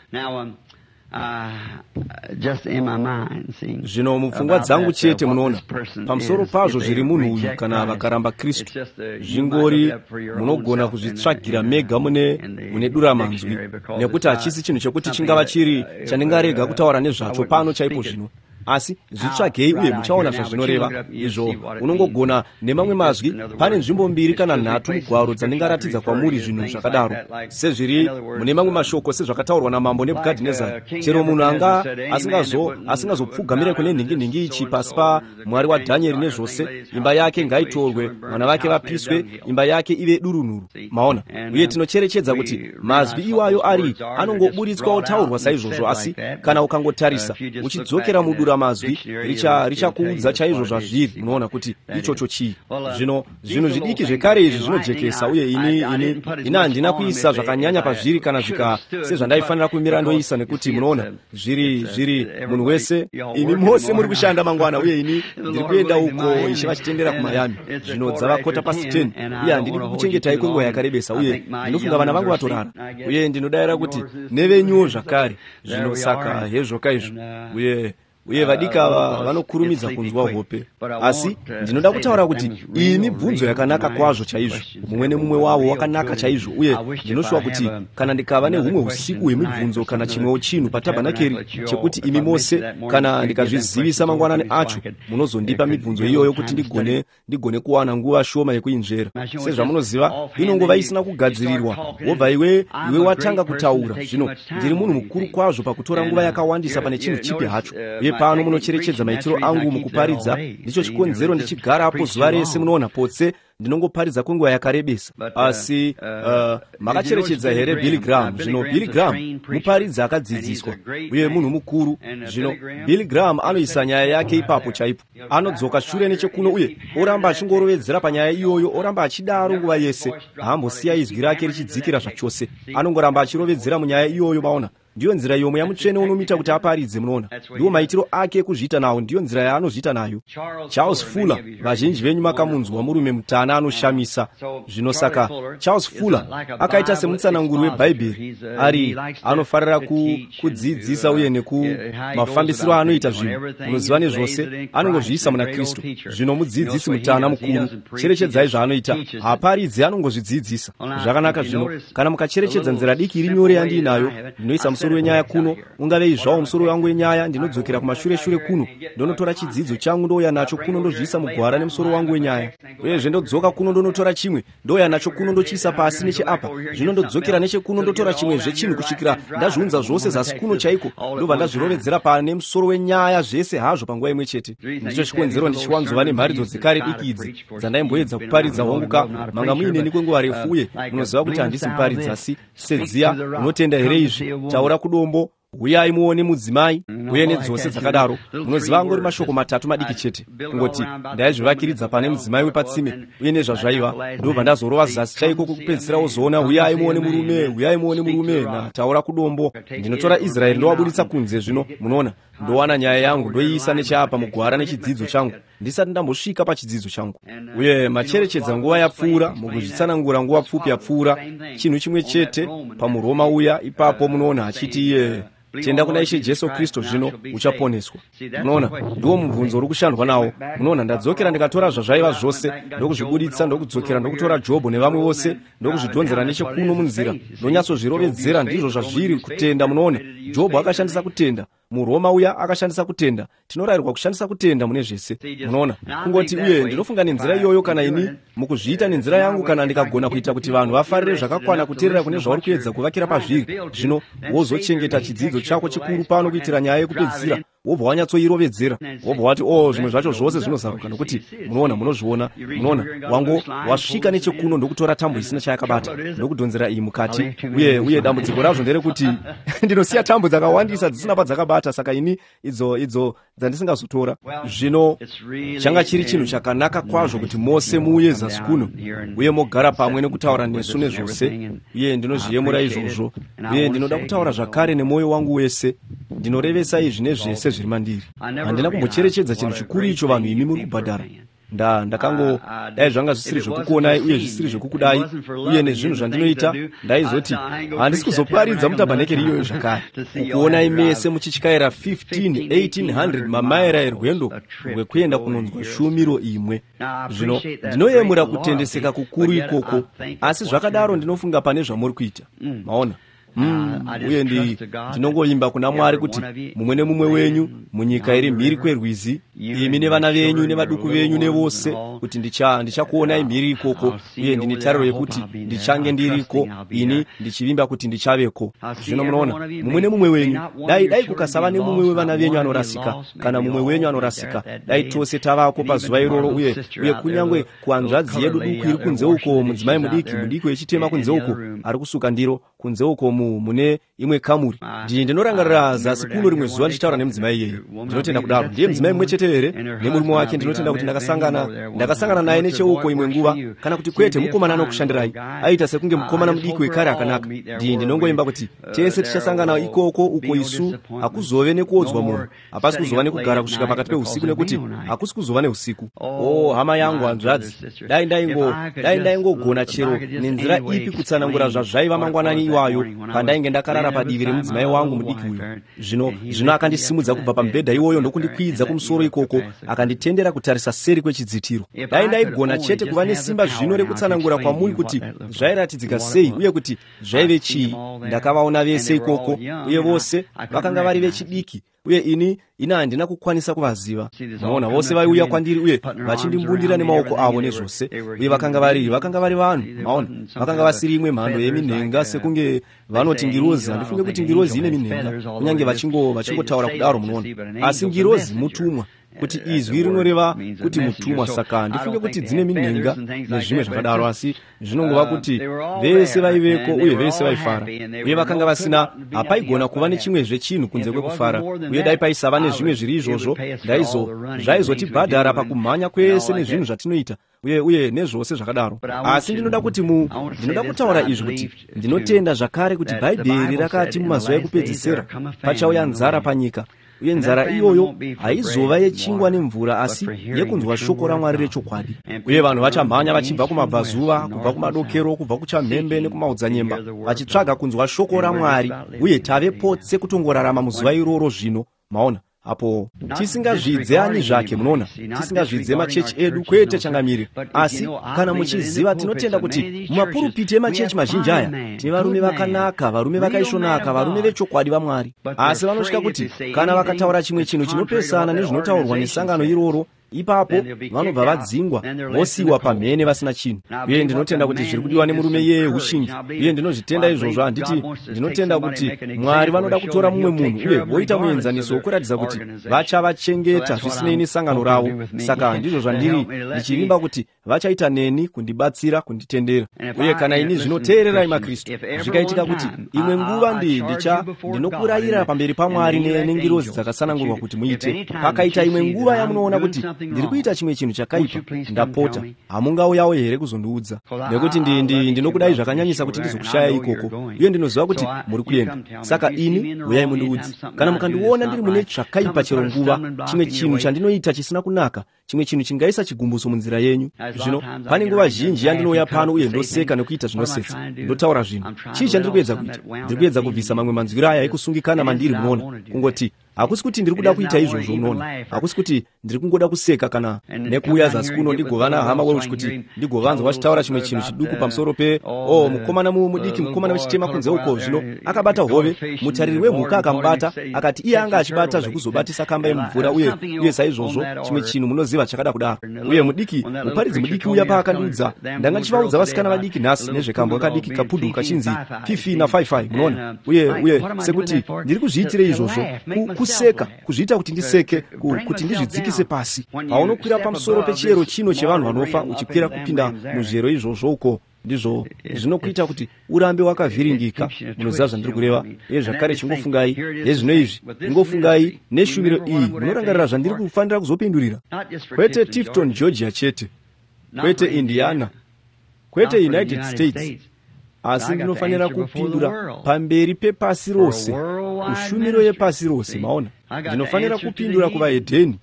Zvino mupfungwa dzangu chete, munoona, pamusoro pazvo zviri munhu uyu kana vakaramba Kristu, zvingori munogona kuzvitsvagira mega mune duramanzwi, nekuti hachisi chinhu chekuti chingava chiri chandingarega kutaura nezvacho pano chaipo zvino. Asi zvitsvagei uye muchaona zvazvinoreva. Izvo unongogona nemamwe mazwi, pane nzvimbo mbiri kana nhatu mugwaro dzandingaratidza kwamuri zvinhu zvakadaro, sezviri mune mamwe mashoko, sezvakataurwa namambo Nebhukadhinezari. Chero munhu anga asingazopfugamire kune nhingi ichi pasi paMwari waDhanieri nezvose, imba yake ngaitorwe, vana vake vapiswe, imba yake ive durunhuru. Maona? Uye tinocherechedza kuti mazwi iwayo ari anongoburitswa otaurwa saizvozvo, asi kana ukangotarisa uchidzokera mudura mazwi richakuudza chaizvo zvazviri. Munoona kuti ichocho chii. Zvino zvinhu zvidiki zvekare izvi zvinojekesa, uye ini handina kuisa zvakanyanya pazviri kana zvika sezvandaifanira kumira ndoisa, nekuti munoona zviri munhu wese, imi mose muri kushanda mangwana, uye ini ndiri kuenda uko Ishe vachitendera kuMiami. Zvino dzava 10:15, uye handidi kukuchengetai kwenguva yakarebesa, uye ndinofunga vana vangu vatorara, uye ndinodayira kuti nevenyuwo zvakare. Zvino saka hezvoka izvo, uye vadiki ava vanokurumidza kunzwa hope. Asi ndinoda kutaura kuti iyi mibvunzo yakanaka kwazvo chaizvo, mumwe nemumwe wavo wakanaka chaizvo, uye ndinoshuwa kuti kana ndikava nehumwe usiku hwemibvunzo kana chimwewo chinhu patabhanakeri chekuti imi mose, kana ndikazvizivisa mangwanani acho, munozondipa mibvunzo iyoyo kuti ndigone kuwana nguva shoma yekuinzvera. Sezvamunoziva, inongova isina kugadzirirwa, wobva iwe watanga kutaura. Zvino ndiri munhu mukuru kwazvo pakutora nguva yakawandisa pane chinhu chipi hacho, uye pano munocherechedza maitiro angu mukuparidza. Ndicho chikonzero ndichigarapo zuva rese, munoona, potse ndinongoparidza kwenguva yakarebesa. Asi makacherechedza here Billy Graham? Zvino Billy Graham muparidzi akadzidziswa uye munhu mukuru. Zvino Billy Graham anoisa nyaya yake ipapo chaipo, anodzoka shure nechekuno uye oramba achingorovedzera panyaya iyoyo, oramba achidaro nguva yese, haambosiya izwi rake richidzikira zvachose, anongoramba achirovedzera munyaya iyoyo. Maona? Ndiyo nzira iyo Mweya Mutsvene unomuita kuti aparidze, munoona. Ndiwo maitiro ake ekuzviita nawo, ndiyo nzira yaanozviita nayo. Charles Fuller, vazhinji venyu makamunzwa, murume mutana anoshamisa. Zvino saka Charles Fuller akaita semutsananguri weBhaibheri, ari anofarira kudzidzisa uye nekumafambisiro anoita zvinhu, munoziva, nezvose, anongozviisa muna Kristu. Zvino mudzidzisi mutana mukuru, cherechedzai zvaanoita. Haaparidzi, anongozvidzidzisa. Zvakanaka. Zvino kana mukacherechedza nzira diki iri nyore yandiinayo, ndinoisa musoro wenyaya kuno, ungavei zvawo musoro wangu wenyaya. Ndinodzokera kumashure shure kuno, ndonotora chidzidzo changu, ndouya nacho kuno, ndozviisa mugwara nemusoro wangu wenyaya. Uyezve ndodzoka kuno, ndonotora chimwe, ndouya nacho kuno, ndochiisa pasi necheapa. Zvino ndodzokera nechekuno, ndotora chimwezve chinhu, kusvikira ndazviunza zvose zasi kuno chaiko, ndobva ndazvirovedzera pane musoro wenyaya zvese hazvo panguva imwe chete. Ndicho chikonzero ndichiwanzova nemharidzo dzekare diki idzi dzandaimboedza kuparidza. Hongu ka, manga muineni kwenguva refu, uye munoziva kuti handisi muparidzi, asi sedziya, "Unotenda here izvi?", "Taura kudombo", "Uyai muone mudzimai", uye nedzose dzakadaro. Munoziva, angori mashoko matatu madiki chete. Kungoti ndaizvivakiridza pane mudzimai wepatsime uye nezvazvaiva, ndobva ndazorova zasi chaiko kwekupedzisira, wozoona, "Uyai muone murume, uyai muone murume" nataura kudombo. Ndinotora Israeri ndowabuditsa kunze. Zvino munoona, ndowana nyaya yangu, ndoiisa necheapa mugwara nechidzidzo changu ndisati ndambosvika pachidzidzo changu. Uye macherechedza nguva yapfuura, mukuzvitsanangura nguva pfupi yapfuura, chinhu chimwe chete pamuRoma uya ipapo, munoona, achiti iye, "Tenda kuna Ishe Jesu Kristu, zvino uchaponeswa." Munoona, ndiwo mubvunzo uri kushandwa nawo. Munoona, ndadzokera ndikatora zvazvaiva zvose, ndokuzvibuditsa, ndokudzokera ndokutora Jobho nevamwe vose, ndokuzvidhonzera nechekuno munzira, ndonyatsozvirovedzera. Ndizvo zvazviri, kutenda. Munoona, Jobho akashandisa kutenda, muRoma uya akashandisa kutenda. Tinorayirwa kushandisa kutenda mune zvese, munoona, kungoti. Uye ndinofunga nenzira iyoyo, kana ini mukuzviita nenzira yangu, kana ndikagona kuita kuti vanhu vafarire zvakakwana kuteerera kune zvauri kuedza kuvakira pazviri, zvino wozochengeta chidzidzo chako chikuru pano kuitira nyaya yekupedzisira, wobva wanyatsoirovedzera, wobva wati, "O, oh, zvimwe zvacho zvose zvinozaruka," nokuti munoona, munozviona. Munoona, wango wasvika nechekuno ndokutora tambo isina chayakabata, ndokudhonzera iyi mukati. Uye dambudziko razvo nderekuti ndinosiya tambo dzakawandisa dzisina padzakabata, saka ini idzo dzandisingazotora. Zvino changa chiri chinhu chakanaka kwazvo kuti mose muuye zasi kuno uye mogara pamwe nekutaura nesu nezvose, uye ndinozviyemura izvozvo. Uye ndinoda kutaura zvakare nemwoyo wangu wese, ndinorevesa izvi nezvese zviri mandiri. Handina kumbocherechedza chinhu chikuru icho vanhu imi muri kubhadhara. Ndakango, dai zvanga zvisiri zvekukuonai uye zvisiri zvekukudai uye nezvinhu zvandinoita, ndaizoti handisi kuzoparidza mutabhanekeri iyoyo zvakare. Kukuonai mese muchityaira 15 1800 mamaira erwendo rwekuenda kunonzwa shumiro imwe! Zvino ndinoyemura kutendeseka kukuru ikoko, asi zvakadaro ndinofunga pane zvamuri kuita. Maona? Uye ndinongovimba kuna Mwari kuti mumwe nemumwe wenyu munyika iri mhiri kwerwizi, imi nevana venyu nevaduku venyu nevose, kuti ndichakuonai mhiri ikoko. Uye ndine tariro yekuti ndichange ndiriko, ini ndichivimba kuti ndichaveko. Zvino munoona, mumwe nemumwe wenyu, dai kukasava nemumwe wevana venyu anorasika, kana mumwe wenyu anorasika, dai tose tavako pazuva iroro. Uye kunyange kuhanzvadzi yedu duku iri kunze uko, mudzimai mudiki mudiki wechitema kunze uko ari kusuka ndiro kunze uko mune imwe kamuri, ndinorangarira zasi kuno rimwe zuva ndichitaura nemudzimai iyeye. Ndinotenda kudaro ndiye mudzimai mumwe chete here nemurume wake? Ndinotenda kuti ndakasangana naye necheuko imwe nguva, kana kuti kwete, mukomana anokushandirai. Aita sekunge mukomana mudiki wekare akanaka. Ndinongoimba kuti tese tichasangana ikoko uko isu hakuzove nekuodzwa mwoyo, hapasi kuzova nekugara kusvika pakati peusiku, nekuti hakusi kuzova neusiku. O oh, hama yangu, hanzvadzi, dai ndaingogona chero nenzira ipi kutsanangura zvazvaiva mangwanani iwayo pandainge ndakarara padivi remudzimai wangu mudiki uyu. Zvino akandisimudza kubva pamubhedha iwoyo ndokundikwidza kumusoro ikoko, akanditendera kutarisa seri kwechidzitiro. Dai ndaigona chete kuva nesimba zvino rekutsanangura kwamuri kuti zvairatidzika sei uye kuti zvaive chii. Ndakavaona vese ikoko, uye vose vakanga vari vechidiki, uye ini handina kukwanisa kuvaziva. Maona, vose vaiuya kwandiri uye vachindimbundira nemaoko avo nezvose, uye vakanga vari vanhu. Maona, vakanga vasiri imwe mhando yeminhenga, sekunge vanoti ngirozi. Handifunge kuti ngirozi ine minhenga, kunyange vachingotaura kudaro, munoona. Asi ngirozi mutumwa, kuti izwi rinoreva kuti mutumwa, saka handifunge kuti dzine minhenga nezvimwe zvakadaro. Asi zvinongova kuti vese vaiveko uye vese vaifara, uye vakanga vasina, hapaigona kuva nechimwezve chinhu kunze kwekufara. Uye dai paisava nezvimwe zviri izvozvo, ndaizvo zvaizotibhadhara pakumhanya kwese nezvinhu zvatinoita. uye uye nezvose zvakadaro. Asi ndinoda kuti ndinoda kutaura izvi, kuti ndinotenda zvakare kuti Bhaibheri rakati mumazuva ekupedzisira pachauya nzara panyika, uye nzara iyoyo haizova yechingwa nemvura, asi yekunzwa shoko raMwari rechokwadi. Uye vanhu vachamhanya vachibva kumabvazuva, kubva kumadokero, kubva kuchamhembe nekumaodzanyemba, vachitsvaga kunzwa shoko raMwari. Uye tave potse kutongorarama muzuva iroro zvino, maona, apo tisingazvidze ani zvake, munoona, tisingazvidze machechi edu, kwete changamire. Asi kana muchiziva, tinotenda kuti mumapurupiti emachechi mazhinji aya tine varume vakanaka, varume vakaisvonaka, varume vechokwadi vaMwari, asi vanosvika kuti kana vakataura chimwe chinhu chinopesana nezvinotaurwa nesangano iroro, ipapo vanobva vadzingwa, vosiyiwa pamhene vasina chinhu. Uye ndinotenda kuti zviri kudiwa nemurume iyeye ushingi, uye ndinozvitenda izvozvo. Handiti, ndinotenda kuti Mwari vanoda kutora mumwe munhu uye voita muenzaniso wokuratidza kuti vachavachengeta zvisinei nesangano ravo. Saka ndizvo zvandiri ndichivimba kuti vachaita neni, kundibatsira, kunditendera. Uye kana ini, zvinoteererai maKristu, zvikaitika kuti imwe nguva ndicha ndinokurayira pamberi paMwari nengirozi dzakasanangurwa kuti muite, pakaita imwe nguva yamunoona kuti ndiri kuita chimwe chinhu chakaipa, ndapota hamungauyawo here kuzondiudza? Nekuti ndinokudai zvakanyanyisa kuti ndizokushaya ikoko, uye ndinoziva kuti muri kuenda. Saka ini, uyai mundiudze kana mukandiona ndiri mune zvakaipa chero nguva, chimwe chinhu chandinoita chisina kunaka, chimwe chinhu chingaisa chigumbuso munzira yenyu. Zvino pane nguva zhinji yandinouya pano uye ndoseka nekuita zvinosetsa, ndotaura zvinhu. Chii chandiri kuedza kuita? Ndiri kuedza kubvisa mamwe manzwiro aya ekusungikana mandiri, munoona. Kungoti hakusi kuti ndiri kuda kuita izvozvo, munoona, hakusi kuti ndiri kungoda kuseka kana nekuuya zasi kuno ndigovana hama Welch kuti ndigovanzwa vachitaura chimwe chinhu chiduku pamusoro pe o mukomana mudiki, mukomana wechitema kunze uko. Zvino akabata hove, mutariri wemhuka akamubata, akati iye anga achibata zvekuzobatisa kamba yemumvura, uye uye saizvozvo, chimwe chinhu, munoziva, chakada kudaro. Uye mudiki, muparidzi mudiki uya paakandiudza, ndanga ndichivaudza vasikana vadiki nhasi nezvekambwa kadiki kapudu kachinzi Fifi na55, munoona, uye uye sekuti ndiri kuzviitirei izvozvo? Kuseka, kuzviita kuti ndiseke, kuti ndizvidzikise pasi. Paunokwira pamusoro pechiyero chino chevanhu vanofa, uchikwira kupinda muzviyero izvozvo uko, ndizvo zvinokuita kuti urambe wakavhiringika, munoziva zvandiri kureva. Uye zvakare chingofungai yezvino izvi, ingofungai neshumiro iyi, munorangarira zvandiri kufanira kuzopindurira, kwete Tifton, Georgia chete, kwete Indiana, kwete United States, asi ndinofanira kupindura pamberi pepasi rose, kushumiro yepasi rose. Maona, ndinofanira kupindura kuvahedheni,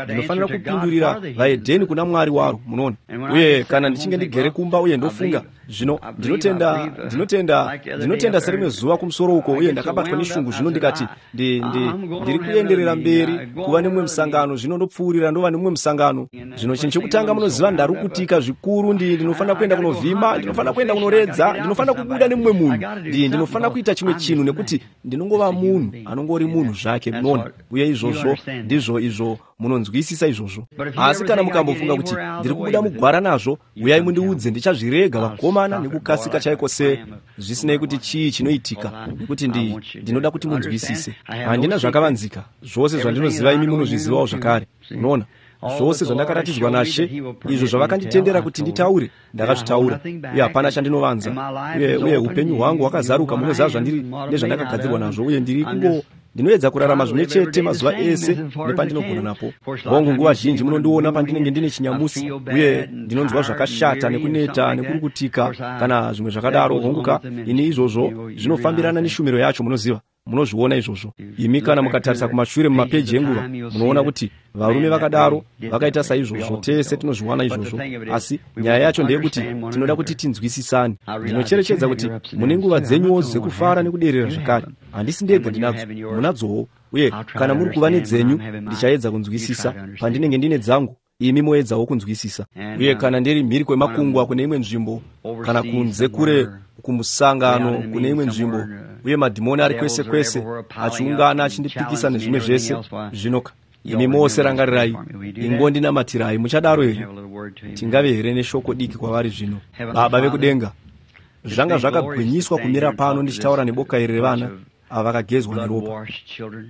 ndinofanira kupindurira vahedheni kuna Mwari waro, munoona. Uye kana ndichinge ndigere kumba uye ndofunga, zvino ndinotenda, ndinotenda, ndinotenda serimwe zuva kumusoro uko, uye ndakabatwa neshungu, zvino ndikati ndiri kuenderera mberi kuva nemumwe musangano, zvino ndopfuurira ndova nemumwe musangano. Zvino chinhu chekutanga munoziva, ndarukutika zvikuru, ndinofanira kuenda kunovhima, ndinofanira kuenda kunoredza, ndinofanira kubuda nemumwe munhu, ndinofanira kuita chimwe chinhu, nekuti ndinongova munhu anongori munhu zvake, munoona. Uye izvozvo ndizvo izvo, munonzwisisa izvozvo. Asi kana mukambofunga kuti ndiri kubuda mugwara nazvo, uyai mundiudze, ndichazvirega, vakomana, nekukasika chaiko, se zvisinei kuti chii chinoitika, nekuti ndinoda kuti munzwisise. Handina zvakavanzika. Zvose zvandinoziva, imi munozvizivawo zvakare, unoona. Zvose zvandakaratidzwa naShe, izvo zvavakanditendera kuti nditaure, ndakazvitaura, uye hapana chandinovanza. Uye upenyu hwangu hwakazaruka, munoziva zvandiri nezvandakagadzirwa nazvo, uye ndiri kungo ndinoedza kurarama zvimwe chete mazuva ese nepandinogona napo. Hongu, nguva zhinji munondiona pandinenge ndine chinyamusi uye ndinonzwa zvakashata nekuneta nekurukutika kana zvimwe zvakadaro. Honguka, ini izvozvo zvinofambirana neshumiro yacho, munoziva, munozviona izvozvo imi. Kana mukatarisa kumashure mumapeji enguva, munoona kuti varume vakadaro vakaita saizvozvo. Tese tinozviwana izvozvo. Asi nyaya yacho ndeyekuti tinoda kuti tinzwisisane. Ndinocherechedza kuti mune nguva dzenyuwo dzekufara nekuderera zvakare. Handisi ndega ndinadzo, munadzowo. Uye kana muri kuva nedzenyu, ndichaedza kunzwisisa pandinenge ndine dzangu, imi moedzawo kunzwisisa. Uye kana ndiri mhiri kwemakungwa kune imwe nzvimbo, kana kunze kure kumusangano kune imwe nzvimbo, uye madhimoni ari kwese kwese achiungana achindipikisa nezvimwe zvese, zvinoka imi mose rangarirai, ingondinamatirai. Muchadaro here? Tingave here neshoko diki kwavari zvino? Baba vekudenga, zvanga zvakagwinyiswa kumira pano ndichitaura neboka iri revana ava vakagezwa neropa.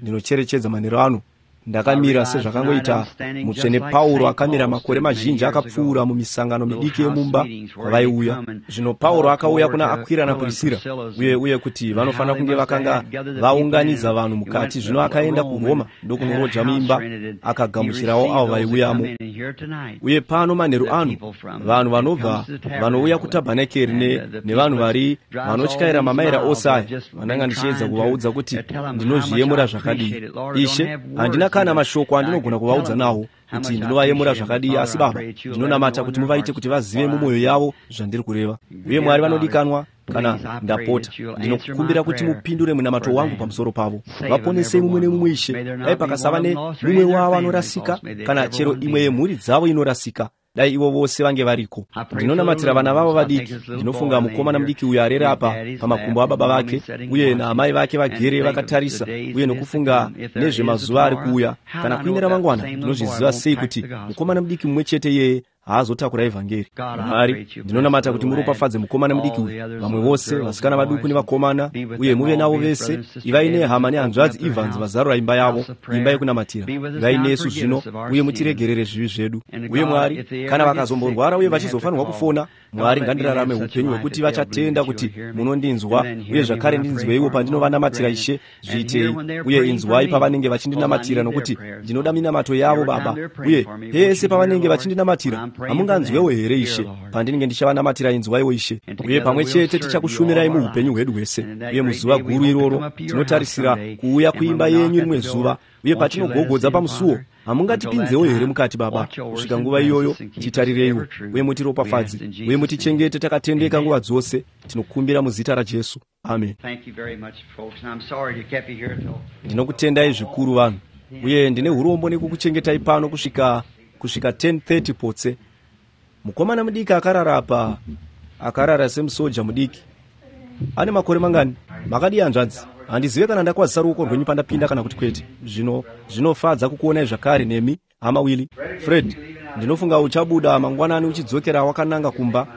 Ndinocherechedza manheru ano. Ndakamira sezvakangoita Mutsvene Pauro akamira makore mazhinji akapfuura mumisangano midiki yemumba kwavaiuya. Zvino Pauro akauya kuna Akwira naPrisira, uye kuti vanofanira kunge vakanga vaunganidza vanhu mukati. Zvino akaenda kuRoma ndokunoroja muimba, akagamuchirawo avo vaiuyamo. Uye pano manheru ano, vanhu vanobva vanouya kutabhanekeri nevanhu vari vanotyaira mamaira ose aya, vandanga ndichiedza kuvaudza kuti ndinozviyemura zvakadii. Ishe, handina kana mashoko andinogona kuvaudza nawo kuti ndinovayemura zvakadii, asi Baba, ndinonamata kuti muvaite kuti vazive mumwoyo yavo zvandiri kureva. Uye Mwari vanodikanwa, kana ndapota, ndinokumbira kuti mupindure munamato wangu pamusoro pavo. Vaponesei mumwe nemumwe, Ishe. Dai pakasava nemumwe wavo anorasika, kana chero imwe yemhuri dzavo inorasika. Dai ivo vose vange variko. Ndinonamatira vana vavo vadiki. Ndinofunga mukomana mudiki uyo arere apa pamakumbo ababa vake, uye naamai vake vagere vakatarisa, uye nokufunga nezvemazuva ari kuuya. Kana kuine ramangwana, ndinozviziva sei kuti mukomana mudiki mumwe chete iyeye haazotakura evhangeri? Mwari, ndinonamata kuti muropafadze mukomana mudiki uyu, vamwe vose vasikana vaduku nevakomana, uye muve navo vese. Ivai nehama nehanzvadzi Evans vazarura imba yavo, imba yekunamatira. Ivai nesu zvino, uye mutiregerere zvivi zvedu. Uye Mwari, kana vakazomborwara uye vachizofanirwa kufona, Mwari, ngandirarame upenyu hwekuti vachatenda kuti munondinzwa, uye zvakare ndinzweiwo pandinovanamatira. Ishe, zviitei. Uye inzwai pavanenge vachindinamatira, nokuti ndinoda minamato yavo, Baba. Uye pese pavanenge vachindinamatira, hamunganzwewo here, Ishe? Pandinenge ndichavanamatira, inzwaiwo, Ishe. Uye pamwe chete tichakushumirai muupenyu hwedu hwese. Uye muzuva guru iroro tinotarisira kuuya kuimba yenyu rimwe zuva, uye patinogogodza pamusuo, hamungatipinzewo here mukati, Baba? Kusvika nguva iyoyo, titarireiwo uye mutiropafadze, uye mutichengete takatendeka nguva dzose. Tinokumbira muzita raJesu, amen. Ndinokutendai zvikuru, vanhu, uye ndine urombo nekukuchengetai pano kusvika 10:30 potse. Mukomana mudiki akarara apa, akarara semusoja mudiki. Ane makore mangani? Makadii, hanzvadzi? Handizive kana ndakwazisa ruoko rwenyu pandapinda kana kuti kwete. Zvino zvinofadza kukuonai zvakare nemi, hama Willi. Fred, ndinofunga uchabuda mangwanani uchidzokera wakananga kumba.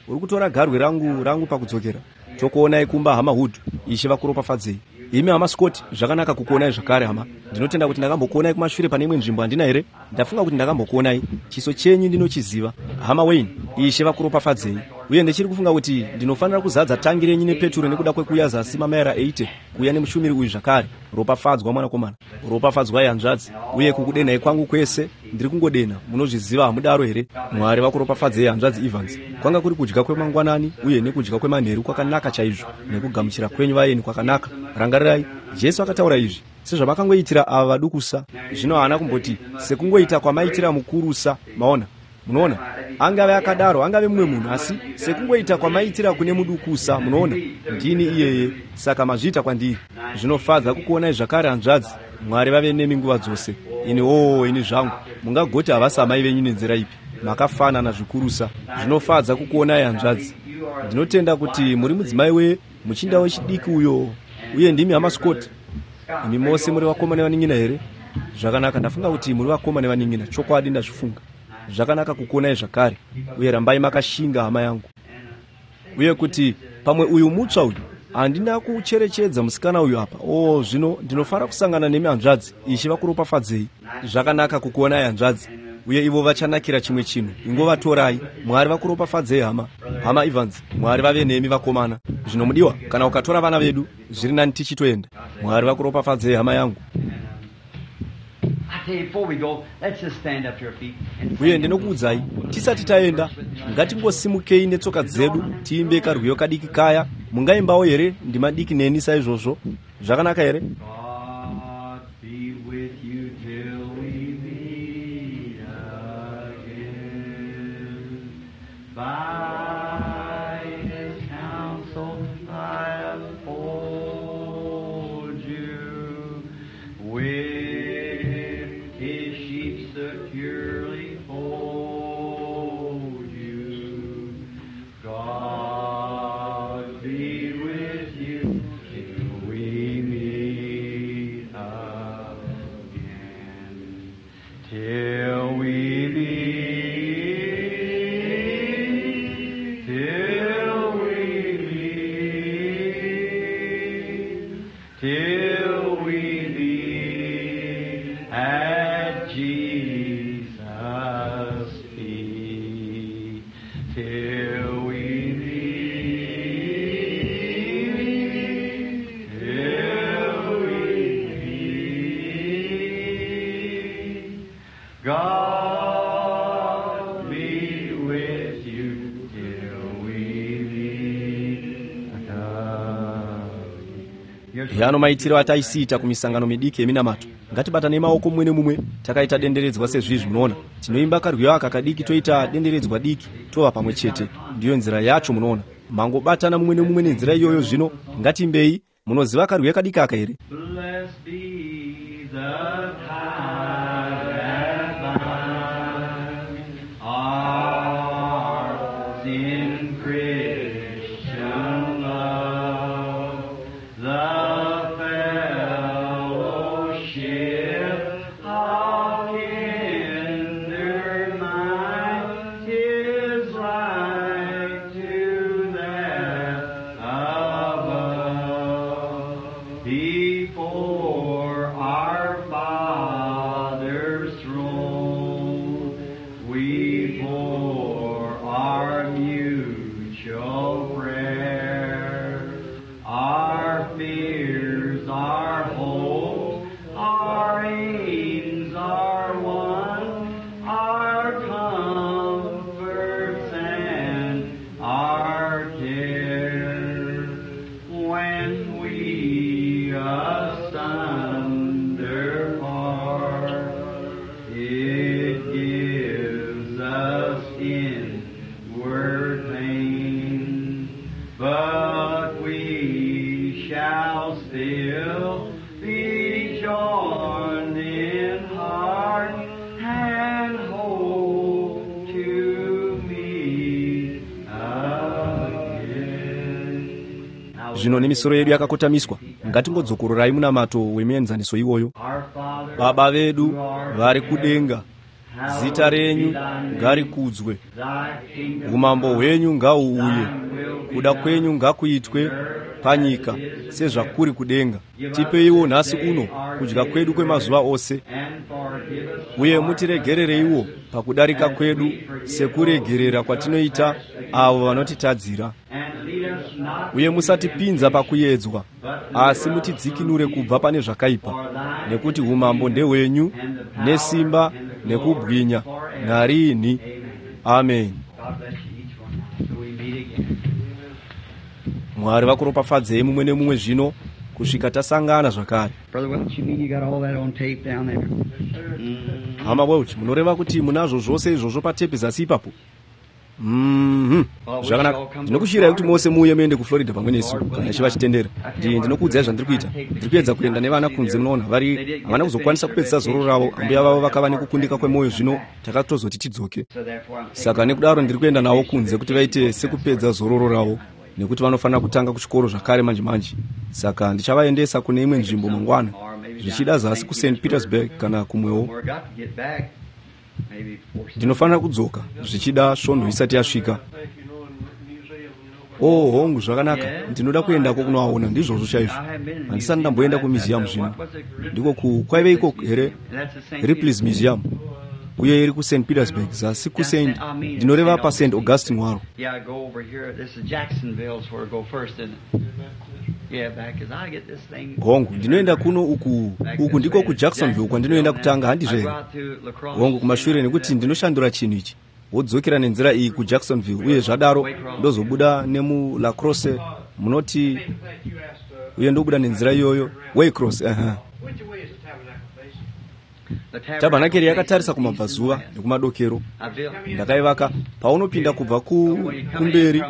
Uri kutora garwe rangu pakudzokera. Tokuonai kumba, hama Hood. Ishe vakuropafadzei. Imi hama Scott, zvakanaka kukuonai zvakare, hama. Ndinotenda kuti ndakambokuonai kumashure pane imwe nzvimbo, handina here? Ndafunga kuti ndakambokuonai. Chiso chenyu ndinochiziva. Hama Wayne, Ishe vakuropafadzei. Uye ndichiri kufunga kuti ndinofanira kuzadza tangi renyu nepeturo nekuda kwekuuya zasi mamaira 80 kuuya nemushumiri uyu zvakare. Ropafadzwa, mwanakomana. Ropafadzwai, hanzvadzi. Uye kukudenhai kwangu kwese, ndiri kungodena, munozviziva, hamudaro here? Mwari vakuropafadzei, hanzvadzi Evans. Kwanga kuri kudya kwemangwanani uye nekudya kwemanheru kwakanaka chaizvo, nekugamuchira kwenyu vaeni kwakanaka. Rangarirai, Jesu akataura izvi, sezvamakangoitira ava vadukusa. Zvino haana kumboti sekungoita kwamaitira mukurusa. Maona? Munoona, angave akadaro, angave mumwe munhu, asi sekungoita kwamaitira kune mudukusa. Munoona, ndini iyeye, saka mazviita kwandiri. Zvinofadza kukuonai zvakare, hanzvadzi. Mwari vave nemi nguva dzose. Ini ini zvangu, mungagoti havasi amai venyu nenzira ipi? Makafanana zvikurusa. Zvinofadza kukuonai, hanzvadzi. Ndinotenda kuti muri mudzimai wemuchinda wechidiki uyo, uye ndimi hama Scott. Imi mose muri vakoma nevanin'ina here? Zvakanaka, ndafunga kuti muri vakoma nevanin'ina. Chokwadi ndazvifunga. Zvakanaka kukuonai zvakare, uye rambai makashinga, hama yangu. Uye kuti pamwe uyu mutsva uyu, handina kucherechedza musikana uyu apa. O, zvino ndinofara kusangana nemi, hanzvadzi. Ishe vakuropafadzei. Zvakanaka kukuonai, hanzvadzi. Uye ivo vachanakira chimwe chinhu, ingovatorai. Mwari vakuropafadzei, hama. Hama Evans, Mwari vave nemi, vakomana. Zvino mudiwa, kana ukatora vana vedu, zviri nani tichitoenda. Mwari vakuropafadzei, hama yangu. Uye ndinokuudzai, tisati taenda, ngatingosimukei netsoka dzedu tiimbe karwiyo kadiki kaya. Mungaimbawo here ndima diki neni saizvozvo? Zvakanaka here? God be with you till we meet again. By his counsel I uphold you. With his sheep securely hold you. God be with you till we meet again. Till we meet, till we meet, till we meet. God be with you till we meet again. Yano maitiro ataisiita kumisangano midiki yeminamato. Ngatibatanei maoko mumwe nemumwe takaita denderedzwa sezvizvi. Munoona, tinoimba karwiyo aka kadiki, toita denderedzwa diki, tova pamwe chete. Ndiyo nzira yacho. Munoona, mangobatana mumwe nemumwe nenzira iyoyo. Zvino ngatiimbei. Munoziva karwiyo kadiki aka here? Blessed be the tie that binds us in Christian love, the fellowship of kindred minds is like to that above. Before our Father's throne, we pour our mutual prayer, our fears, our hopes, our aims are one, our comforts and our care. When we asunder part, it gives us inward pain, but we shall still be joined in heart and hope to meet again. Zvino nemisoro yedu yakakotamiswa, ngatingodzokororai munamato wemuenzaniso iwoyo. Our Father, Baba vedu who art vari in kudenga, heaven, zita renyu hallowed be thy name. ngarikudzwe, Thy kingdom umambo come, hwenyu ngauuye, thine will be kuda done kwenyu ngakuitwe panyika sezvakuri kudenga. Tipeiwo nhasi uno kudya kwedu kwemazuva ose, and forgive us uye our mutiregerereiwo pakudarika kwedu sekuregerera kwatinoita avo vanotitadzira, and lead us not uye into musatipinza pakuyedzwa, asi mutidzikinure kubva pane zvakaipa, nekuti umambo ndehwenyu nesimba nekubwinya narini. Amen. God bless you each one now till we meet again. Mwari vakuropafadzei mumwe nemumwe zvino kusvika tasangana zvakare. Brother Welch, you mean you got all that on tape down there? Hama Welch, munoreva kuti munazvo zvose izvozvo patepi zasi ipapo? Zvakanaka. Ndinokushiyirai kuti mose muuye muende kuFlorida pamwe nesu kana Ishe vachitendera. Ndinokuudzai zvandiri kuita. Ndiri kuedza kuenda nevana kunze. Munoona, vari havana kuzokwanisa kupedzisa zororo ravo. Ambuya vavo vakava nekukundika kwemwoyo, zvino takatozoti tidzoke. So therefore I'm taking Saka nekudaro ndiri kuenda navo kunze kuti vaite sekupedza zororo ravo, nekuti vanofanira kutanga kuchikoro zvakare manje manje. Saka ndichavaendesa kune imwe nzvimbo mangwana, zvichida zasi kuSt Petersburg kana kumwewo. We've got to get back maybe before Ndinofanira kudzoka zvichida svondo isati yasvika. Oh, hongu, zvakanaka. Ndinoda kuendako kunoaona. Ndizvozvo chaizvo. Handisati ndamboenda kumuseum zvino. Ndiko ku kwaive iko here? Ripley's Museum, uye iri kuSt Petersburg, zasi kuSt, ndinoreva paSt Augustine waro. Yeah, I go over here. This is Jacksonville's where I go first, isn't it? Yeah, back as I get this thing. Hongu, ndinoenda kuno uku. Uku ndiko kuJacksonville kwandinoenda kutanga, handizvo here? Hongu, kumashure, nekuti ndinoshandura chinhu ichi, wodzokera nenzira iyi kuJacksonville, uye zvadaro ndozobuda nemuLacrosse, munoti, uye ndobuda nenzira iyoyo Waycross. Uh-huh. Which way is the tabernacle facing? Tabhanakeri yakatarisa kumabvazuva nekumadokero. Ndakaivaka paunopinda kubva kumberi.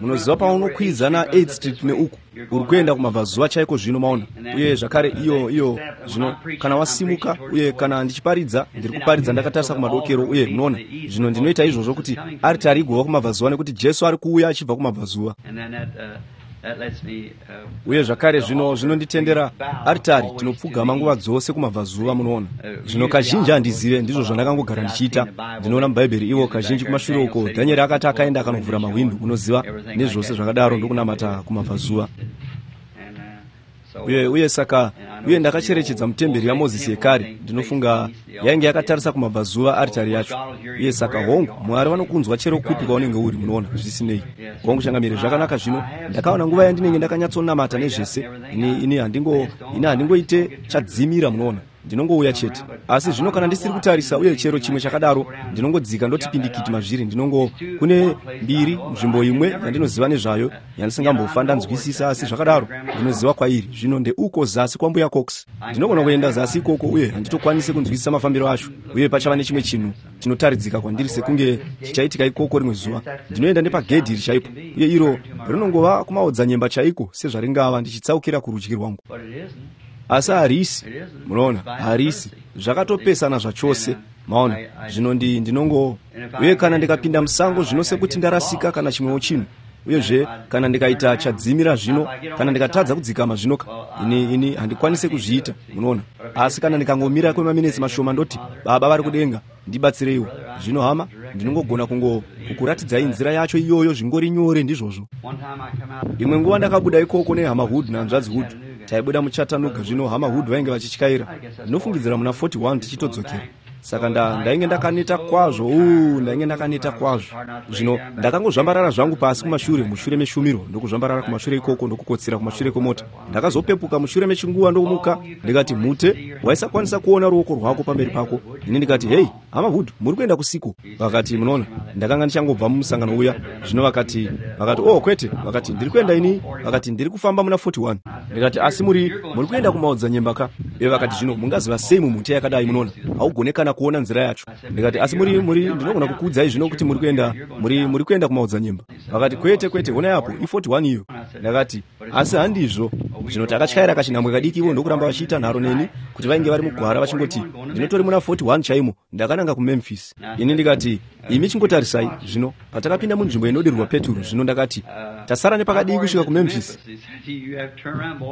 Munoziva, paunokwidza na8 Street neuku, uri kuenda kumabvazuva chaiko zvino, maona. Uye zvakare iyo iyo zvino kana wasimuka, uye kana ndichiparidza, ndiri kuparidza ndakatarisa kumadokero. Uye munoona, zvino ndinoita izvozvo kuti aritari igova kumabvazuva, nekuti Jesu ari kuuya achibva kumabvazuva. And then that, that lets me, Uye zvakare zvino zvinonditendera aritari tinopfugama nguva dzose kumabvazuva. Munoona, zvino kazhinji handizive, ndizvo zvandakangogara ndichiita. Ndinoona mubhaibheri ivo kazhinji kumashure uko, Dhanieri akati akaenda akanovhura mahwindo, unoziva, nezvose zvakadaro, ndokunamata kumabvazuva. And, so, Uye saka uye ndakacherechedza mutemberi yaMozisi yekare, ndinofunga yainge yakatarisa kumabvazuva, aritari yacho. Uye saka hongu, Mwari vanokunzwa chero kupi kwaunenge uri, munoona, zvisinei. Hongu, changamire. Zvakanaka. Zvino ndakaona nguva yandinenge ndakanyatsonamata nezvese, ini handingoite chadzimira, munoona. Ndinongouya chete. Asi zvino kana ndisiri kutarisa uye chero chimwe chakadaro, ndinongodzika ndotipindikiti mazviri. Ndinongo kune mbiri nzvimbo imwe yandinoziva nezvayo yandisingambofa ndanzwisisa, asi zvakadaro ndinoziva kwairi. Zvino ndeuko zasi kwaMbuya Cox. Ndinogona kuenda zasi ikoko uye handitokwanisi kunzwisisa mafambiro acho, uye pachava nechimwe chinhu chinotaridzika kwandiri sekunge chichaitika ikoko rimwe zuva. Ndinoenda nepagedhi iri chaipo, uye iro rinongova kumaodzanyemba chaiko sezvaringava, ndichitsaukira kurudyi rwangu. Asi harisi, munoona, harisi, zvakatopesana zvachose, maona. Zvino ndinongo, uye kana ndikapinda musango zvino sekuti ndarasika kana chimwewo chinhu, uyezve kana ndikaita chadzimira zvino, kana ndikatadza kudzikama zvino, ini handikwanise kuzviita, munoona. Asi kana ndikangomira kwemaminitsi mashoma ndoti, Baba vari kudenga, ndibatsireiwo. Zvino hama, ndinongogona kukuratidzai nzira yacho iyoyo zvingori nyore, ndizvozvo. Imwe nguva ndakabuda ikoko nehama Hood nahanzvadzi Hood. Taibuda muChattanooga, zvino hama Hood vainge vachityaira. Ndinofungidzira muna 41 tichitodzokera. Saka ndainge ndakaneta kwazvo. Ndainge ndakaneta kwazvo. Zvino ndakangozvambarara zvangu pasi kumashure mushure meshumiro, ndokuzvambarara kumashure ikoko ndokukotsira kumashure kwemota. Ndakazopepuka mushure mechinguva ndomuka, ndikati, mute, waisakwanisa kuona ruoko rwako pamberi pako. Ini ndikati, hei, hama Hood, muri kuenda kusiko? Vakati, munoona, ndakanga ndichangobva mumusangano uya. Zvino vakati, oh kwete, vakati, ndiri kuenda ini, vakati, ndiri kufamba muna 41. Ndikati, asi muri kuenda kumaodzanyemba ka? Ivo vakati, zvino mungaziva sei mumhute yakadai, munoona, haugone kana kuona nzira yacho. Ndikati, asi muri ndinogona kukuudzai zvino kuti muri kuenda, muri kuenda kumaodzanyemba. Vakati, kwete, honai apo, i41 iyo. Ndakati, asi handizvo. Zvino takatyaira kachinhambwe kadiki ivo ndokuramba vachiita nharo neni kuti vainge vari mugwara vachingoti, ndinotori muna 41 chaimo, ndakananga kuMemphis. Ini ndikati, imi chingotarisai. Zvino patakapinda munzvimbo inodirwa peturu, zvino ndakati, tasara nepakadii kusvika kuMemphis?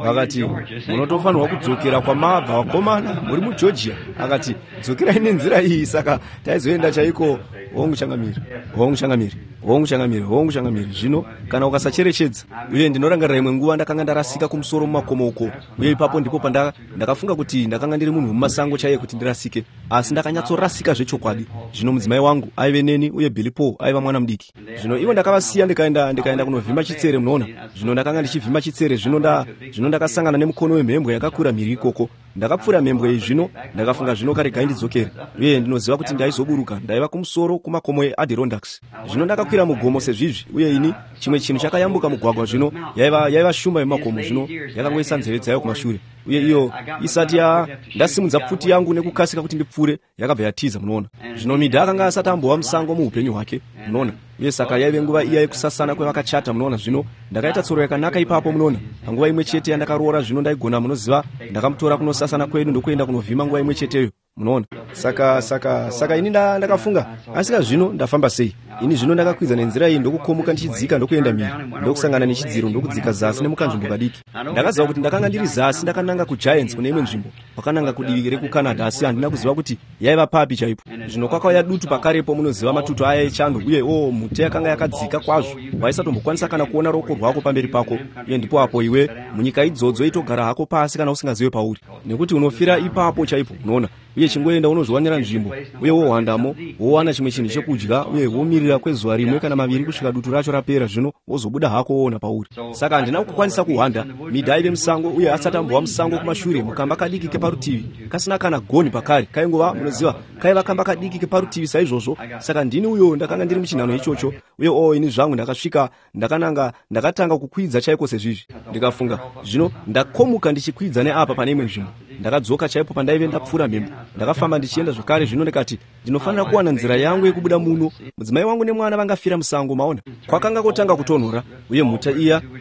Vakati, munotofanirwa kudzokera kwamabva vakomana, muri muGeorgia. Akati, dzokerai nenzira iyi. Saka taizoenda chaiko. Hongu changamire, hongu changamire, hongu changamire, hongu changamire. Zvino kana ukasacherechedza, uye ndinorangarira imwe nguva ndakanga ndarasika kumusoro mumakomo uko, uye ipapo ndipo ndakafunga kuti ndakanga ndiri munhu wemumasango chaiye kuti ndirasike, asi ndakanyatsorasika zvechokwadi. Zvino mudzimai wangu aive neni uye Billy Paul aiva mwana mudiki. Zvino ivo ndakavasiya ndikaenda kunovhima chitsere, munoona. Zvino ndakanga ndichivhima chitsere, zvino ndakasangana nemukono wemhembwe yakakura mhiri ikoko. Ndakapfuura mhembwe iyi, zvino ndakafunga, zvino karegai ndidzokere. Uye ndinoziva kuti ndaizoburuka, ndaiva kumusoro kumakomo eAdirondacks. Zvino ndakakwira mugomo sezvizvi, uye ini chimwe chinhu chakayambuka mugwagwa, zvino yaiva shumba yemakomo, zvino yakangoisa nzeve dzayo kumashure. Uye iyo isati ndasimudza pfuti yangu nekukasika kuti ndipfure, yakabva yatiza, munoona. Zvino Midha akanga asati ambova musango muupenyu hwake, munoona. Uye saka yaive nguva iya yekusasana kwevakachata, munoona. Zvino ndakaita tsoro yakanaka ipapo, munoona. Panguva imwe chete yandakaroora, zvino ndaigona, munoziva, ndakamutora kunosasana kwedu ndokuenda kunovhima nguva imwe cheteyo, munoona. Saka ini ndakafunga, asika zvino ndafamba sei? Ini zvino ndakakwidza nenzira iyi ndokukomuka ndichidzika ndokuenda mhiri, ndokusangana nechidziro ndokudzika zasi nemukanzvimbo kadiki. Ndakaziva kuti ndakanga ndiri zasi ndakananga kuGiants kune imwe nzvimbo, kwakananga kudivi rekuCanada, asi handina kuziva kuti yaiva papi chaipo. Zvino kwakauya dutu pakarepo, munoziva, matutu aya echando, uye mhute yakanga yakadzika kwazvo, waisatombokwanisa kana kuona ruoko rwako pamberi pako. Uye ndipo apo iwe munyika idzodzo itogara hako pasi kana usingazive pauri, nekuti unofira ipapo chaipo, unoona. Uye chingoenda unozviwanira nzvimbo, uye wohwandamo, wowana chimwe chinhu chekudya, uye womirira kwezuva rimwe kana maviri kusvika dutu racho rapera, zvino wozobuda hako woona pauri. Saka handina kukwanisa kuhwanda. Midha aive musango, uye asati ambova musango kumashure, mukamba kadiki keparutivi kasina kana goni pakare, kaingova, munoziva, kaiva kamba kadiki keparutivi saizvozvo. Saka ndini uyo ndakanga ndiri muchinhano ichocho, uye ini zvangu ndakasvika, ndakananga, ndakatanga kukwidza chaiko sezvizvi. Ndikafunga, zvino ndakomuka ndichikwidza neapa pane imwe nzvimbo. Ndakadzoka chaipo pandaive ndapfuura mhembo. Ndakafamba ndichienda zvakare, zvino ndikati, ndinofanira kuwana nzira yangu yekubuda muno. Mudzimai wangu nemwana vangafira musango, maona. Kwakanga kotanga kutonhora, uye mhuta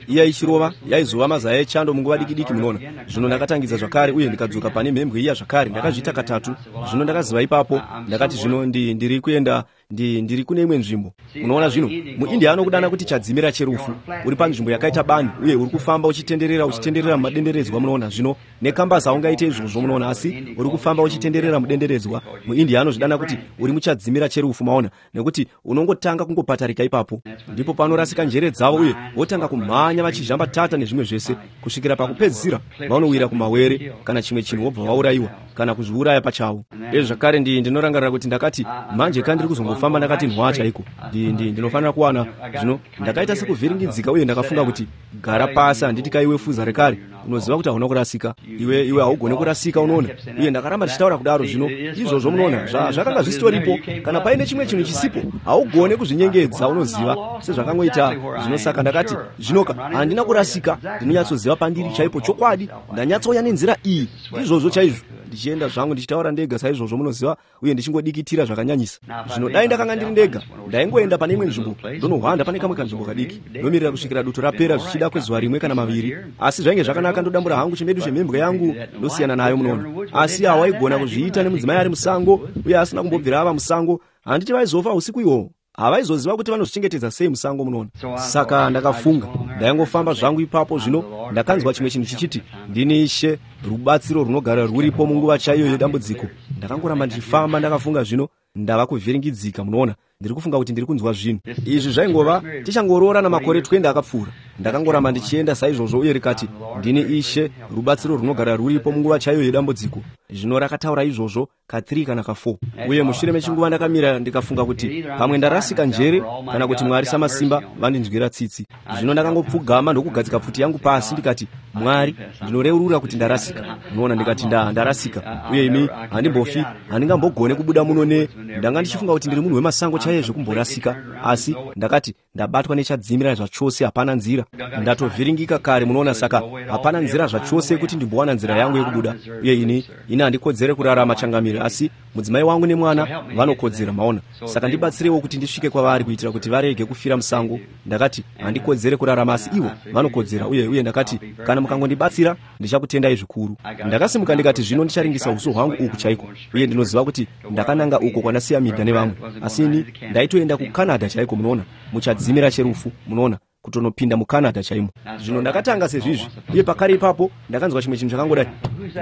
iya ichirova yaizova mazaya echando munguva diki diki, munoona. Zvino ndakatangidza zvakare, uye ndikadzoka pane mhembwe iya zvakare. Ndakazviita katatu. Zvino ndakaziva ipapo, ndakati, zvino ndiri kuenda, ndiri kune imwe nzvimbo. Unoona zvino, muIndia anokudana kuti chadzimira cherufu. Uri panzvimbo yakaita bani, uye uri kufamba uchitenderera mumadenderedzwa, munoona. Zvino nekambasi haungaite izvozvo, munoona, asi uri kufamba uchitenderera mudenderedzwa. MuIndia anozvidana kuti uri muchadzimira cherufu, maona, nekuti unongotanga kungopatarika ipapo. Ndipo panorasika njere dzavo, uye votanga kumhanya vachizhamba tata nezvimwe zvese, kusvikira pakupedzisira vanowira kumawere kana chimwe chinhu, wobva vaurayiwa kana kuzviuraya pachavo. Uye zvakare ndinorangarira kuti ndakati, manje kandiri kuzongofamba Ndinofamba ndakati nhwa chaiko. Ndinofanira kuwana zvino. Ndakaita sekuvhiringidzika uye ndakafunga kuti, gara pasi, handiti kaiwe fuza rekare, unoziva kuti hauna kurasika iwe haugone kurasika, unoona. Uye ndakaramba ndichitaura kudaro. Zvino izvozvo, munoona, zvakanga zvisitoripo. Kana paine chimwe chinhu chisipo, haugone kuzvinyengedza, unoziva, sezvakangoita zvino. Saka ndakati, zvinoka, handina kurasika, ndinonyatsoziva pandiri chaipo chokwadi, ndanyatsouya nenzira iyi, izvozvo chaizvo. Ndichienda zvangu ndichitaura ndega saizvozvo, munoziva, uye ndichingodikitira zvakanyanyisa. Zvino dai ndakanga ndiri ndega, ndaingoenda pane imwe nzvimbo ndonohwanda pane kamwe kanzvimbo kadiki, ndomirira kusvikira dutu rapera, zvichida kwezuva rimwe kana maviri. Asi zvainge zvakanaka, ndodambura hangu chimedu chemhembwe yangu, ndosiyana nayo, munoona. Asi hawaigona kuzviita nemudzimai ari musango uye asina kumbobvira ava musango. Handiti vaizofa usiku ihwohwo? Havaizoziva kuti vanozvichengetedza sei musango, munoona. Saka ndakafunga, ndaingofamba zvangu ipapo. Zvino ndakanzwa chimwe chinhu chichiti, ndini Ishe, rubatsiro runogara rwuripo munguva chaiyo yedambudziko. Ndakangoramba ndichifamba. Ndakafunga, zvino ndava kuvhiringidzika, munoona, ndiri kufunga kuti ndiri kunzwa zvinhu izvi. Zvaingova tichangoroora namakore 20 akapfuura. Ndakangoramba ndichienda saizvozvo, uye rikati, ndini Ishe, rubatsiro runogara rwuripo munguva chaiyo yedambudziko. Zvino rakataura izvozvo ka3 kana ka4, uye mushure mechinguva ndakamira. Ndikafunga kuti pamwe ndarasika njere, kana kuti Mwari samasimba vandinzwira tsitsi. Zvino ndakangopfugama ndokugadzika pfuti yangu pasi. Ndikati, Mwari, ndinoreurura kuti ndarasika, munoona. Ndikati, ndarasika, uye imi, handimbofi, handingambogone kubuda muno. Ne ndanga ndichifunga kuti ndiri munhu wemasango chaiye zvekumborasika, asi ndakati, ndabatwa nechadzimira zvachose, hapana nzira. Ndatovhiringika kare, munoona, saka hapana nzira zvachose yekuti ndimbowana nzira yangu yekubuda. Uye ini handikodzere kurarama, changamire, asi mudzimai wangu nemwana vanokodzera, maona. Saka ndibatsirewo kuti ndisvike kwavari, kuitira kuti varege kufira musango. Ndakati, handikodzere kurarama, asi ivo vanokodzera. Uye ndakati, kana mukangondibatsira, ndichakutendai zvikuru. Ndakasimuka, ndikati, zvino ndicharingisa uso hwangu uku chaiko, uye ndinoziva kuti ndakananga uko kwandasiya Midha nevamwe, asi ini ndaitoenda kuCanada chaiko, munoona, muchadzimira cherufu, munoona, kutonopinda muCanada chaimo. Zvino ndakatanga sezvizvi, uye pakare ipapo ndakanzwa chimwe chinhu chakangodai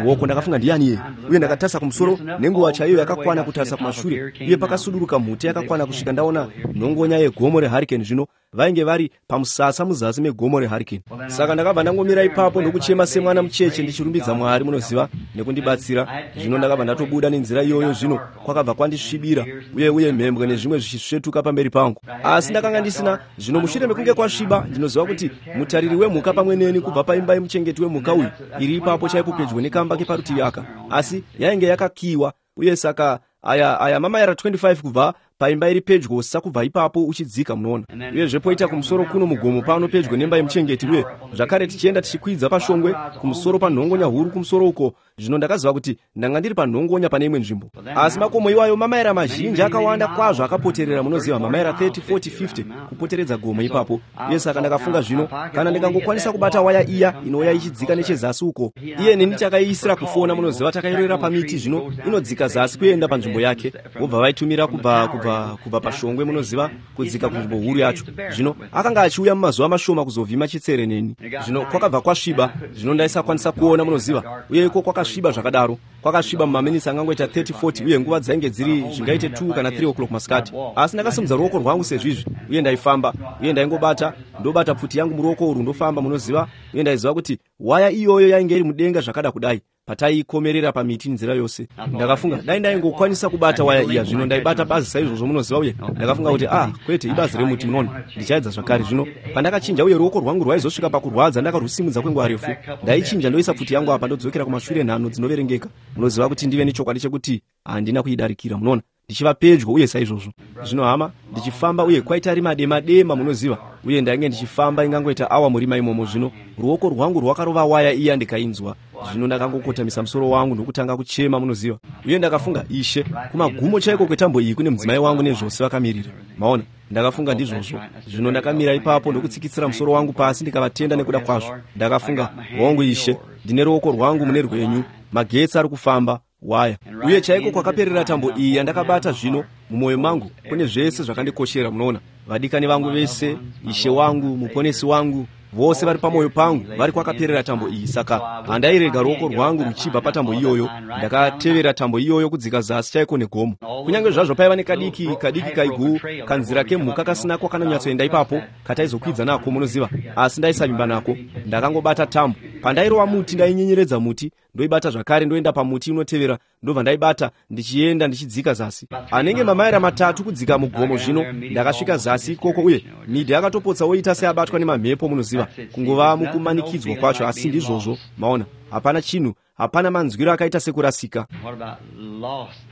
ruoko. Ndakafunga, ndiani iye? Uye ndakatarisa kumusoro nenguva chaiyo yakakwana kutarisa kumashure, uye pakasuduruka mhute yakakwana kusvika ndaona nhongonya yegomo reHurricane. Zvino vainge vari pamusasa muzasi megomo reHurricane. Saka ndakabva ndangomira ipapo ndokuchema semwana mucheche, ndichirumbidza Mwari, munoziva, nekundibatsira. Zvino ndakabva ndatobuda nenzira iyoyo. Zvino kwakabva kwandisvibira, uye mhembwe nezvimwe zvichisvetuka pamberi pangu, asi ndakanga ndisina. Zvino mushure mekunge kwasviba, ndinoziva kuti mutariri wemhuka pamwe neni kubva paimba yemuchengeti wemhuka uyu iri ipapo chaipo pedyo nekamba keparutivi aka, asi yainge yakakiwa. Uye saka aya mamaira 25 kubva paimba iri pedyosa kubva ipapo uchidzika, munoona. Uyezve poita kumusoro kuno mugomo pano pedyo nemba yemuchengeti, uye zvakare tichienda tichikwidza pashongwe kumusoro panhongonya huru kumusoro uko. Zvino ndakaziva kuti ndanga ndiri panhongonya pane imwe nzvimbo, asi makomo iwayo mamaira mazhinji akawanda kwazvo akapoterera, munoziva, mamaira 30, 40, 50 kupoteredza gomo ipapo. Uye saka ndakafunga, zvino kana ndikangokwanisa kubata waya iya inouya ichidzika nechezasi uko. Iye neni takaiisira kufona, munoziva, takairorera pamiti. Zvino inodzika zasi kuenda panzvimbo yake, vobva vaitumira kubva pashongwe, munoziva, kudzika kunzvimbo huru yacho. Zvino akanga achiuya mumazuva mashoma kuzovhima chitsere neni. Zvino kwakabva kwasviba. Zvino ndaisakwanisa kuona, munoziva, uye iko kwakasviba zvakadaro, kwakasviba mumaminitsi angangoita 30, 40, uye nguva dzainge dziri zvingaite 2 kana 3 o'clock masikati. Asi ndakasimudza ruoko rwangu sezvizvi, uye ndaifamba, uye ndaingobata, ndobata pfuti yangu muruoko urwu, ndofamba, munoziva. Uye ndaiziva kuti waya iyoyo yainge iri mudenga zvakada kudai pataikomerera pamiti nzira yose. Ndakafunga, dai ndaingokwanisa kubata waya iya. Zvino ndaibata bazi saizvozvo, munoziva, uye ndakafunga kuti, ah, kwete, ibazi remuti, munoona, ndichaedza zvakare. Zvino pandakachinja, uye ruoko rwangu rwaizosvika pakurwadza ndakarwusimudza kwenguva refu, ndaichinja, ndoisa pfuti yangu apa, ndodzokera kumashure nhano dzinoverengeka, munoziva, kuti ndive nechokwadi chekuti handina kuidarikira, munoona, ndichiva pedyo uye saizvozvo. Zvino hama, ndichifamba, uye kwaita rima dema dema, munoziva, uye ndainge ndichifamba ingangoita awa murima imomo. Zvino ruoko rwangu rwakarova waya iya, ndikainzwa. Zvino ndakangokotamisa musoro wangu ndokutanga kuchema, munoziva. Uye ndakafunga, Ishe, kumagumo chaiko kwetambo iyi kune mudzimai wangu nezvose vakamirira, maona. Ndakafunga, ndizvozvo. Zvino ndakamira ipapo ndokutsikitsira musoro wangu pasi, ndikavatenda nekuda kwazvo. Ndakafunga, hongu Ishe, ndine ruoko rwangu mune rwenyu, magetsi ari kufamba waya, uye chaiko kwakaperera tambo iyi yandakabata. Zvino mumwoyo mangu kune zvese zvakandikoshera, munoona, vadikani vangu vese, Ishe wangu, Muponesi wangu, vose vari pamwoyo pangu vari kwakaperera tambo iyi. Saka handairega ruoko rwangu ruchibva patambo iyoyo. Ndakatevera tambo iyoyo kudzika zasi chaiko negomo, kunyange zvazvo paiva nekadiki kadiki kaigu kanzira kemhuka kasina kwakanonyatsoenda ipapo kataizokwidza nako, munoziva, asi ndaisavimba nako. Ndakangobata tambo. Pandairova muti, ndainyenyeredza muti, ndoibata zvakare, ndoenda pamuti unotevera, ndobva ndaibata ndichienda ndichidzika zasi anenge mamaira 3 kudzika mugomo. Zvino ndakasvika zasi ikoko, uye midhi akatopotsa oita seabatwa nemamhepo, munoziva, kungova mukumanikidzwa kwacho. Asi ndizvozvo, maona, hapana chinhu, hapana manzwiro akaita sekurasika.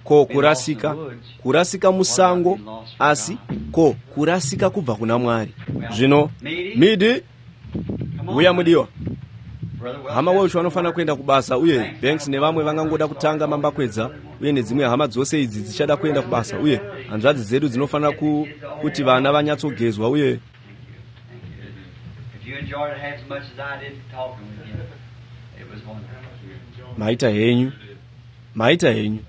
Ko kurasika, kurasika musango, asi ko kurasika kubva kuna Mwari. Zvino Midhi, uya mudiwa. Hama Welch vanofanira kuenda kubasa, uye Banks nevamwe vangangoda kutanga mambakwedza, uye nedzimwe hama dzose idzi dzichada kuenda kubasa, uye hanzvadzi dzedu dzinofanira kuti vana vanyatsogezwa, uye maita henyu, maita henyu.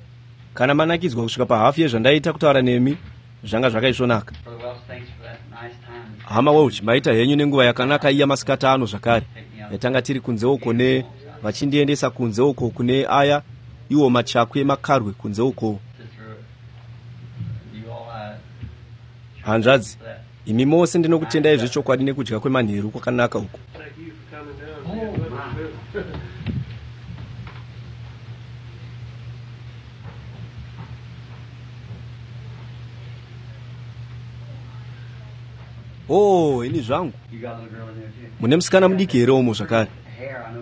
Kana manakidzwa kusvika pahafu yezvandaita kutaura nemi, zvanga zvakaisvonaka. Hama Welch, maita henyu nenguva yakanaka iya masikati ano zvakare. Yatanga tiri kunze uko ne vachindiendesa kunze uko kune aya iwo machakwi emakarwe kunze uko. Hanzvadzi, imi mose ndinokutendai zvechokwadi nekudya kwemanheru kwakanaka uko. Oh, ini zvangu. Mune musikana mudiki here umo zvakare?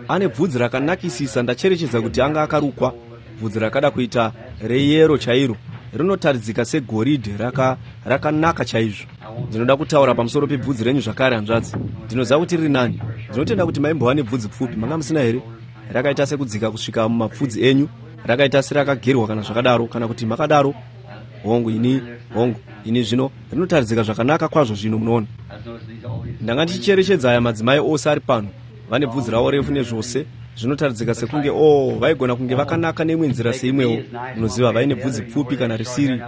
Ane bvudzi rakanakisisa, ndacherechedza kuti anga akarukwa, bvudzi rakada kuita reyero chairo, rinotaridzika segoridhe, rakanaka chaizvo. Ndinoda kutaura pamusoro pebvudzi renyu zvakare, hanzvadzi. Ndinoziva kuti riri nani. Ndinotenda kuti maimbova nebvudzi pfupi, manga musina here? Rakaita sekudzika kusvika mumapfudzi enyu, rakaita serakagerwa kana zvakadaro, kana kuti makadaro. Hongu, ini, hongu, ini zvino rinotaridzika zvakanaka kwazvo zvino, munoona. Ndanga ndichicherechedza aya madzimai ose ari pano, vane bvudzi ravo refu nezvose, zvinotaridzika sekunge oh, vaigona kunge vakanaka neimwe nzira seimwewo, munoziva, vaine bvudzi pfupi kana risiri,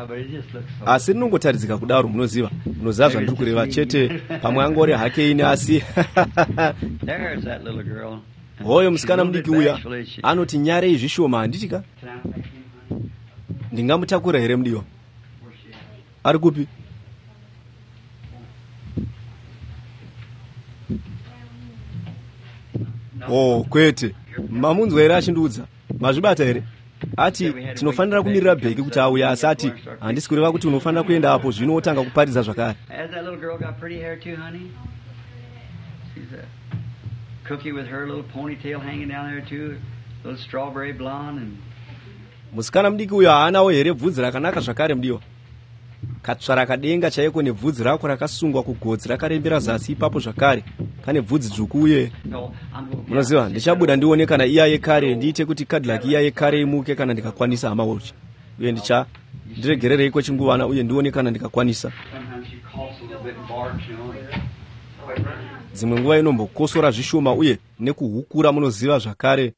asi rinongotaridzika kudaro, munoziva, munoziva zvandiri kureva chete. Pamwe angori hake ini, asi hoyo musikana mudiki uya anoti nyarei zvishoma, handiti ka? Ndingamutakura here mudiwa? Ari kupi? Oh, kwete. Mamunzwa here achindiudza? Mazvibata here? Ati tinofanira kumirira Bheki kuti auye, asi ati handisi kureva kuti unofanira kuenda apo zvino wotanga kuparidza zvakare. Musikana mudiki uyo haanawo here bvudzi rakanaka zvakare mudiwa? Katsvara kadenga chaiko nebvudzi rako rakasungwa kugotsi rakarembera zasi ipapo zvakare, kane bvudzi dzvuku uye munoziva, ndichabuda ndione kana iya yekare, ndiite kuti Cadillac iya yekare imuke kana ndikakwanisa, hama Welch. Uye ndiregererei kwechinguvana uye ndione kana ndikakwanisa. Dzimwe nguva inombokosora zvishoma uye nekuhukura, munoziva zvakare.